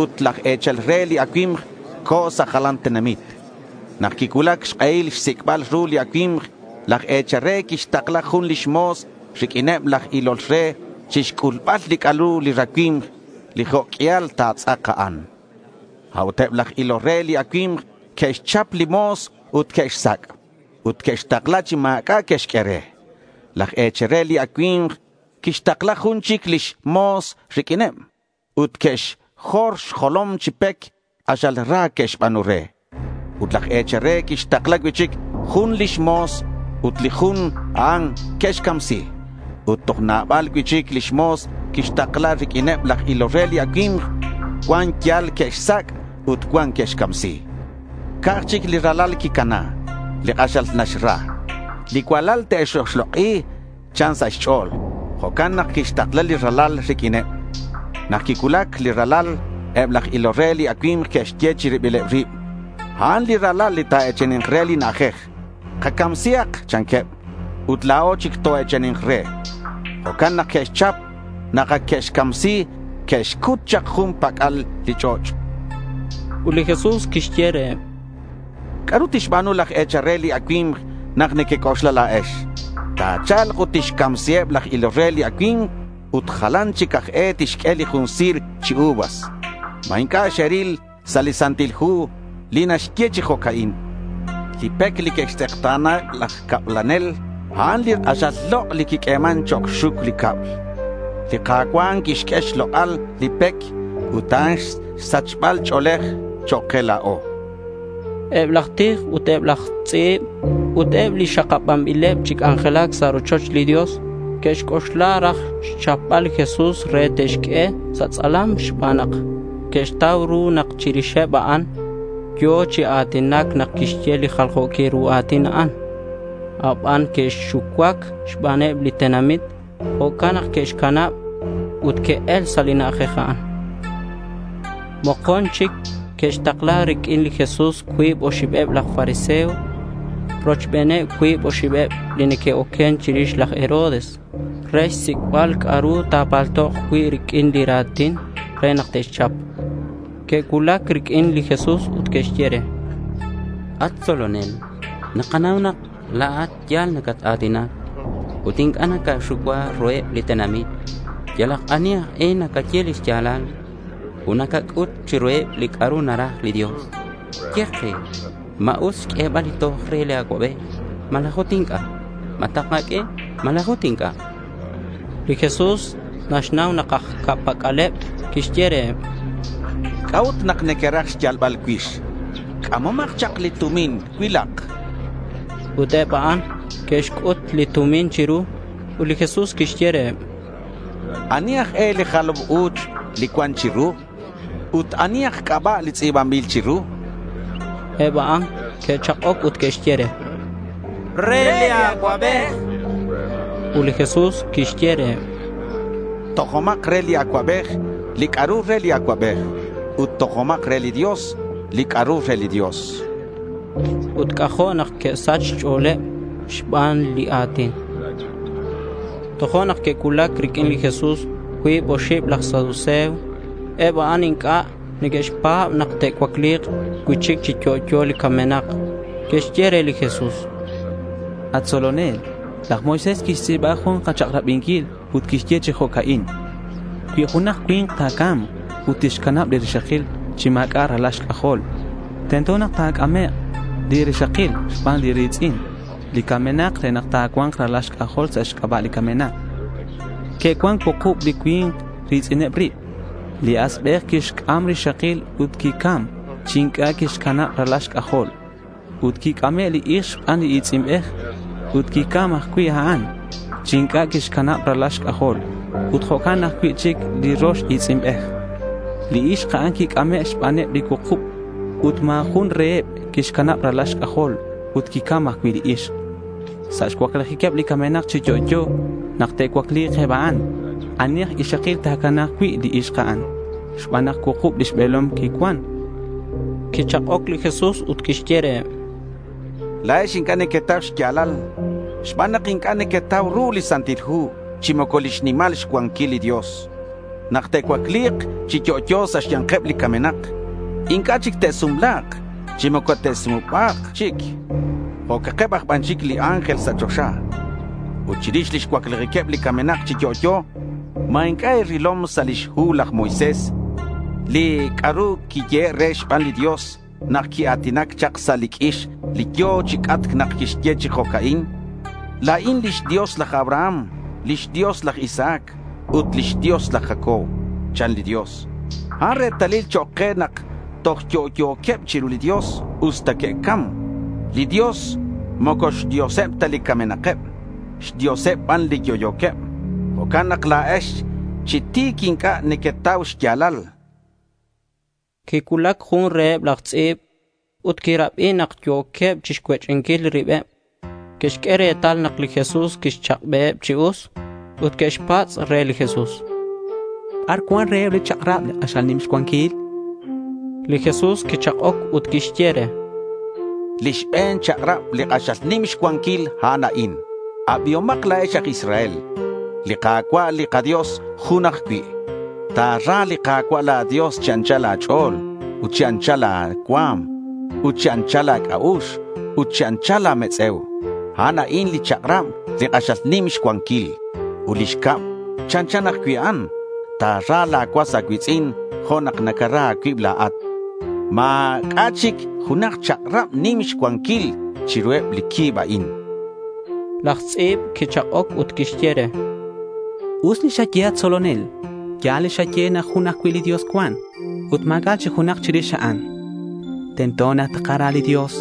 ut laj e̱chal re li acui̱mk co̱ sa' jalan tenamit. Nak quicuulac xk'ehil xsic'bal ru li acui̱mk, laj e̱chal re quixtakla jun lix mo̱s riq'uineb laj ilol re chixc'ulbal li c'a'ru li racui̱mk li jo' q'uial ta̱tz'ak a'an. A'ut eb laj ilol re li acui̱mk que'xchap li mo̱s ut que'xsac' ut que'xtakla chi ma̱c'a' que'xq'ue re. Laj e̱chal re li acui̱mk quixtakla jun chic lix mo̱s riq'uineb ut que'xjor xjolom chi pec. K'axal ra que'xba̱nu re. Ut laj e̱chal re quixtakla cui'chic jun lix mo̱s ut li jun a'an que'xcamsi. Ut toj nabal cui'chic lix mo̱s quixtakla riq'uineb laj ilol re li acui̱mk. Cuan yal que'xsac' ut cuan que'xcamsi. Ca'aj chic li ralal quicana, li k'axal naxra. Li cualal te'xoxlok'i, chan sa' xch'o̱l. Jo'can nak quixtakla li ralal riq'uineb. Nak quicuulac li ralal, eb laj ilol re li acui̱mk que'xye chi ribileb rib: A'an li ralal li ta̱e̱chani̱nk re li na'ajej. Kacamsihak, chanqueb, ut la̱o chic toe̱chani̱nk re. Jo'can nak que'xchap. Nak ac que'xcamsi, que'xcut chak jun pac'al li ch'och'. Ut li Jesús quixye reheb: —¿C'a'ru tixba̱nu laj e̱chal re li acui̱mk nak nequec'oxla la̱ex? Ta̱cha̱lk ut tixcamsiheb laj ilol re li acui̱mk ut jalan chic aj e tixq'ue li jun si̱r chi uvas. ¿Ma inc'a' xeril sa' li Santil Hu li naxye chi jo'ca'in? Li pec li que'xtz'ekta̱na laj cablanel, a'an li k'axal lok' li quiq'ueman chok' xxuc li cab. Li Ka̱cua' quixq'ue xlok'al li pec ut a'an xsachbal ch'o̱lej chok' ke la̱o. Eb laj tij ut eb laj tz'i̱b ut eb li xakabanbileb chi c'anjelac sa' rochoch li Dios que'xc'oxla raj xchapbal li Jesús re te'xq'ue sa' tz'alam xban nak que'xtau ru nak chirixeb a'an yo̱ chi a̱tinac nak quixye li jaljo̱quil ru a̱tin a'an. Aban que'xucuac xbaneb li tenamit. Jo'can nak que'xcanab ut que'el sa' li na'ajej a'an. Mokon chic que'xtakla riq'uin li Jesús cuib oxibeb laj fariseo rochbeneb cuib oxibeb li neque'oquen chirix laj Herodes re xsic'bal c'a'ru ta̱paltok cui' riq'uin li ra̱tin re nak te'xchap. Que'cuulac riq'uin li Jesús ut que'xye re: —At tzolonel, nakanau nak la̱at ya̱l nacat-a̱tinac ut inc'a' nacaxucua ruheb li tenamit. Yalak ani aj e nacaye li xya̱lal ut nacac'ut chiruheb li c'a'ru naraj li Dios. Ye ke, ¿ma us xq'uebal li toj re li acuabej malaj ut inc'a'? Ma takaq'ue malaj ut inc'a'? Li Jesús naxnau nak aj ca'pac'aleb. Quixye reheb: —¿C'a'ut nak nequeraj xyalbal cuix? C'amomak chak li tumin cuilak. Ut eb a'an que'xc'ut li tumin chiru. Ut li Jesús quixye reheb: —¿Ani aj e li jalam u̱ch li cuan chiru? Ut ani aj c'aba' li tz'i̱banbil chiru? Eb a'an que'chak'oc ut que'xye re: —Re li acuabej. Ut li Jesús quixye reheb: —Tojomak re li acuabej li c'a'ru re li acuabej ut tojomak re li Dios li c'a'ru re li Dios. Ut c'ajo' nak que'sach xch'o̱leb xban li a̱tin. Tojo'nak que'cuulac riq'uin li Jesús cuib oxib laj saduceo. Eb a'an inc'a' neque'xpa̱b nak te'cuacli̱k cui'chic chi yo'yo li camenak. Que'xye re li Jesús: At tzolonel, laj Moisés quixtz'i̱ba jun kachak'rabinquil ut quixye chi jo'ca'in: Cui junak cui̱nk ta̱ca̱mk ut tixcanab li rixakil chi ma̱c'a' ralal xc'ajol, tento nak ta̱c'amek' li rixakil xban li ri̱tz'in li camenak re nak ta̱cua̱nk ralal xc'ajol sa' xc'aba' li camenak. Que'cuan cuukub li cui̱nk ri̱tz'ineb rib. Li asbej quixc'am rixakil ut quicam chi inc'a' quixcanab ralal xc'ajol. Ut quic'ame' li ixk xban li i̱tz'inbej ut quicam ajcui' a'an chi inc'a' quixcanab ralal xc'ajol. Ut jo'can ajcui' chic li rox i̱tz'inbej. Li ixk a'an quic'ame' xbaneb li cuukub ut ma̱ jun reheb quixcanab ralal xc'ajol ut quicam ajcui' li ixk. Sa' xcuaclijiqueb li camenak chi yo'yo nak te'cuacli̱k eb a'an, ¿ani aj ixakil ta̱cana̱k cui' li ixk a'an? Xban nak cuukub lix be̱lom quicuan. Quichak'oc li Jesús ut quixye reheb: —La̱ex inc'a' nequetau xya̱lal xban nak inc'a' nequetau ru li Santil Hu chi moco lix nimal xcuanquil li Dios. Nak te'cuacli̱k chi yo'yo sa' xya̱nkeb li camenak, inc'a' chic te'sumla̱k chi moco te'sumuba̱k chic. Jo'cakeb aj ban chic li ángel sa' choxa. Ut chirix lix cuaclijiqueb li camenak chi yo'yo, ¿ma inc'a' e̱rilom sa' lix hu laj Moisés li c'a'ru quiyehe' re xban li Dios nak quia̱tinac chak sa' li q'uix li yo̱ chi c'atc nak quixye chi jo'ca'in? La̱in lix Dios laj Abraham, lix Dios laj Isaac ut lix Dios laj Jacob, chan li Dios. A'an retalil chok' ke nak toj yo'yo̱queb chiru li Dios usta que'cam. Li Dios moco xDioseb ta li camenakeb, xDioseb ban li yo'yo̱queb. Jo'can nak la̱ex chi ti̱c inc'a' nequetau xya̱lal. Quicuulac jun reheb laj tz'i̱b ut quirabi nak yo̱queb chixcuech'inquil ribeb. Que'xq'ue retal nak li Jesús quixchak'beheb chi us ut que'xpatz' re li Jesús: ¿Bar cuan reheb li chak'rab li k'axal nim xcuanquil? Li Jesús quichak'oc ut quixye re: Li xbe̱n chak'rab li k'axal nim xcuanquil, a'an a'in: Abihomak la̱ex aj Israel. Li Ka̱cua' li kaDios jun ajcui'. Ta̱ra li Ka̱cua' la̱ Dios chi anchal a̱ch'o̱l ut chi anchal la̱ cua̱m ut chi anchal la̱ c'a'ux ut chi anchal la̱ metz'e̱u. A'an a'in li chak'rab li k'axal nim xcuanquil. Ut li xcab chanchan ajcui' a'an. Ta̱ra la̱ cuas a̱cui̱tz'in jo' nak nacara a̱cuib la̱at. Ma̱c'a' chic junak chak'rab nim xcuanquil chiruheb li cuib a'in. Laj tz'i̱b quichak'oc ut quixye re: Us li xaye, at tzolonel. Ya̱l li xaye nak jun ajcui' li Dios cuan ut ma̱c'a' chic junak chirix a'an. Tento nak takara li Dios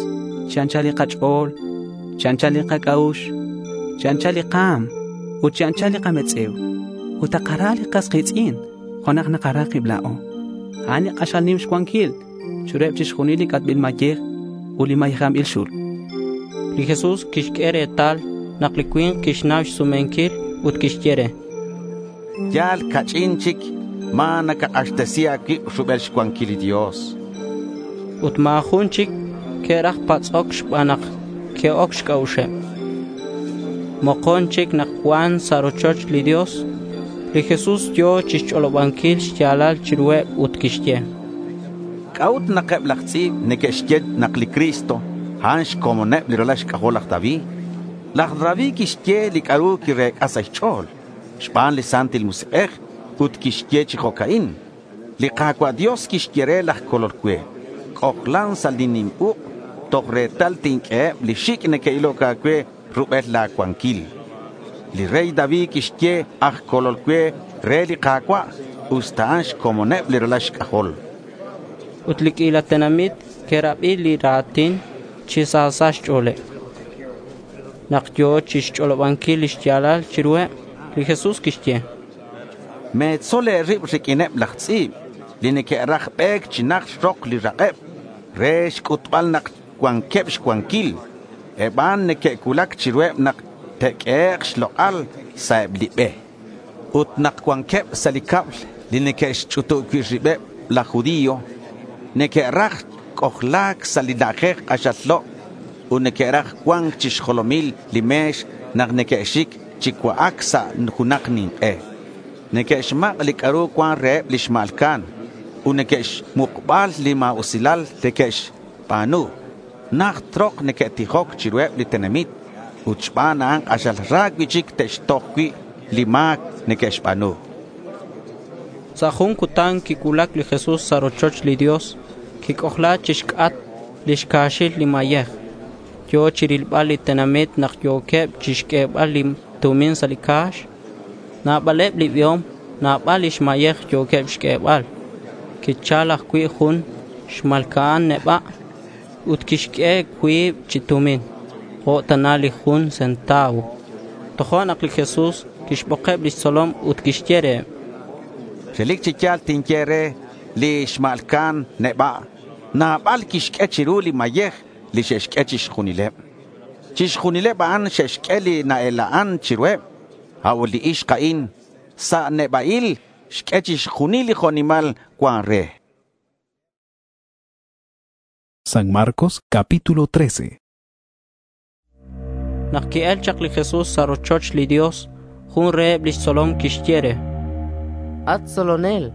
chi anchal li kach'o̱l, chi anchal li kac'a'ux, chi anchal li ka̱m ut chi anchal li kametz'e̱u. Ut takara li kas ki̱tz'in jo' nak nakara kib la̱o. A'an li k'axal nim xcuanquil chiruheb chixjunil li c'atbil mayej ut li mayejanbil xul. Li Jesús quixq'ue retal nak li cui̱nk quixnau xsumenquil ut quixye re: Yal ca'ch'in chic ma̱ nacak'axtesi a̱cuib rubel xcuanquil li Dios. Ut ma̱ jun chic que'raj patz'oc xban nak que'oc xc'a'uxeb. Mokon chic nak cuan sa' rochoch li Dios, li Jesús yo̱ chixch'olobanquil xya̱lal chiruheb ut quixye: ¿C'a'ut nak eb laj tz'i̱b neque'xye nak li Cristo, a'an xcomoneb li ralal xc'ajol laj David? Laj David quixye li c'a'ru quirec'a sa' xch'o̱l xban li Santil Musik'ej ut quixye chi jo'ca'in: Li Ka̱cua' Dios quixye re laj Colol cue, C'ojlan sa' li nim uk' toj retal tinq'ueheb li xic' neque'iloc a̱cue rubel la̱ cuanquil. Li rey David quixye aj Colol cue re li Ka̱cua' usta a'an xcomoneb li ralal xc'ajol. Ut li q'uila tenamit que'rabi li ra̱tin chi sa sa' xch'o̱leb. Nak yo̱ chixch'olobanquil li xya̱lal chiruheb, li Jesús quixye: Me̱tzol e̱rib riq'uineb laj tz'i̱b li neque'raj be̱c chi najt rok li rak'eb re xc'utbal nak cuanqueb xcuanquil. Eb a'an neque'cuulac chiruheb nak te'q'uehek' xlok'al sa' eb li be. Ut nak cuanqueb sa' li cab li neque'xch'utub cui' ribeb laj judío, neque'raj c'ojla̱c sa' li na'ajej k'axal lok' ut neque'raj cua̱nc chi xjolomil li me̱x nak neque'xic chi cua'ac sa' junak nink'e. Neque'xmak' li c'a'ru cuan reheb li xma̱lca'an ut neque'xmukbal li ma̱usilal neque'xba̱nu. Najt rok neque'tijoc chiruheb li tenamit ut xban a'an k'axal ra cui'chic te'xtoj cui' li ma̱c neque'xba̱nu. Sa' jun cutan quicuulac li Jesús sa' rochoch li Dios. Quic'ojla chixc'atk lix ca̱xil li mayej. Yo̱ chirilbal li tenamit nak yo̱queb chixq'uebal li tumin sa' li ca̱x. Nabaleb li biom nabal lix mayej yo̱queb xq'uebal. Quichal ajcui' jun xma̱lca'an neba' ut quixq'ue cuib chi tumin, jo' tana li jun centavo. Tojo'nak li Jesús quixbokeb lix tzolom ut quixye reheb: Relic chi ya̱l tinye e̱re li xma̱lca'an neba' nabal quixq'ue chiru li mayej li xe'xq'ue chixjunileb. Chixjunileb a'an xe'xq'ue li na-ela'an chiruheb. A'ut li ixk a'in sa' neba'il xq'ue chixjunil li jo' nimal cuan re. San Marcos capítulo trece. Nak ki'el chak li Jesús sa' rochoch li Dios, jun reheb lix tzolom quixye re: At tzolonel,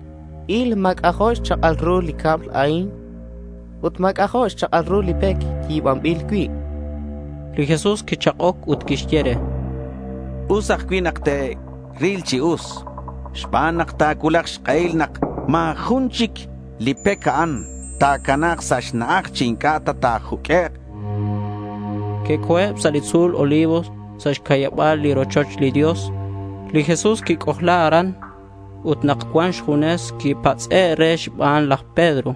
il ma̱c'ajo' xchak'al ru li cab a'in ut ma̱c'ajo' xchak'al ru li pec yi̱banbil cui'. Li Jesús quichak'oc ut quixye re: Us ajcui' nak te'ril chi us, xban nak ta̱cuulak xk'ehil nak ma̱ jun chic li pec a'an ta̱cana̱k sa' xna'aj chi inc'a' ta ta̱juq'uek'. Que'co̱eb sa' li tzu̱l Olivos sa' xcayaba̱l li rochoch li Dios. Li Jesús quic'ojla aran ut nak cuan xjunes quipatz'e' re xban laj Pedro,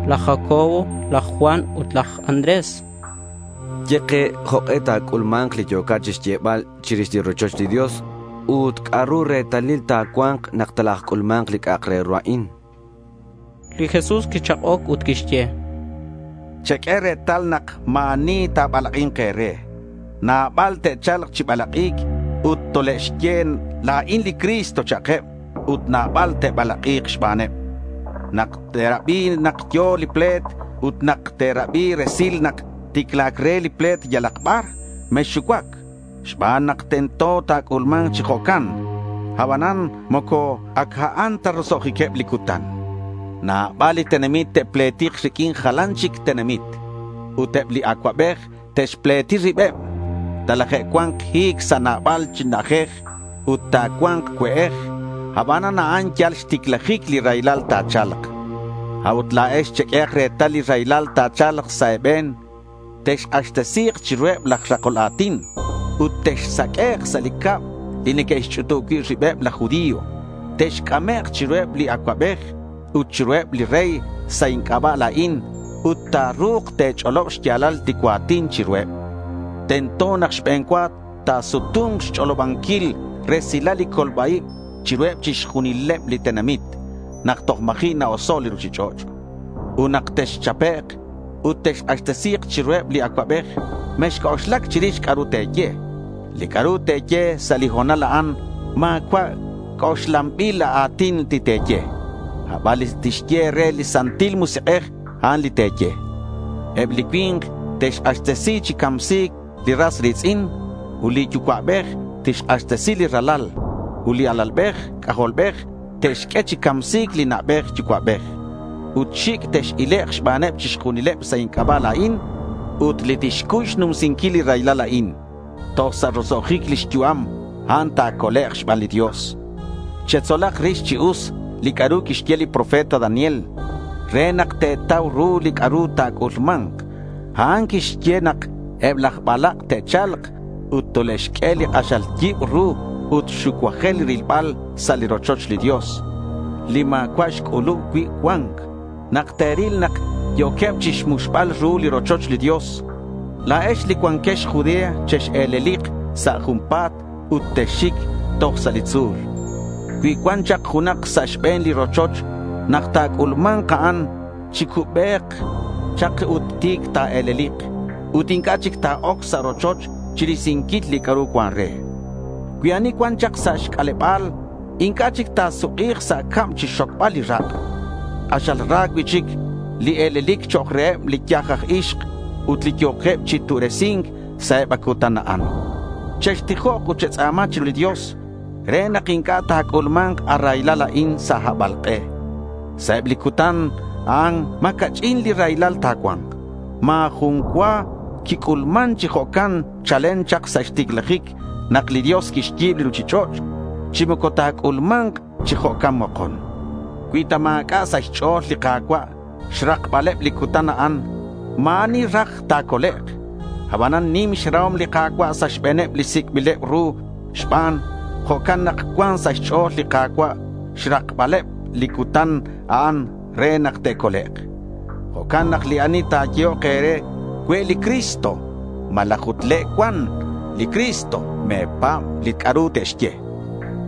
laj Jacobo, laj Juan ut laj Andrés. Ye ke jok'e ta̱c'ulma̱nk li yo̱cat chixyebal chirix li rochoch li Dios ut c'a'ru retalil ta̱cua̱nk nak talajc'ulma̱nk li c'a'ak re ru a'in. Li Jesús quichak'oc ut quixye: Cheq'ue retal nak ma̱ ani ta̱balak'i̱nk e̱re. Nabal te'cha̱lk chi balak'ic ut tole'xye la̱in li Cristo cha'keb ut nabal te'balak'i̱k xbaneb. Nak te'rabi nak yo̱ li ple̱t ut nak te'rabi resil nak ticla̱c re li ple̱t yalak bar, mexxucuac xban nak tento ta̱c'ulma̱nk chi jo'can. Abanan moco ac a'an ta roso'jiqueb li cutan. Nabal li tenamit te'pletik riq'uin jalan chic tenamit. Ut eb li acuabej te'xpleti ribeb. Talaje'cua̱nk hi̱c sa' nabal chi na'ajej ut ta̱cua̱nk cue'ej. Abanan a'an yal xticlajic li raylal ta̱cha̱lk. A'ut la̱ex cheq'uehak retal li raylal ta̱cha̱lk sa' e̱be̱n. Texk'axtesi̱k chiruheb laj rakol a̱tin ut texsaq'uek' sa' li cab li neque'xch'utub cui' ribeb laj judío. Texc'amek' chiruheb li acuabej ut chiruheb li rey sa' inc'aba' la̱in ut ta̱ru̱k te̱ch'olob xya̱lal li cua̱tin chiruheb. Tento nak xbe̱n cua ta̱sutu̱nk xch'olobanquil resilal li colba-ib chiruheb chixjunileb li tenamit nak toj ma̱ji' na-oso' li ruchich'och'. Ut nak texchapek' ut texk'axtesi̱k chiruheb li acuabej, mexc'oxlac chirix c'a'ru te̱ye. Li c'a'ru te̱ye sa' li ho̱nal a'an ma̱cua' c'oxlanbil a̱tin li te̱ye. Aban li tixye re li Santil Musik'ej, a'an li te̱ye. Eb li cui̱nk te'xk'axtesi chi camsi̱c li ras ri̱tz'in ut li yucua'bej tixk'axtesi li ralal ut li alalbej c'ajolbej te'xq'ue chi camsi̱c li na'bej yucua'bej. Ut xic' tex-ilek' xbaneb chixjunileb sa' inc'aba' la̱in ut li tixcuy xnumsinquil li raylal a'in toj sa' roso'jic lix yu'am, a'an ta̱colek' xban li Dios. Chetzolak rix chi us li c'a'ru quixye li profeta Daniel re nak te̱tau ru li c'a'ru ta̱c'ulma̱nk. A'an quixye nak eb laj balak' te'cha̱lk Ut tole'xq'ue li k'axal yib ru ut xucuajel rilbal sa' li rochoch li Dios, li ma̱cua' xc'ulub cui' cua̱nc. Nak te̱ril nak yo̱queb chixmuxbal ru li rochoch li Dios, la̱ex li cuanquex Judea chex-e̱lelik sa' junpa̱t ut texxic toj sa' li tzu̱l. Cui cuan chak junak sa' xbe̱n li rochoch nak ta̱c'ulma̱nk a'an, chicube̱k chak ut ti̱c ta̱e̱lelik. Ut inc'a' chic ta̱oc sa' rochoch chirisinquil li c'a'ru cuan re. Cui ani cuan chak sa' xc'aleba̱l, inc'a' chic ta̱suk'i̱k sa' cab chixxocbal li rak'. K'axal ra cui'chic li e̱lelic chok' reheb li yaj aj ixk ut li yo̱keb chi tu'resi̱nc sa' eb a cutan a'an. Chextijok ut chetz'a̱ma chiru li Dios re nak inc'a' ta̱c'ulma̱nk a raylal a'in sa' habalk'e. Sa' eb li cutan a'an ma̱ ca'ch'in li raylal ta̱cua̱nk. Ma̱ jun cua quic'ulman chi jo'can chalen chak sa' xticlajic nak li Dios quixyi̱b li ruchich'och' chi moco ta̱c'ulma̱nk chi jo'can mokon. Cui ta ma̱c'a' sa' xch'o̱l li Ka̱cua' xrakbaleb li cutan a'an, ma̱ ani raj ta̱colek'. Abanan nim xrahom li Ka̱cua' sa' xbe̱neb li sic'bileb ru xban. Jo'can nak cuan sa' xch'o̱l li Ka̱cua' xrakbaleb li cutan a'an re nak te'colek'. Jo'can nak li ani ta̱yehok e̱re cue' li Cristo, malaj ut le' cuan li Cristo, me̱pa̱b li c'a'ru te'xye.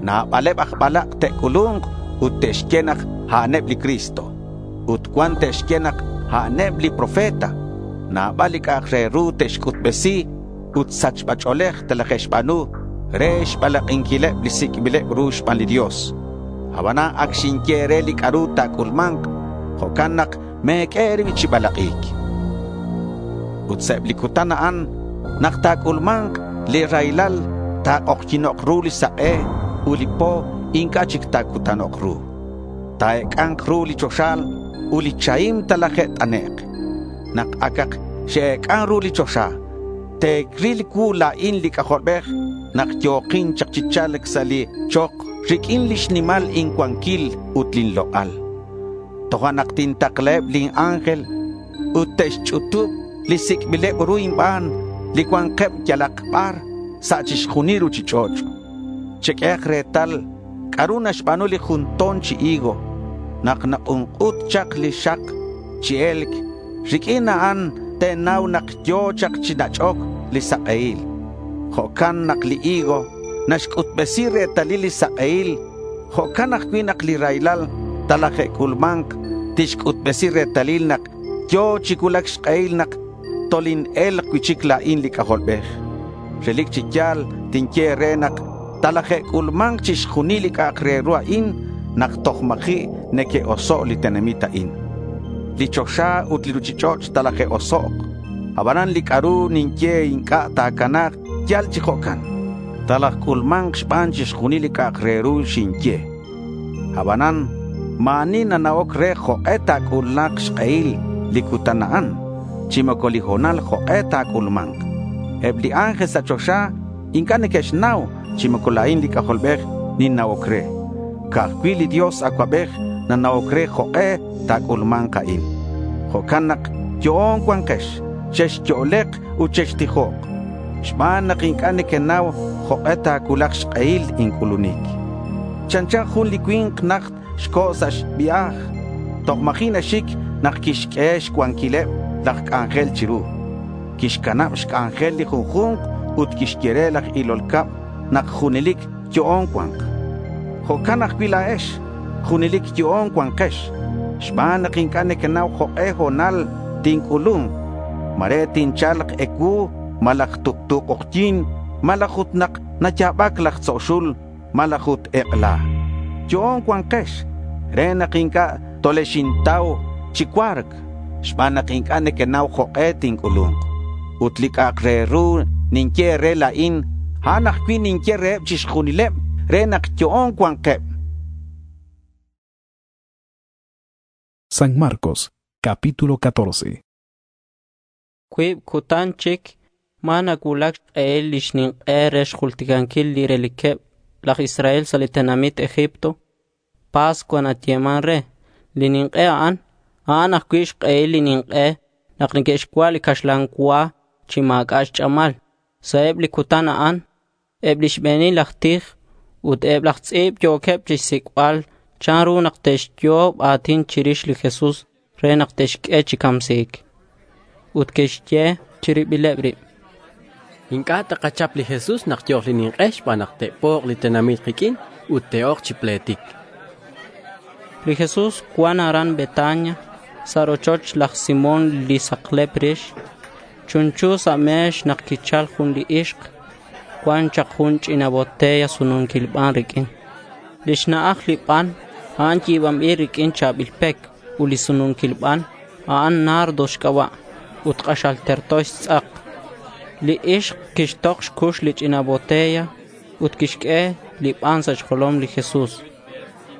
Nabaleb aj balak' te'c'ulu̱nk ut te'xye nak a'aneb li Cristo. Ut cuan te'xye nak a'aneb li profeta. Nabal li c'a'ak re ru te'xc'utbesi ut sachba ch'o̱lej telaje'xba̱nu re xbalak'inquileb li sic'bileb ru xban li Dios. Abanan ac xinye re li c'a'ru ta̱c'ulma̱nk. Jo'can nak me̱q'ue e̱rib chi balak'i̱c. Ut sa' eb li cutan a'an nak ta̱c'ulma̱nk li raylal ta̱k'ojyi̱nok ru li sak'e ut li po inc'a' chic ta̱cutanok ru. Ta̱ec'a̱nk ru li choxal ut li chahim talaje't'anek'. Nak acak xe'ec'an ru li choxa, te̱ril cuu la̱in li C'ajolbej nak yo̱kin chak chi cha̱lc sa' li chok riq'uin lix nimal incuanquil ut lin lok'al. Tojo'nak tintaklaheb lin ángel ut te'xch'utub li sic'bileb ru inban li cua̱nkeb yalak bar sa' chixjunil ruchich'och'. Cheq'uehak retal c'a'ru naxba̱nu li jun to̱n chi higo nak nak'unk'ut chak li xak chi e̱lc. Riq'uin a'an te̱nau nak yo̱ chak chi nach'oc li sak'ehil. Jo'can nak li higo naxc'utbesi retalil li sak'ehil. Jo'can ajcui' nak li raylal talaje'c'ulma̱nk tixc'utbesi retalil nak yo̱ chi cuulac xk'ehil nak tolin-e̱lk cui'chic la̱in li C'ajolbej. Relic chi ya̱l tinye re nak talaje'c'ulma̱nk chixjunil li c'a'ak re ru a'in nak toj ma̱ji' neque'oso' li tenamit a'in. Li choxa ut li ruchich'och' talaje'osok'. Abanan li c'a'ru ninye inc'a' ta̱cana̱k yal chi jo'can. Talajc'ulma̱nk xban chixjunil li c'a'ak re ru xinye. Abanan ma̱ ani nana'oc re jok'e ta̱c'ulak xk'ehil li cutan a'an, chi moco li ho̱nal jok'e ta̱c'ulma̱nk. Eb li ángel sa' choxa inc'a' neque'xnau chi moco la̱in li C'ajolbej ninna'oc re. Ca'ajcui' li Dios Acuabej nana'oc re jok'e ta̱c'ulma̱nk a'in. Jo'can nak yo'on cuankex, chexyo'lek ut chextijok. Xban nak inc'a' nequenau jok'e ta̱cuulak xk'ehil inc'ulunic. Chanchan jun li cui̱nk najt xco' sa' xvia̱j. Toj ma̱ji' naxic nak quixq'ue xcuanquileb laj c'anjel chiru. Quixcanab xc'anjel li junju̱nk ut quixye re laj ilol cab nak junelic yo'on cua̱nk. Jo'can ajcui' la̱ex, junelic yo'on cuankex. Xban nak inc'a' nequenau jok'e ho̱nal tinc'ulu̱nk. Mare tincha̱lk ecuu, malaj tuktu k'ojyi̱n, malaj ut nak naya̱bac laj tzo' xul, malaj ut ek'ela. Yo'on cuankex re nak inc'a' tolexintau chi cua̱rc, xban nak inc'a' nequenau jok'e tinc'ulu̱nk. Ut li c'a'ak re ru ninye re la̱in, a'an ajcui' ninye reheb chixjunileb re nak yo'on cua̱nkeb. San Marcos, capítulo catorce. Cuib cutan chic ma nacuulac xk'ehil lix nink'e re xjulticanquil li reliqueb laj Israel sa' li tenamit Egipto. Pascua nayeman re. Li nink'e a'an, a'an ajcui' xk'ehil li nink'e nak neque'xcua' li caxlan cua chi ma̱c'a' xch'amal. Sa' eb li cutan a'an, eb li xbe̱nil laj tij ut eb laj tz'i̱b yo̱queb chixsic'bal chanru nak te'xyo'ob a̱tin chirix li Jesús re nak te'xq'ue chi camsi̱c. Ut que'xye chi ribileb rib: Inc'a' takachap li Jesús nak yo̱k li nink'e xban nak te'pok li tenamit kiq'uin ut te'ok chi pletic. Li Jesús cuan aran Betania sa' rochoch laj Simón li saklep rix. Chunchu sa' me̱x nak quichal jun li ixk. Cuan chak jun ch'ina botella sununquil ban riq'uin. Lix na'aj li ban, a'an yi̱banbil riq'uin cha̱bil pec ut li sununquil ban, a'an nardo xc'aba' ut k'axal terto xtz'ak. Li ixk quixtok xcux li ch'ina botella ut quixq'ue li ban sa' xjolom li Jesús.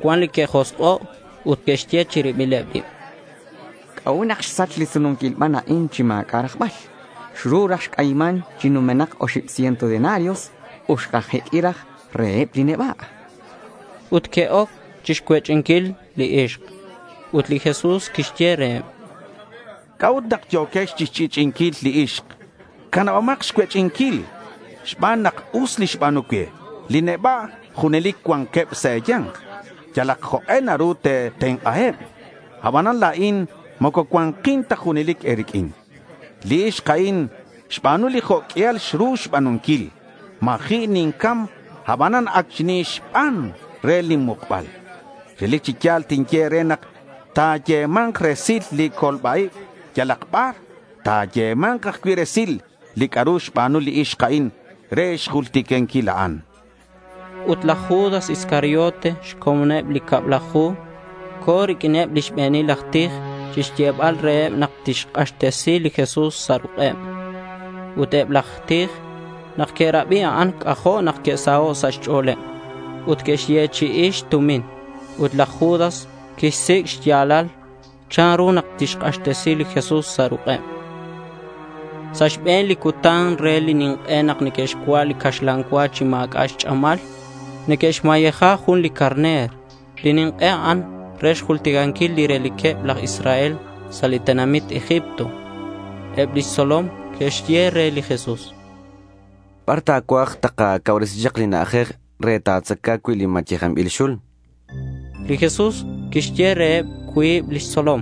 Cuan li que'josk'o' ut que'xye chi ribileb rib: C'a'ut nak xsach li sununquil ban a'in chi ma̱c'a' rajbal? Xru raj xc'ayiman chi numenak oxib ciento denarios ut xkajeq'ui raj reheb li neba'. Ut que'oc chixcuech'inquil li ixk. Ut li Jesús quixye reheb: C'a'ut nak yo̱quex chixch'i'ch'i'inquil li ixk? Canabomak xcuech'inquil xban nak us li xba̱nu cue. Li neba' junelic cuanqueb sa' e̱ya̱nk. Yalak jok'e naru te̱tenk'aheb. Abanan la̱in moco cua̱nkin ta junelic e̱riq'uin. Li ixk a'in xba̱nu li jo' q'uial xru xba̱nunquil. Ma̱ji' nincam, abanan ac xinixban re lin mukbal. Relic chi ya̱l tinye e̱re nak ta̱yema̱nk resil li colba-ib yalak bar. Ta̱yema̱nk ajcui' resil li c'a'ru xba̱nu li ixk a'in re xjulticanquil a'an. Ut laj Judas Iscariote, xcomoneb li cablaju, co̱ riq'uineb li xbe̱nil aj tij chixyebal reheb nak tixk'axtesi li Jesús sa' ruk'eb. Ut eb laj tij, nak que'rabi a'an, c'ajo' nak que'saho' sa' xch'o̱leb ut que'xyechi'i xtumin. Ut laj Judas quixsic' xya̱lal chanru nak tixk'axtesi li Jesús sa' ruk'eb. Sa' xbe̱n li cutan re li nink'e nak neque'xcua' li caxlan cua chi ma̱c'a' xch'amal, neque'xmayeja jun li carner. Li nink'e a'an re xjulticanquil li reliqueb laj Israel sa' li tenamit Egipto. Eb lix tzolom que'xye re li Jesús: Bar ta̱cuaj takacauresi chak li na'ajej re ta̱tzaca cui' li mayejanbil xul? Li Jesús quixye reheb cuib lix tzolom: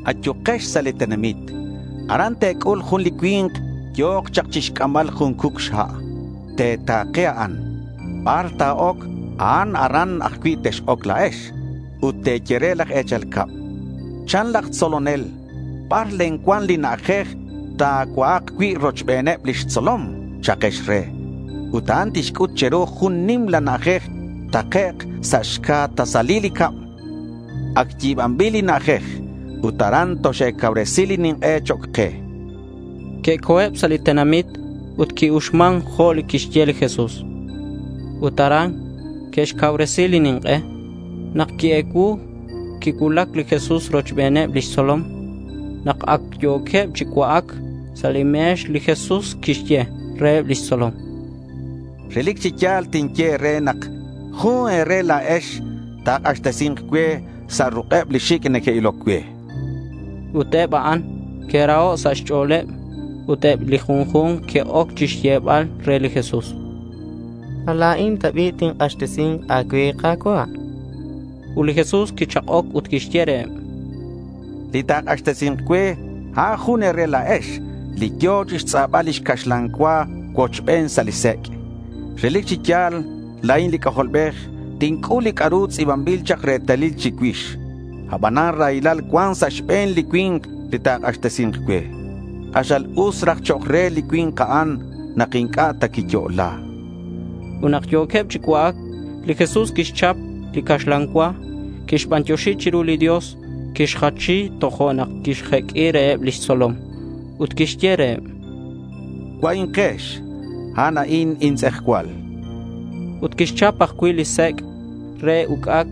Ayukex sa' li tenamit. Aran te̱c'ul jun li cui̱nk yo̱k chak chixc'ambal jun cuc xha'. Te̱ta̱ke a'an. Bar ta̱oc a'an aran ajcui' tex-oc la̱ex. Ut te̱ye re laj e̱chal cab, Chan laj tzolonel, ¿bar len cuan li na'ajej ta̱cua'ak cui' rochbeneb lix tzolom? Cha'kex re. Ut a'an tixc'ut che̱ru jun nimla na'ajej takec' sa' xca tasalil li cab. Ac yi̱banbil li na'ajej ut aran toxe̱cauresi li nink'e chok' ke. Que'co̱eb sa' li tenamit ut qui-uxman jo' li quixye li Jesús. Ut aran que'xcauresi li nink'e. Nak qui-ecuu, quicuulac li Jesús rochbeneb lix tzolom. Nak ac yo̱queb chi cua'ac sa' li me̱x, li Jesús quixye reheb lix tzolom: Relic chi ya̱l tinye e̱re nak jun e̱re la̱ex ta̱k'axtesi̱nk cue sa' ruk'eb li xic' neque'iloc cue. Ut eb a'an que'raho' sa' xch'o̱leb ut eb li junju̱nk que'oc chixyebal re li Jesús: ¿Ma la̱in ta bi' tink'axtesi̱nk a̱cue, Ka̱cua'? Ut li Jesús quichak'oc ut quixye reheb: Li ta̱k'axtesi̱nk cue, a'an jun e̱re la̱ex li yo̱ chixtz'abal lix caxlan cua cuochben sa' li sec'. Relic chi ya̱l, la̱in li C'ajolbej tinc'ul li c'a'ru tz'i̱banbil chak retalil chicuix. Abanan raylal cuan sa' xbe̱n li cui̱nk li ta̱k'axtesi̱nk cue. K'axal us raj chok' re li cui̱nk a'an nak inc'a' ta quiyo'la. Ut nak yo̱queb chi cua'ac, li Jesús quixchap li caxlan cua, quixbantioxi chiru li Dios, quixjachi tojo'nak quixjeq'ui reheb lix tzolom. Ut quixye reheb: —Cua'inkex. A'an a'in intz'ejcual. Ut quixchap ajcui' li sec' re uc'ac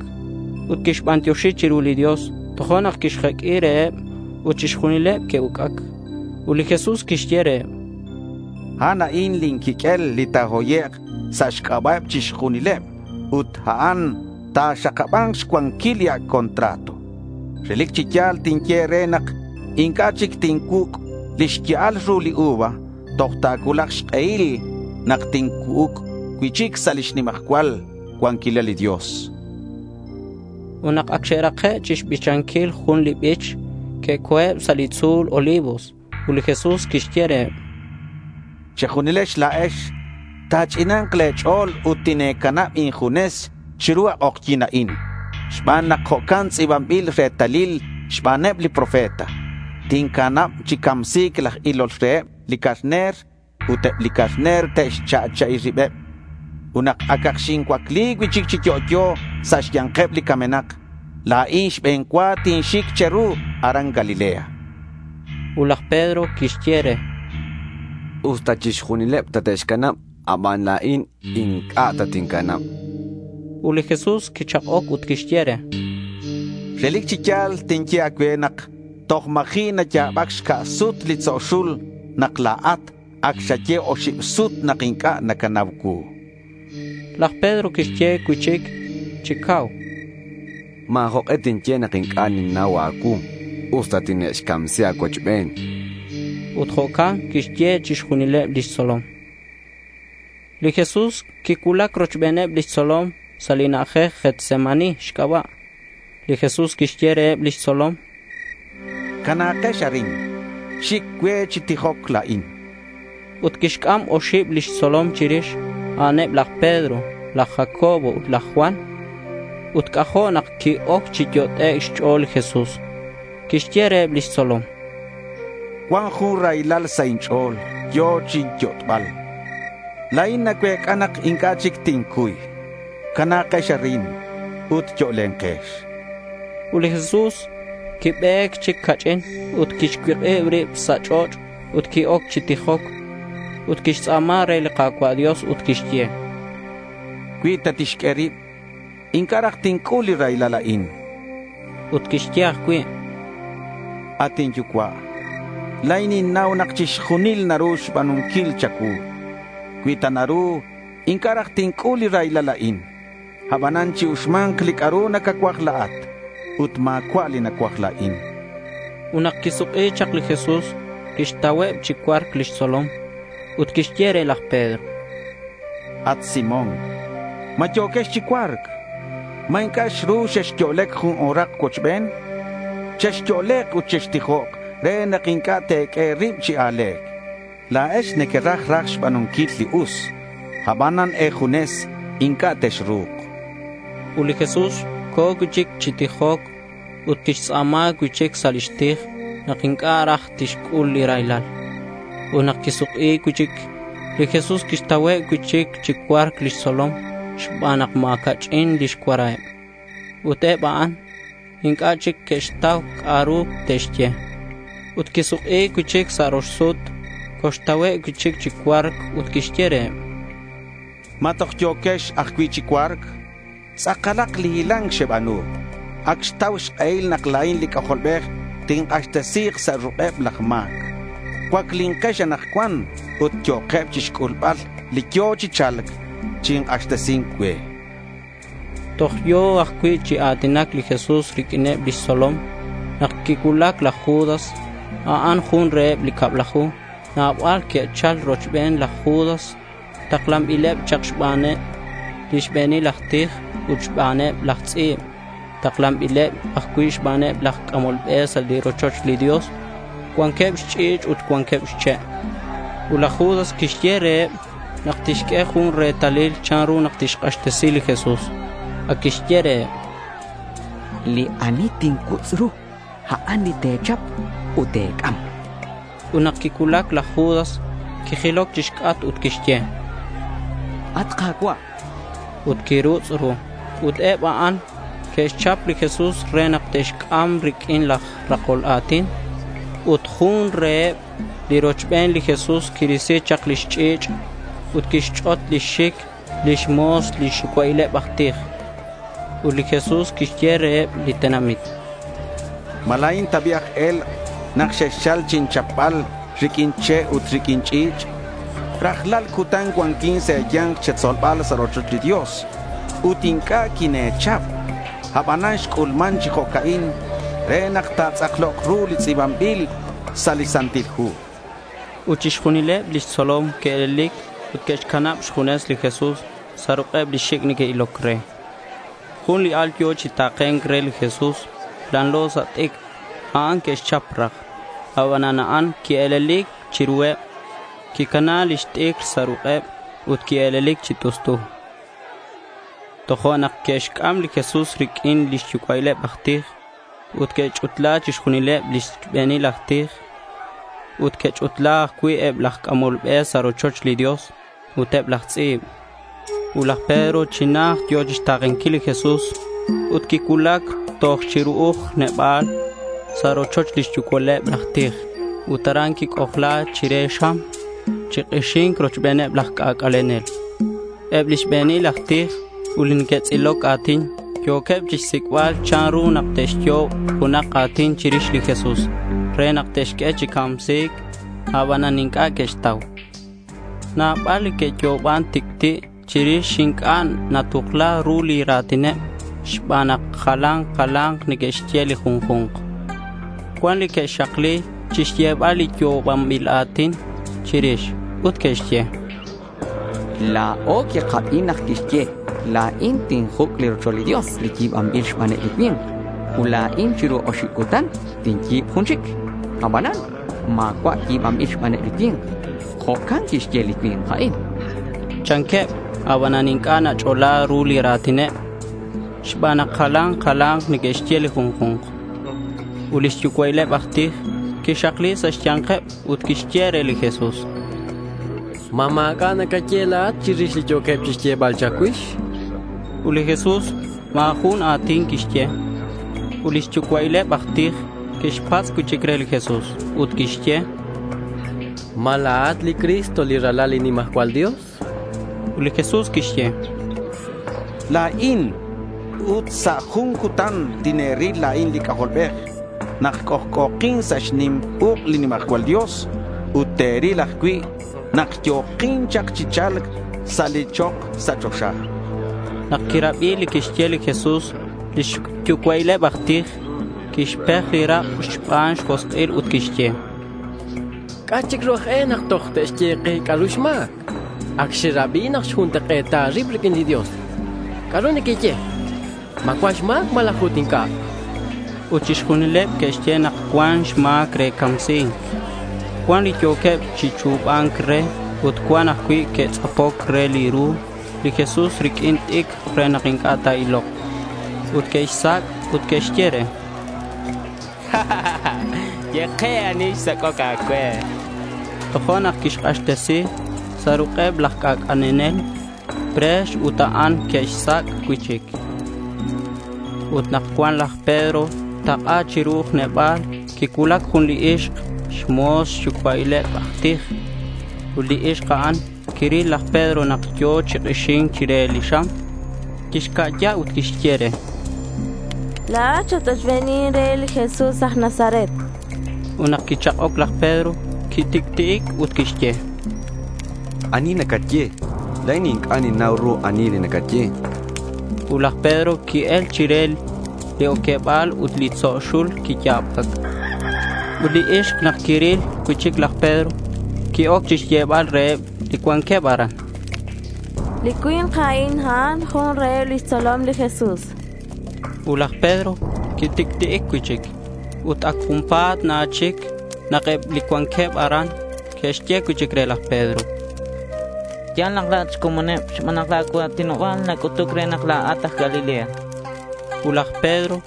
ut quixbantioxi chiru li Dios. Tojo'nak quixjeq'ui reheb ut chixjunileb que'uc'ac. Ut li Jesús quixye reheb: A'an a'in lin quiq'uel li ta̱hoyek' sa' xc'aba'eb chixjunileb ut a'an ta̱xakaba̱nk xcuanquil li ac' contrato. Relic chi ya̱l tinye e̱re nak inc'a' chic tincuuc' lix ya'al ru li uva Toj ta̱cuulak xk'ehil nak tincu'uc cui'chic sa' lix nimajcual cuanquilal li Dios. Ut nak ac xe'rake' chixbichanquil jun li bich, que'co̱eb sa' li tzu̱l Olivos. Ut li Jesús quixye reheb: Che̱junilex la̱ex ta̱ch'ina̱nk le̱ ch'o̱l ut tine̱canab injunes chiru a k'ojyi̱n a'in xban nak jo'can tz'i̱banbil retalil xbaneb li profeta. Tincanab chi camsi̱c laj ilol reheb li carner ut eb li carner te'xcha'cha'i ribeb. Ut nak acak xincuacli cui'chic chi yo'yo sa' xya̱nkeb li camenak, la̱in xbe̱n cua tinxic che̱ru aran Galilea. Ut laj Pedro quixye re: Usta chixjunileb tate'xcanab, aban la̱in inc'a' tatincanab. Ut li Jesús quichak'oc ut quixye re: Relic chi ya̱l tinye a̱cue nak toj ma̱ji' naya̱bac xca' sut li tzo' xul nak la̱at ac xaye oxib sut nak inc'a' nacanau cuu. Laj Pedro quixye cui'chic chi cau: Ma̱ jok'e tinye nak inc'a' ninnau a̱cuu, usta tine'xcamsi a̱cuochben. Ut jo'can que'xye chixjunileb lix tzolom. Li Jesús quicuulac rochbeneb lix tzolom sa' li na'ajej Getsemaní xc'aba'. Li Jesús quixye reheb lix tzolom: Cana̱kex arin. Xic cue chi tijoc la̱in. Ut quixc'am oxib lix tzolom chirix. A'aneb laj Pedro, laj Jacobo ut laj Juan. Ut c'ajo' nak qui-oc chi yot'ec' xch'o̱l li Jesús. Quixye reheb lix tzolom: Cuan jun raylal sa' inch'o̱l. Yo̱ chinyot'bal. La̱in nacuec'a nak inc'a' chic tincuy. Cana̱kex arin ut yo'lenkex. Ut li Jesús quibe̱c chic ca'ch'in ut quixcuik'ib rib sa' ch'och' ut qui-oc chi tijoc. Ut quixtz'a̱ma re li Ka̱cua' Dios ut quixye: Cui ta tixq'ue rib, inc'a' raj tinc'ul li raylal a'in. Ut quixye ajcui': At inYucua', la̱in ninnau nak chixjunil naru xba̱nunquil cha̱cuu. Cui ta naru, inc'a' raj tinc'ul li raylal a'in. Abanan chi-uxma̱nk li c'a'ru nacacuaj la̱at ut ma̱cua' li nacuaj la̱in. Ut nak quisuk'i chak li Jesús, quixtauheb chi cua̱rc lix tzolom. Ut quixye re laj Pedro: At Simón, ¿ma yo̱quex chi cua̱rc? ¿Ma inc'a' xru xexyo'lec jun o̱rak cuochben? Chexyo'lek ut chextijok re nak inc'a' te̱q'ue e̱rib chi a̱le̱c. La̱ex nequeraj raj xba̱nunquil li us, abanan e̱junes inc'a' texru̱k. Ut li Jesús co̱ cui'chic chi tijoc ut quixtz'a̱ma cui'chic sa' lix tij nak inc'a' raj tixc'ul li raylal. Ut nak quisuk'i cui'chic, li Jesús quixtauheb cui'chic chi cua̱rc lix tzolom xban nak ma̱ ca'ch'in lix cuaraheb. Ut eb a'an inc'a' chic que'xtau c'a'ru te'xye. Ut quisuk'i cui'chic sa' rox sut, coxtauheb cui'chic chi cua̱rc ut quixye reheb: ¿Ma toj yo̱quex ajcui' chi cua̱rc? Tz'akalak li hila̱nc xeba̱nu. Ac xtau xk'ehil nak la̱in li C'ajolbej tink'axtesi̱k sa' ruk'eb laj ma̱c. Cuaclinkex anakcuan ut yo'keb chixc'ulbal li yo̱ chi cha̱lc chink'axtesi̱nc cue. Toj yo̱ ajcui' chi a̱tinac li Jesús riq'uineb lix tzolom nak quicuulac laj Judas. A'an jun reheb li cablaju. Nabal que'chal rochben laj Judas. Taklanbileb chak xbaneb li xbe̱nil aj tij ut xbaneb laj tz'i̱b. Taklanbileb ajcui' xbaneb laj c'amol be sa' li rochoch li Dios. Cuanqueb xch'i̱ch' ut cuanqueb xche'. Ut laj Judas quixye reheb nak tixq'ue jun retalil chanru nak tixk'axtesi li Jesús. Ac quixye reheb: Li ani tincutz' ru, a'an li te̱chap ut te̱c'am. Ut nak quicuulac laj Judas, quijiloc chixc'atk ut quixye: At Ka̱cua'. Ut quirutz' ru. Ut eb a'an que'xchap li Jesús re nak te'xc'am riq'uin laj rakol a̱tin. Ut jun reheb li rochben li Jesús quirisi chak lix ch'i̱ch' ut quixch'ot lix xic lix mo̱s li xyucua'ileb aj tij. Ut li Jesús quixye reheb li tenamit: ¿Ma la̱in ta bi' aj e̱lk' nak xexchal chinchapbal riq'uin che' ut riq'uin ch'i̱ch'? Rajlal cutan cuanquin sa' e̱ya̱nk che̱tzolbal sa' rochoch li Dios ut inc'a' quine̱chap. Abanan xc'ulman chi jo'ca'in re nak ta̱tz'aklok ru li tz'i̱banbil sa' li Santil Hu. Ut chixjunileb lix tzolom ke'elik ut ke'xcanab xjunes li Jesús sa' ruk'eb li xic' neque'iloc re. Jun li al yo̱ chi ta̱ke̱nc re li Jesús lanlo sa' t'icr. A'an que'xchap raj. Abanan a'an quie̱lelic chiruheb. Quicana lix t'icr sa' ruk'eb ut quie̱lelic chi t'ustu. Tojo'nak que'xc'am li Jesús riq'uin lix yucua'ileb aj tij ut que'ch'utla chixjunileb lix be̱nil aj tij ut que'ch'utla ajcui' eb laj c'amol be sa' rochoch li Dios ut eb laj tz'i̱b. Ut laj Pedro chi najt yo̱ chixta̱kenquil li Jesús ut quicuulac toj chiru'uj neba̱l sa' rochoch lix yucua'ileb laj tij. Ut aran quic'ojla chire xam chi k'ixink rochbeneb laj c'ac'alenel. Eb lix be̱nil aj tij ut li neque'tz'iloc a̱tin yo̱queb chixsic'bal chanru nak te'xyo'ob junak a̱tin chirix li Jesús re nak te'xq'ue chi camsi̱c, abanan inc'a' que'xtau. Nabal li que'yo'oban tic'ti' chirix inc'a' natukla ru li ra̱tineb xban nak jalan jala̱nk neque'xye li junju̱nk. Cuan li que'xakli chixyebal li yo'obanbil a̱tin chirix ut que'xye: La̱o quikabi nak quixye, La̱in tinjuc' li rochoch li Dios li yi̱banbil xbaneb li cui̱nk. Ut la̱in chiru oxib cutan tinyi̱b jun chic. Abanan ma̱cua' yi̱banbil xbaneb li cui̱nk. Jo'can quixye li cui̱nk a'in. Chanqueb. Abanan inc'a' nach'ola ru li ra̱tineb xban nak jalan jalank neque'xye li junju̱nk. Ut lix yucua'ileb aj tij quixakli sa' xya̱nkeb ut quixye re li Jesús: —¿Ma ma̱c'a' nacaye la̱at chirix li yo̱queb chixyebal cha̱cuix? Ut li Jesús ma̱ jun a̱tin quixye. Ut lix yucua'ileb aj tij quixpatz' cui'chic re li Jesús ut quixye: —¿Ma la̱at li Cristo, li Ralal li nimajcual Dios? Ut li Jesús quixye: —La̱in. Ut sa' jun cutan tine̱ril la̱in li C'ajolbej nak c'ojc'o̱kin sa' xnim uk' li nimajcual Dios ut te̱ril ajcui' nak yo̱kin chak chi cha̱lc sa' li chok sa' choxa. Nak quirabi li quixye li Jesús, lix yucua'ileb aj tij quixpej li rak' xban xjosk'il ut quixye: —¿C'a' chic ru aj e nak toj te'xye ke c'a'ru xma̱c? Ac xerabi nak xjuntak'e̱ta rib riq'uin li Dios. ¿C'a'ru nequeye? ¿Ma cuan xma̱c malaj ut inc'a'? Ut chixjunileb que'xye nak cuan xma̱c re camsi̱nc. Cuan li yo̱queb chi chu̱ba̱nc re ut cuan ajcui' que'tz'apoc re li ru li Jesús riq'uin t'icr re nak inc'a' ta̱ilok. Ut que'xsac' ut que'xye re: —Ye ke ani xsac'oc a̱cue. Tojo'nak quixk'axtesi sa' ruk'eb laj c'ac'alenel pre̱x ut a'an que'xsac' cui'chic. Ut nak cuan laj Pedro tak'a chiru neba̱l, quicuulac jun li ixk xmo̱s xyucua'ileb aj tij. Ut li ixk a'an quiril laj Pedro nak yo̱ chi k'ixink chire li xam. Quixca'ya ut quixye re: —La̱at xat-ochbenin re li Jesús aj Nazaret. Ut nak quichak'oc laj Pedro, quitic'ti'ic ut quixye: —Ani nacaye? La̱in inc'a' ninnau ru ani li nacaye. Ut laj Pedro qui-el chire li oqueba̱l ut li tzo' xul quiya̱bac. Ut li ixk nak quiril cui'chic laj Pedro, qui-oc chixyebal reheb li cuanqueb aran: —Li cui̱nk a'in, a'an jun reheb lix tzolom li Jesús. Ut laj Pedro quitic'ti'ic cui'chic. Ut ac junpa̱t na chic nak eb li cuanqueb aran que'xye cui'chic re laj Pedro: —Ya̱l nak la̱at xcomoneb xban nak la̱ cua̱tinoba̱l nac'utuc re nak la̱at aj Galilea. Ut laj Pedro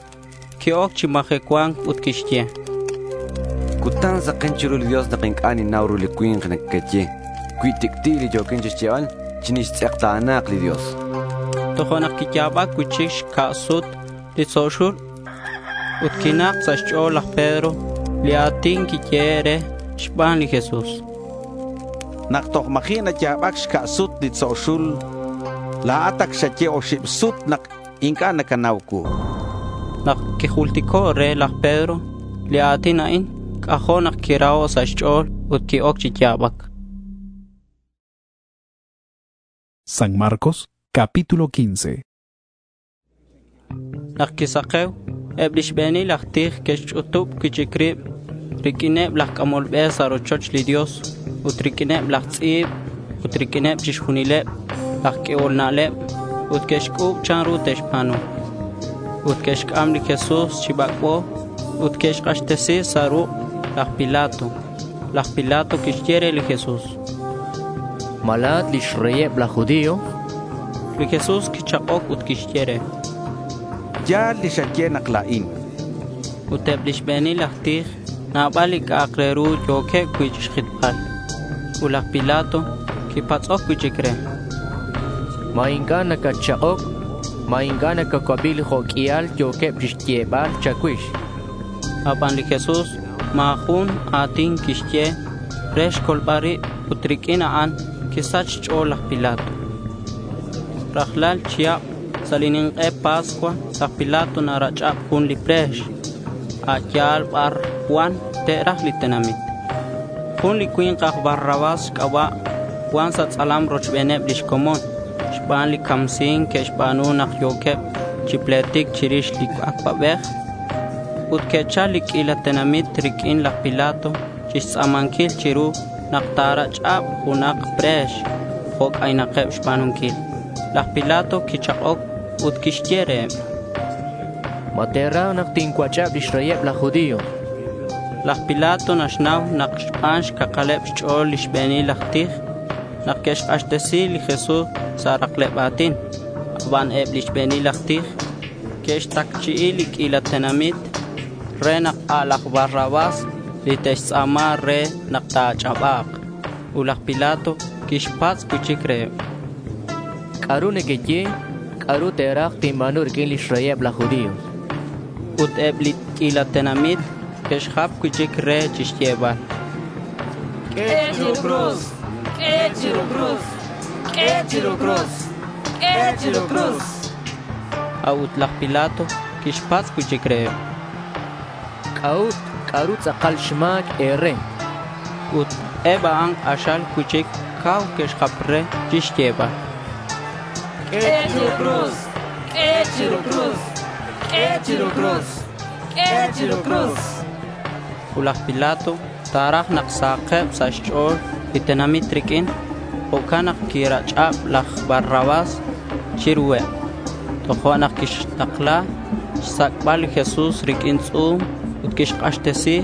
qui-oc chi majecua̱nc ut quixye: —Cutan saken chiru li Dios nak inc'a' ninnau ru li cui̱nk nacaye. Cui tic'ti' li yo̱quin chixyebal, chinixtz'ekta̱na̱k li Dios. Tojo'nak quiya̱bac cui'chic xca' sut li tzo' xul ut quinak sa' xch'o̱l laj Pedro li a̱tin quiyehe' re xban li Jesús. Nak toj ma̱ji' naya̱bac xca' sut li tzo' xul, la̱at ac xaye oxib sut nak inc'a' nacanau cuu. Nak quijultico' re laj Pedro li a̱tin a'in, c'ajo' nak quiraho' sa' xch'o̱l ut qui-oc chi ya̱bac. San Marcos, capítulo quince. Nak quisakew, eb lix be̱nil aj tij que'xch'utub cui'chic rib riq'uineb laj c'amol be sa' rochoch li Dios ut riq'uineb laj tz'i̱b ut riq'uineb chixjunileb laj q'uehol na'leb ut que'xc'u̱b chanru te'xba̱nu. Ut que'xc'am li Jesús chi bac'bo ut que'xk'axtesi sa' ruk' laj Pilato. Laj Pilato quixye re li Jesús: —¿Ma la̱at lix reyeb laj judío? Li Jesús quichak'oc ut quixye re: —Ya̱l li xaye nak la̱in. Ut eb li xbe̱nil aj tij nabal li c'a'ak re ru yo̱queb cui' chixjitbal. Ut laj Pilato quipatz'oc cui'chic re: —¿Ma inc'a' nacatchak'oc? ¿Ma inc'a' nacacuabi li jo' q'uial yo̱queb chixyebal cha̱cuix? Aban li Jesús ma̱ jun a̱tin quixye re xcolbal rib ut riq'uin a'an quisach xch'o̱l laj Pilato. Rajlal chihab sa' li nink'e Pascua, laj Pilato narach'ab jun li pre̱x a' yal bar cuan te'raj li tenamit. Jun li cui̱nk aj Barrabás xc'aba' cuan sa' tz'alam rochbeneb lix comon xban li camsi̱nc que'xba̱nu nak yo̱queb chi pletic chirix li acuabej. Ut que'chal li q'uila tenamit riq'uin laj Pilato chixtz'a̱manquil chiru nak ta̱rach'ab junak pre̱x jo' c'aynakeb xba̱nunquil. Laj Pilato quichak'oc ut quixye reheb: —¿Ma te̱raj nak tincuach'ab lix reyeb laj judío? Laj Pilato naxnau nak xban xcakaleb xch'o̱l li xbe̱nil aj tij nak que'xk'axtesi li Jesús sa' rakleb a̱tin. Aban eb li xbe̱nil aj tij que'xtacchi'i li q'uila tenamit re nak a' laj Barrabás li te'xtz'a̱ma re nak ta̱ach'aba̱k. Ut laj Pilato quixpatz' cui'chic reheb: —¿C'a'ru nequeye? ¿C'a'ru te̱raj tinba̱nu riq'uin lix reyeb laj judío? Ut eb li q'uila tenamit que'xjap cui'chic re chixyebal: —Q'ue chiru cruz! Q'ue chiru cruz! Q'ue chiru cruz! Q'ue chiru cruz! A'ut laj Pilato quixpatz' cui'chic reheb: —¿C'a'ut? ¿C'a'ru tz'akal xma̱c e̱re? Ut eb a'an k'axal cui'chic cau que'xjap re chixyebal: —Q'ue chiru cruz! Q'ue chiru cruz! Q'ue chiru cruz! Q'ue chiru cruz! Ut laj Pilato ta̱raj nak sahakeb sa' xch'o̱l li tenamit riq'uin. Jo'can nak quirach'ab laj Barrabás chiruheb. Tojo'nak quixtakla xsac'bal li Jesús riq'uin tz'u̱m ut quixk'axtesi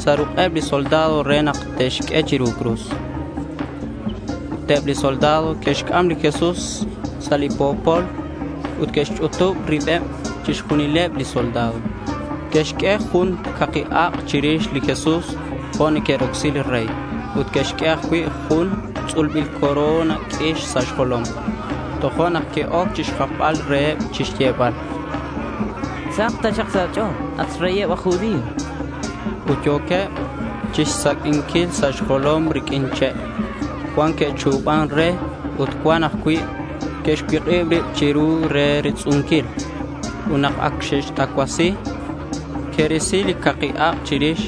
sa' ruk'eb li soldado re nak te'xq'ue chiru cruz. Ut eb li soldado que'xc'am li Jesús sa' li po̱pol ut que'xch'utub ribeb chixjunileb li soldado. Que'xq'ue jun caki ak' chirix li Jesús jo' neque'rocsi li rey. Ut que'xq'ue ajcui' jun tz'ulbil corona q'uix sa' xjolom. Tojo'nak que'oc chixjapbal reheb chixyebal: —Sahak taxak sa' a̱ch'o̱l, at xreyeb aj judío. Ut yo̱queb chixsaq'uinquil sa' xjolom riq'uin che'. Cuan que'chu̱ban re ut cuan ajcui' que'xcuik'ib rib chiru re ritz'unquil. Ut nak ac xe'xtacuasi, que'risi li caki ak' chirix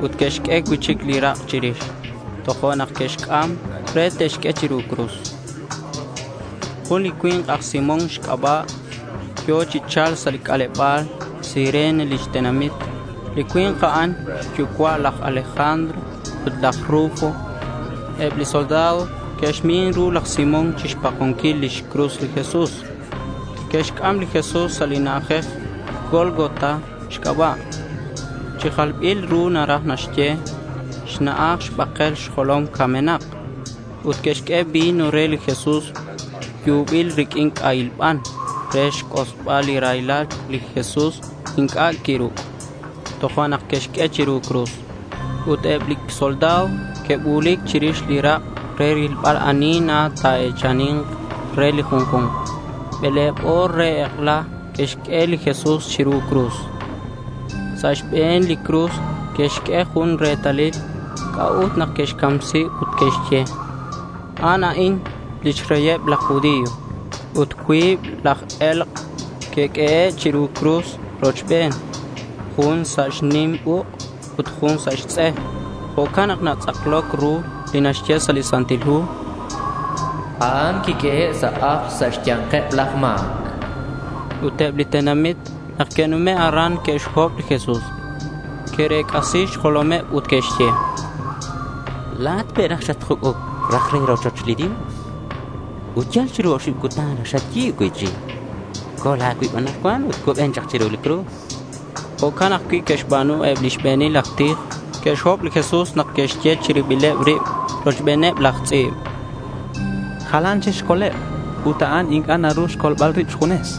ut que'xq'ue cui'chic li rak' chirix. Tojo'nak que'xc'am re te'xq'ue chiru cruz. Jun li cui̱nk aj Simón xc'aba' yo̱ chi cha̱lc sa' li c'aleba̱l Cirene lix tenamit. Li cui̱nk a'an xyucua' laj Alejandro ut laj Rufo. Eb li soldado que'xmin ru laj Simón chixpakonquil lix cruz li Jesús. Que'xc'am li Jesús sa' li na'ajej Gólgota xc'aba'. Chi jalbil ru naraj naxye xna'aj xbakel xjolom camenak. Ut que'xq'ue vino re li Jesús yubil riq'uin c'ahil ban re xc'osbal li raylal. Li Jesús inc'a' quiru'. Tojo'nak que'xq'ue chiru cruz. Ut eb li soldado que'bu̱lic chirix li rak' re rilbal ani na ta̱e̱chani̱nk re li junju̱nk. Bele̱b o̱r re ek'ela que'xq'ue li Jesús chiru cruz. Sa' xbe̱n li cruz que'xq'ue jun retalil c'a'ut nak que'xcamsi ut que'xye: A'an a'in lix reyeb laj judío. Ut cuib laj e̱lk' que'q'uehe' chiru cruz rochben, jun sa' xnim uk' ut jun sa' xtz'e. Jo'can nak natz'akloc ru li naxye sa' li Santil Hu: A'an quiq'uehe' sa' ajl sa' xya̱nkeb laj ma̱c. Ut eb li tenamit nak que'nume' aran que'xhob li Jesús. Ke'rec'asi xjolomeb ut que'xye: —La̱at pe' raj xatjuc'uc raj re rochoch li Dios ut yal chiru oxib cutan raj xayi̱b cui'chic. Col a̱cuib anakcuan ut cuben chak chiru li cruz. Jo'can ajcui' que'xba̱nu eb li xbe̱nil aj tij. Que'xhob li Jesús nak que'xye chi ribileb rib rochbeneb laj tz'i̱b: Jalan chic xcoleb ut a'an inc'a' naru xcolbal rib xjunes.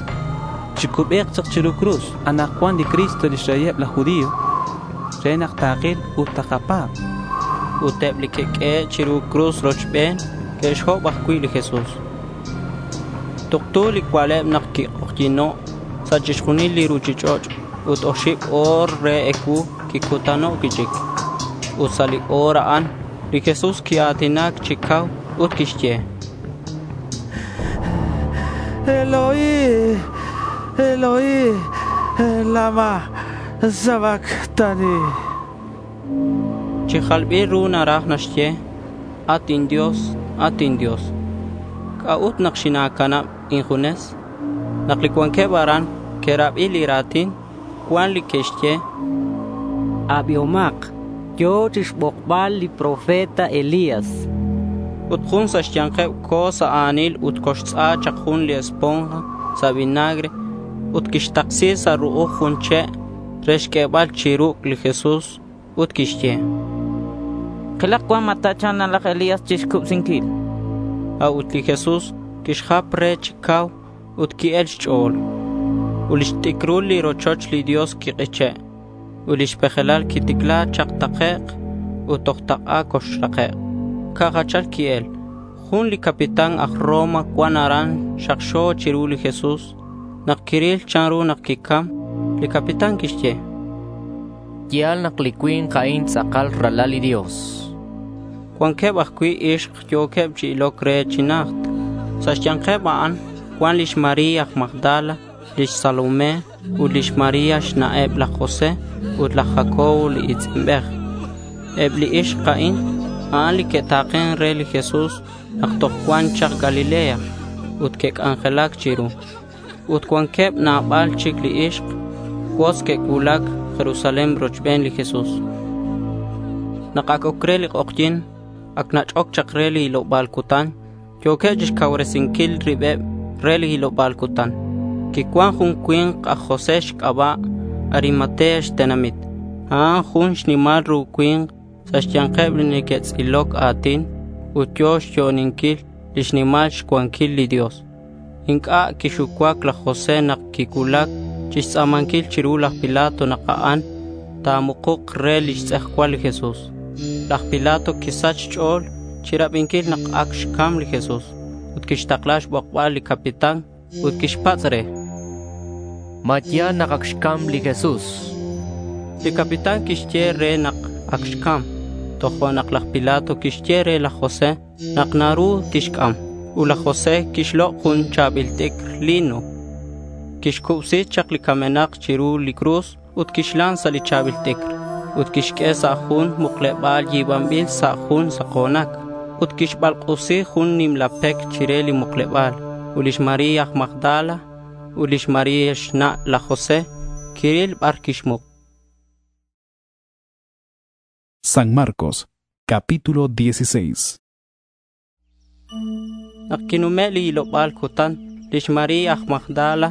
Chicubek chak chiru cruz anakcuan li Cristo lix reyeb laj judío re nak takil ut takapa̱b. Ut eb li que'q'uehe' chiru cruz rochben que'xhob ajcui' li Jesús. Tuktu li cua'leb nak quik'ojyi̱no' sa' chixjunil li ruchich'och' ut oxib o̱r re ecuu quicutano' cui'chic. Ut sa' li o̱r a'an li Jesús quia̱tinac chi cau ut quixye: Eloi, Eloi, lama sabactani. Chi jalbil ru naraj naxye, At inDios, at inDios, ¿c'a'ut nak xina̱canab injunes? Nak li cuanqueb aran que'rabi li ra̱tin, cuan li que'xye: Abihomak, yo̱ chixbokbal li profeta Elías. Ut jun sa' xya̱nkeb co̱ sa' a̱nil ut coxtz'a chak jun li esponja sa' vinagre ut quixtaksi sa' ru'uj jun che' re xq'uebal chi ruc' li Jesús ut quixye: Kilak cuan ma ta̱cha̱lk laj Elías chixcubsinquil. A'ut li Jesús quixjap re chi cau ut qui-el xch'o̱l. Ut lix t'icrul li rochoch li Dios quik'iche' ut lix pejelal quiticla chak takec' ut toj tak'a coxrakek'. Ca' jachal qui-el. Jun li capitán aj Roma cuan aran xakxo chiru li Jesús. Nak quiril chanru nak quicam, li capitán quixye: Ya̱l nak li cui̱nk a'in tz'akal ralal li Dios. Cuanqueb ajcui' ixk yo̱queb chi iloc re chi najt. Sa' xya̱nkeb a'an cuan lix María aj Magdala, lix Salomé ut lix María xna'eb laj José ut laj Jacobo li i̱tz'inbej. Eb li ixk a'in, a'an li que'ta̱ken re li Jesús nak toj cuan chak Galilea ut que'c'anjelac chiru. Ut cuanqueb nabal chic li ixk cuotz que'cuulac Jerusalén rochben li Jesús. Nak ac oc re li k'ojyi̱n, ac nach'oc chak re li hiloba̱l cutan, yo̱queb chixcauresinquil ribeb re li hiloba̱l cutan. Quicuan jun cui̱nk aj José xc'aba', Arimatea xtenamit. A'an jun xnimal ru cui̱nk sa' xya̱nkeb li neque'tz'iloc a̱tin ut yo̱ xyo'oninquil lix nimal xcuanquil li Dios. Inc'a' quixucuac laj José nak quicuulac chixtz'a̱manquil chiru laj Pilato nak a'an ta̱mukuk re lix tz'ejcual li Jesús. Laj Pilato quisach xch'o̱l chirabinquil nak ac xcam li Jesús ut quixtakla xbokbal li capitán ut quixpatz' re: —¿Ma ya̱l nak ac xcam li Jesús? Li capitán quixye re nak ac xcam. Tojo'nak laj Pilato quixye re laj José nak naru tixc'am. Ut laj José quixlok' jun cha̱bil t'icr lino. Quixcubsi chak li camenak chiru li cruz ut quixlan sa' li cha̱bil t'icr. Ut quixq'ue sa' jun mukleba̱l yi̱banbil sa' jun sako̱nac. Ut quixbalk'usi jun nimla pec chire li mukleba̱l. Ut lix María aj Magdala ut lix María xna' laj José quiril bar quixmuk. San Marcos, capítulo dieciséis. Nak quinume' li hiloba̱l cutan, lix María aj Magdala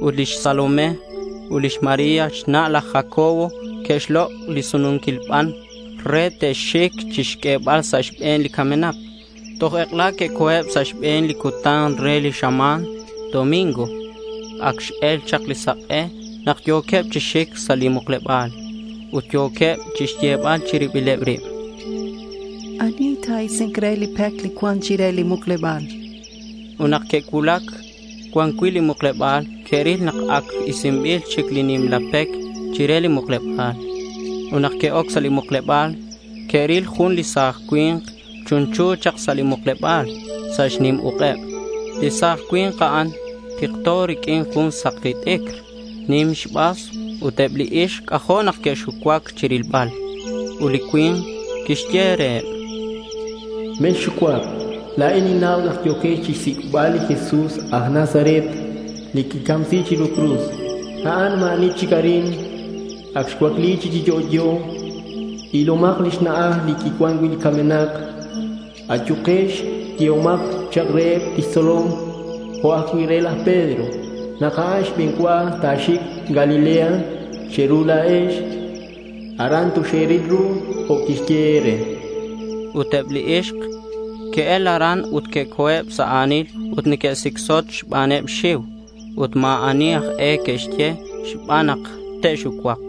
ut lix Salomé ut lix María xna' laj Jacobo que'xlok' li sununquil ban re te'xic chixq'uebal sa' xbe̱n li camenak. Toj ek'ela que'co̱eb sa' xbe̱n li cutan re li xama̱n, domingo. Ac x-el chak li sak'e nak yo̱queb chi xic sa' li mukleba̱l ut yo̱queb chixyebal chi ribileb rib. Ani ta̱isi̱nk re li pec li cuan chire li mukleba̱l? Ut nak que'cuulac cuan cui' li mukleba̱l, que'ril nak ac isinbil chic li nimla pec chire li mukleba̱l. Ut nak que'oc sa' li mukleba̱l, que'ril jun li sa̱j cui̱nk chunchu chak sa' li mukleba̱l sa' xnim uk'eb. Li sa̱j cui̱nk a'an tikto riq'uin jun saki t'icr nim xbas ut eb li ixk c'ajo' nak que'xucuac chirilbal. Ut li cui̱nk quixye reheb: Mexxucuac. La̱in ninnau nak yo̱quex chixsic'bal li Jesús aj Nazaret li quicamsi̱c chiru cruz. A'an ma̱ ani chic arin. Ak xwakli chi yo'yo. Ilomaq li xna'aj li kiwan wi' li kamenaq. Ayuqex, yehomaq chaq reheb' lix tzolom jo' ajwi' re laj Pedro naq a'an xb'enwa taaxik Galilea cheru laa'ex. Aran toxeeril ru jo' kixye eere. Ut eb li ixk que'el aran ut que'co̱eb sa' a̱nil ut neque'sicsot xbaneb xxiu. Ut ma̱ ani aj e que'xye xban nak te'xucuak.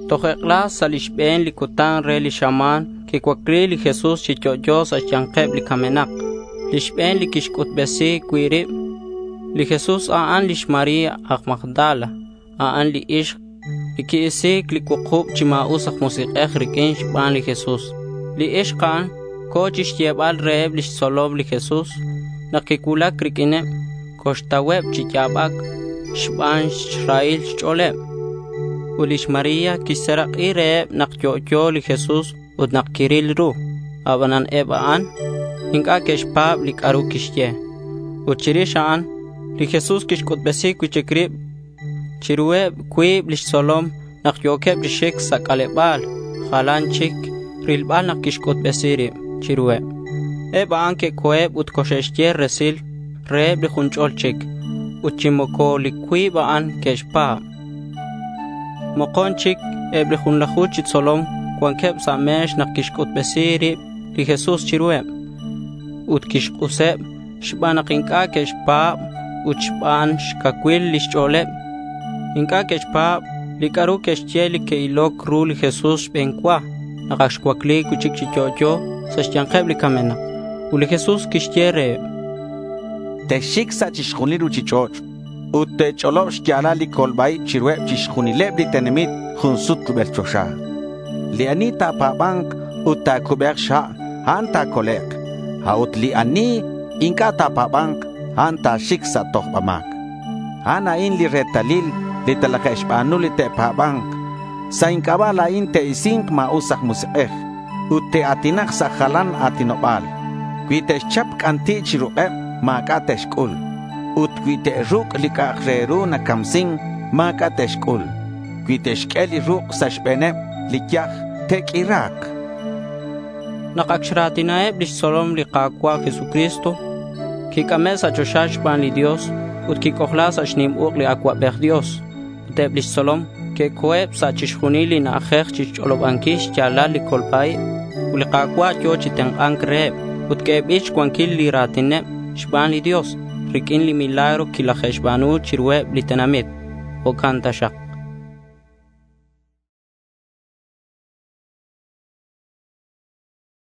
Toj ek'ela sa' li xbe̱n li cutan re li xama̱n quicuacli li Jesús chi yo'yo sa' xya̱nkeb li camenak. Li xbe̱n li quixc'utbesi cui' rib li Jesús a'an lix María aj Magdala. A'an li ixk li qui-isi̱c li cuukub chi ma̱us aj musik'ej riq'uin xban li Jesús. Li ixk a'an co̱ chixyebal reheb lix tzolom li Jesús. Nak quicuulac riq'uineb, coxtauheb chi ya̱bac xban xrahil xch'o̱leb. Ut lix María quixserak'i reheb nak yo'yo li Jesús ut nak quiril ru. Abanan eb a'an inc'a' que'xpa̱b li c'a'ru quixye. Ut chirix a'an, li Jesús quixc'utbesi cui'chic rib chiruheb cuib lix tzolom nak yo̱queb chi xic sa' c'aleba̱l jalan chic rilbal nak quixc'utbesi rib chiruheb. Eb a'an que'co̱eb ut coxe'xye resil reheb li jun ch'ol chic. Ut chi moco li cuib a'an que'xpa̱b. Mokon chic eb li junlaju chi tzolom cuanqueb sa' me̱x nak quixc'utbesi rib li Jesús chiruheb. Ut quixk'useb xban nak inc'a' que'xpa̱b ut xban xcacuil lix ch'o̱leb. Inc'a' que'xpa̱b li c'a'ru que'xye li que'iloc ru li Jesús xbe̱n cua nak ac xcuacli cui'chic chi yo'yo sa' xya̱nkeb li camenak. Ut li Jesús quixye reheb: Texxic sa' chixjunil li ruchich'och' ut te̱ch'olob xya̱lal li colba-ib chiruheb chixjunileb li tenamit jun sut rubel choxa. Li ani ta̱pa̱ba̱nk ut ta̱cube̱k xha', a'an ta̱colek'. A'ut li ani inc'a' ta̱pa̱ba̱nk, a'an ta̱xic sa' tojba ma̱c. A'an a'in li retalil li talaje'xba̱nu li te'pa̱ba̱nk. Sa' inc'aba' la̱in te'isi̱nk ma̱us aj musik'ej ut te'a̱tinak sa' jalan a̱tinoba̱l. Cui te'xchap c'anti' chi ruk'eb, ma̱c'a' te'xc'ul. Ut cui te'ruc' li c'a'ak re ru nacamsin, ma̱c'a' te'xc'ul. Cui te'xq'ue li ruk' sa' xbe̱neb li yaj, te'q'uira̱k. Nak ac xra̱tinaheb lix tzolom li Ka̱cua' Jesucristo, quic'ame' sa' choxa xban li Dios ut quic'ojla sa' xnim uk' li Acuabej Dios. Ut eb lix tzolom que'co̱eb sa' chixjunil li na'ajej chixch'olobanquil xya̱lal li colba-ib. Ut li Ka̱cua' yo̱ chi tenk'a̱nc reheb ut q'uebil xcuanquil li ra̱tineb xban li Dios riq'uin li milagro quilaje'xba̱nu chiruheb li tenamit. Jo'can taxak.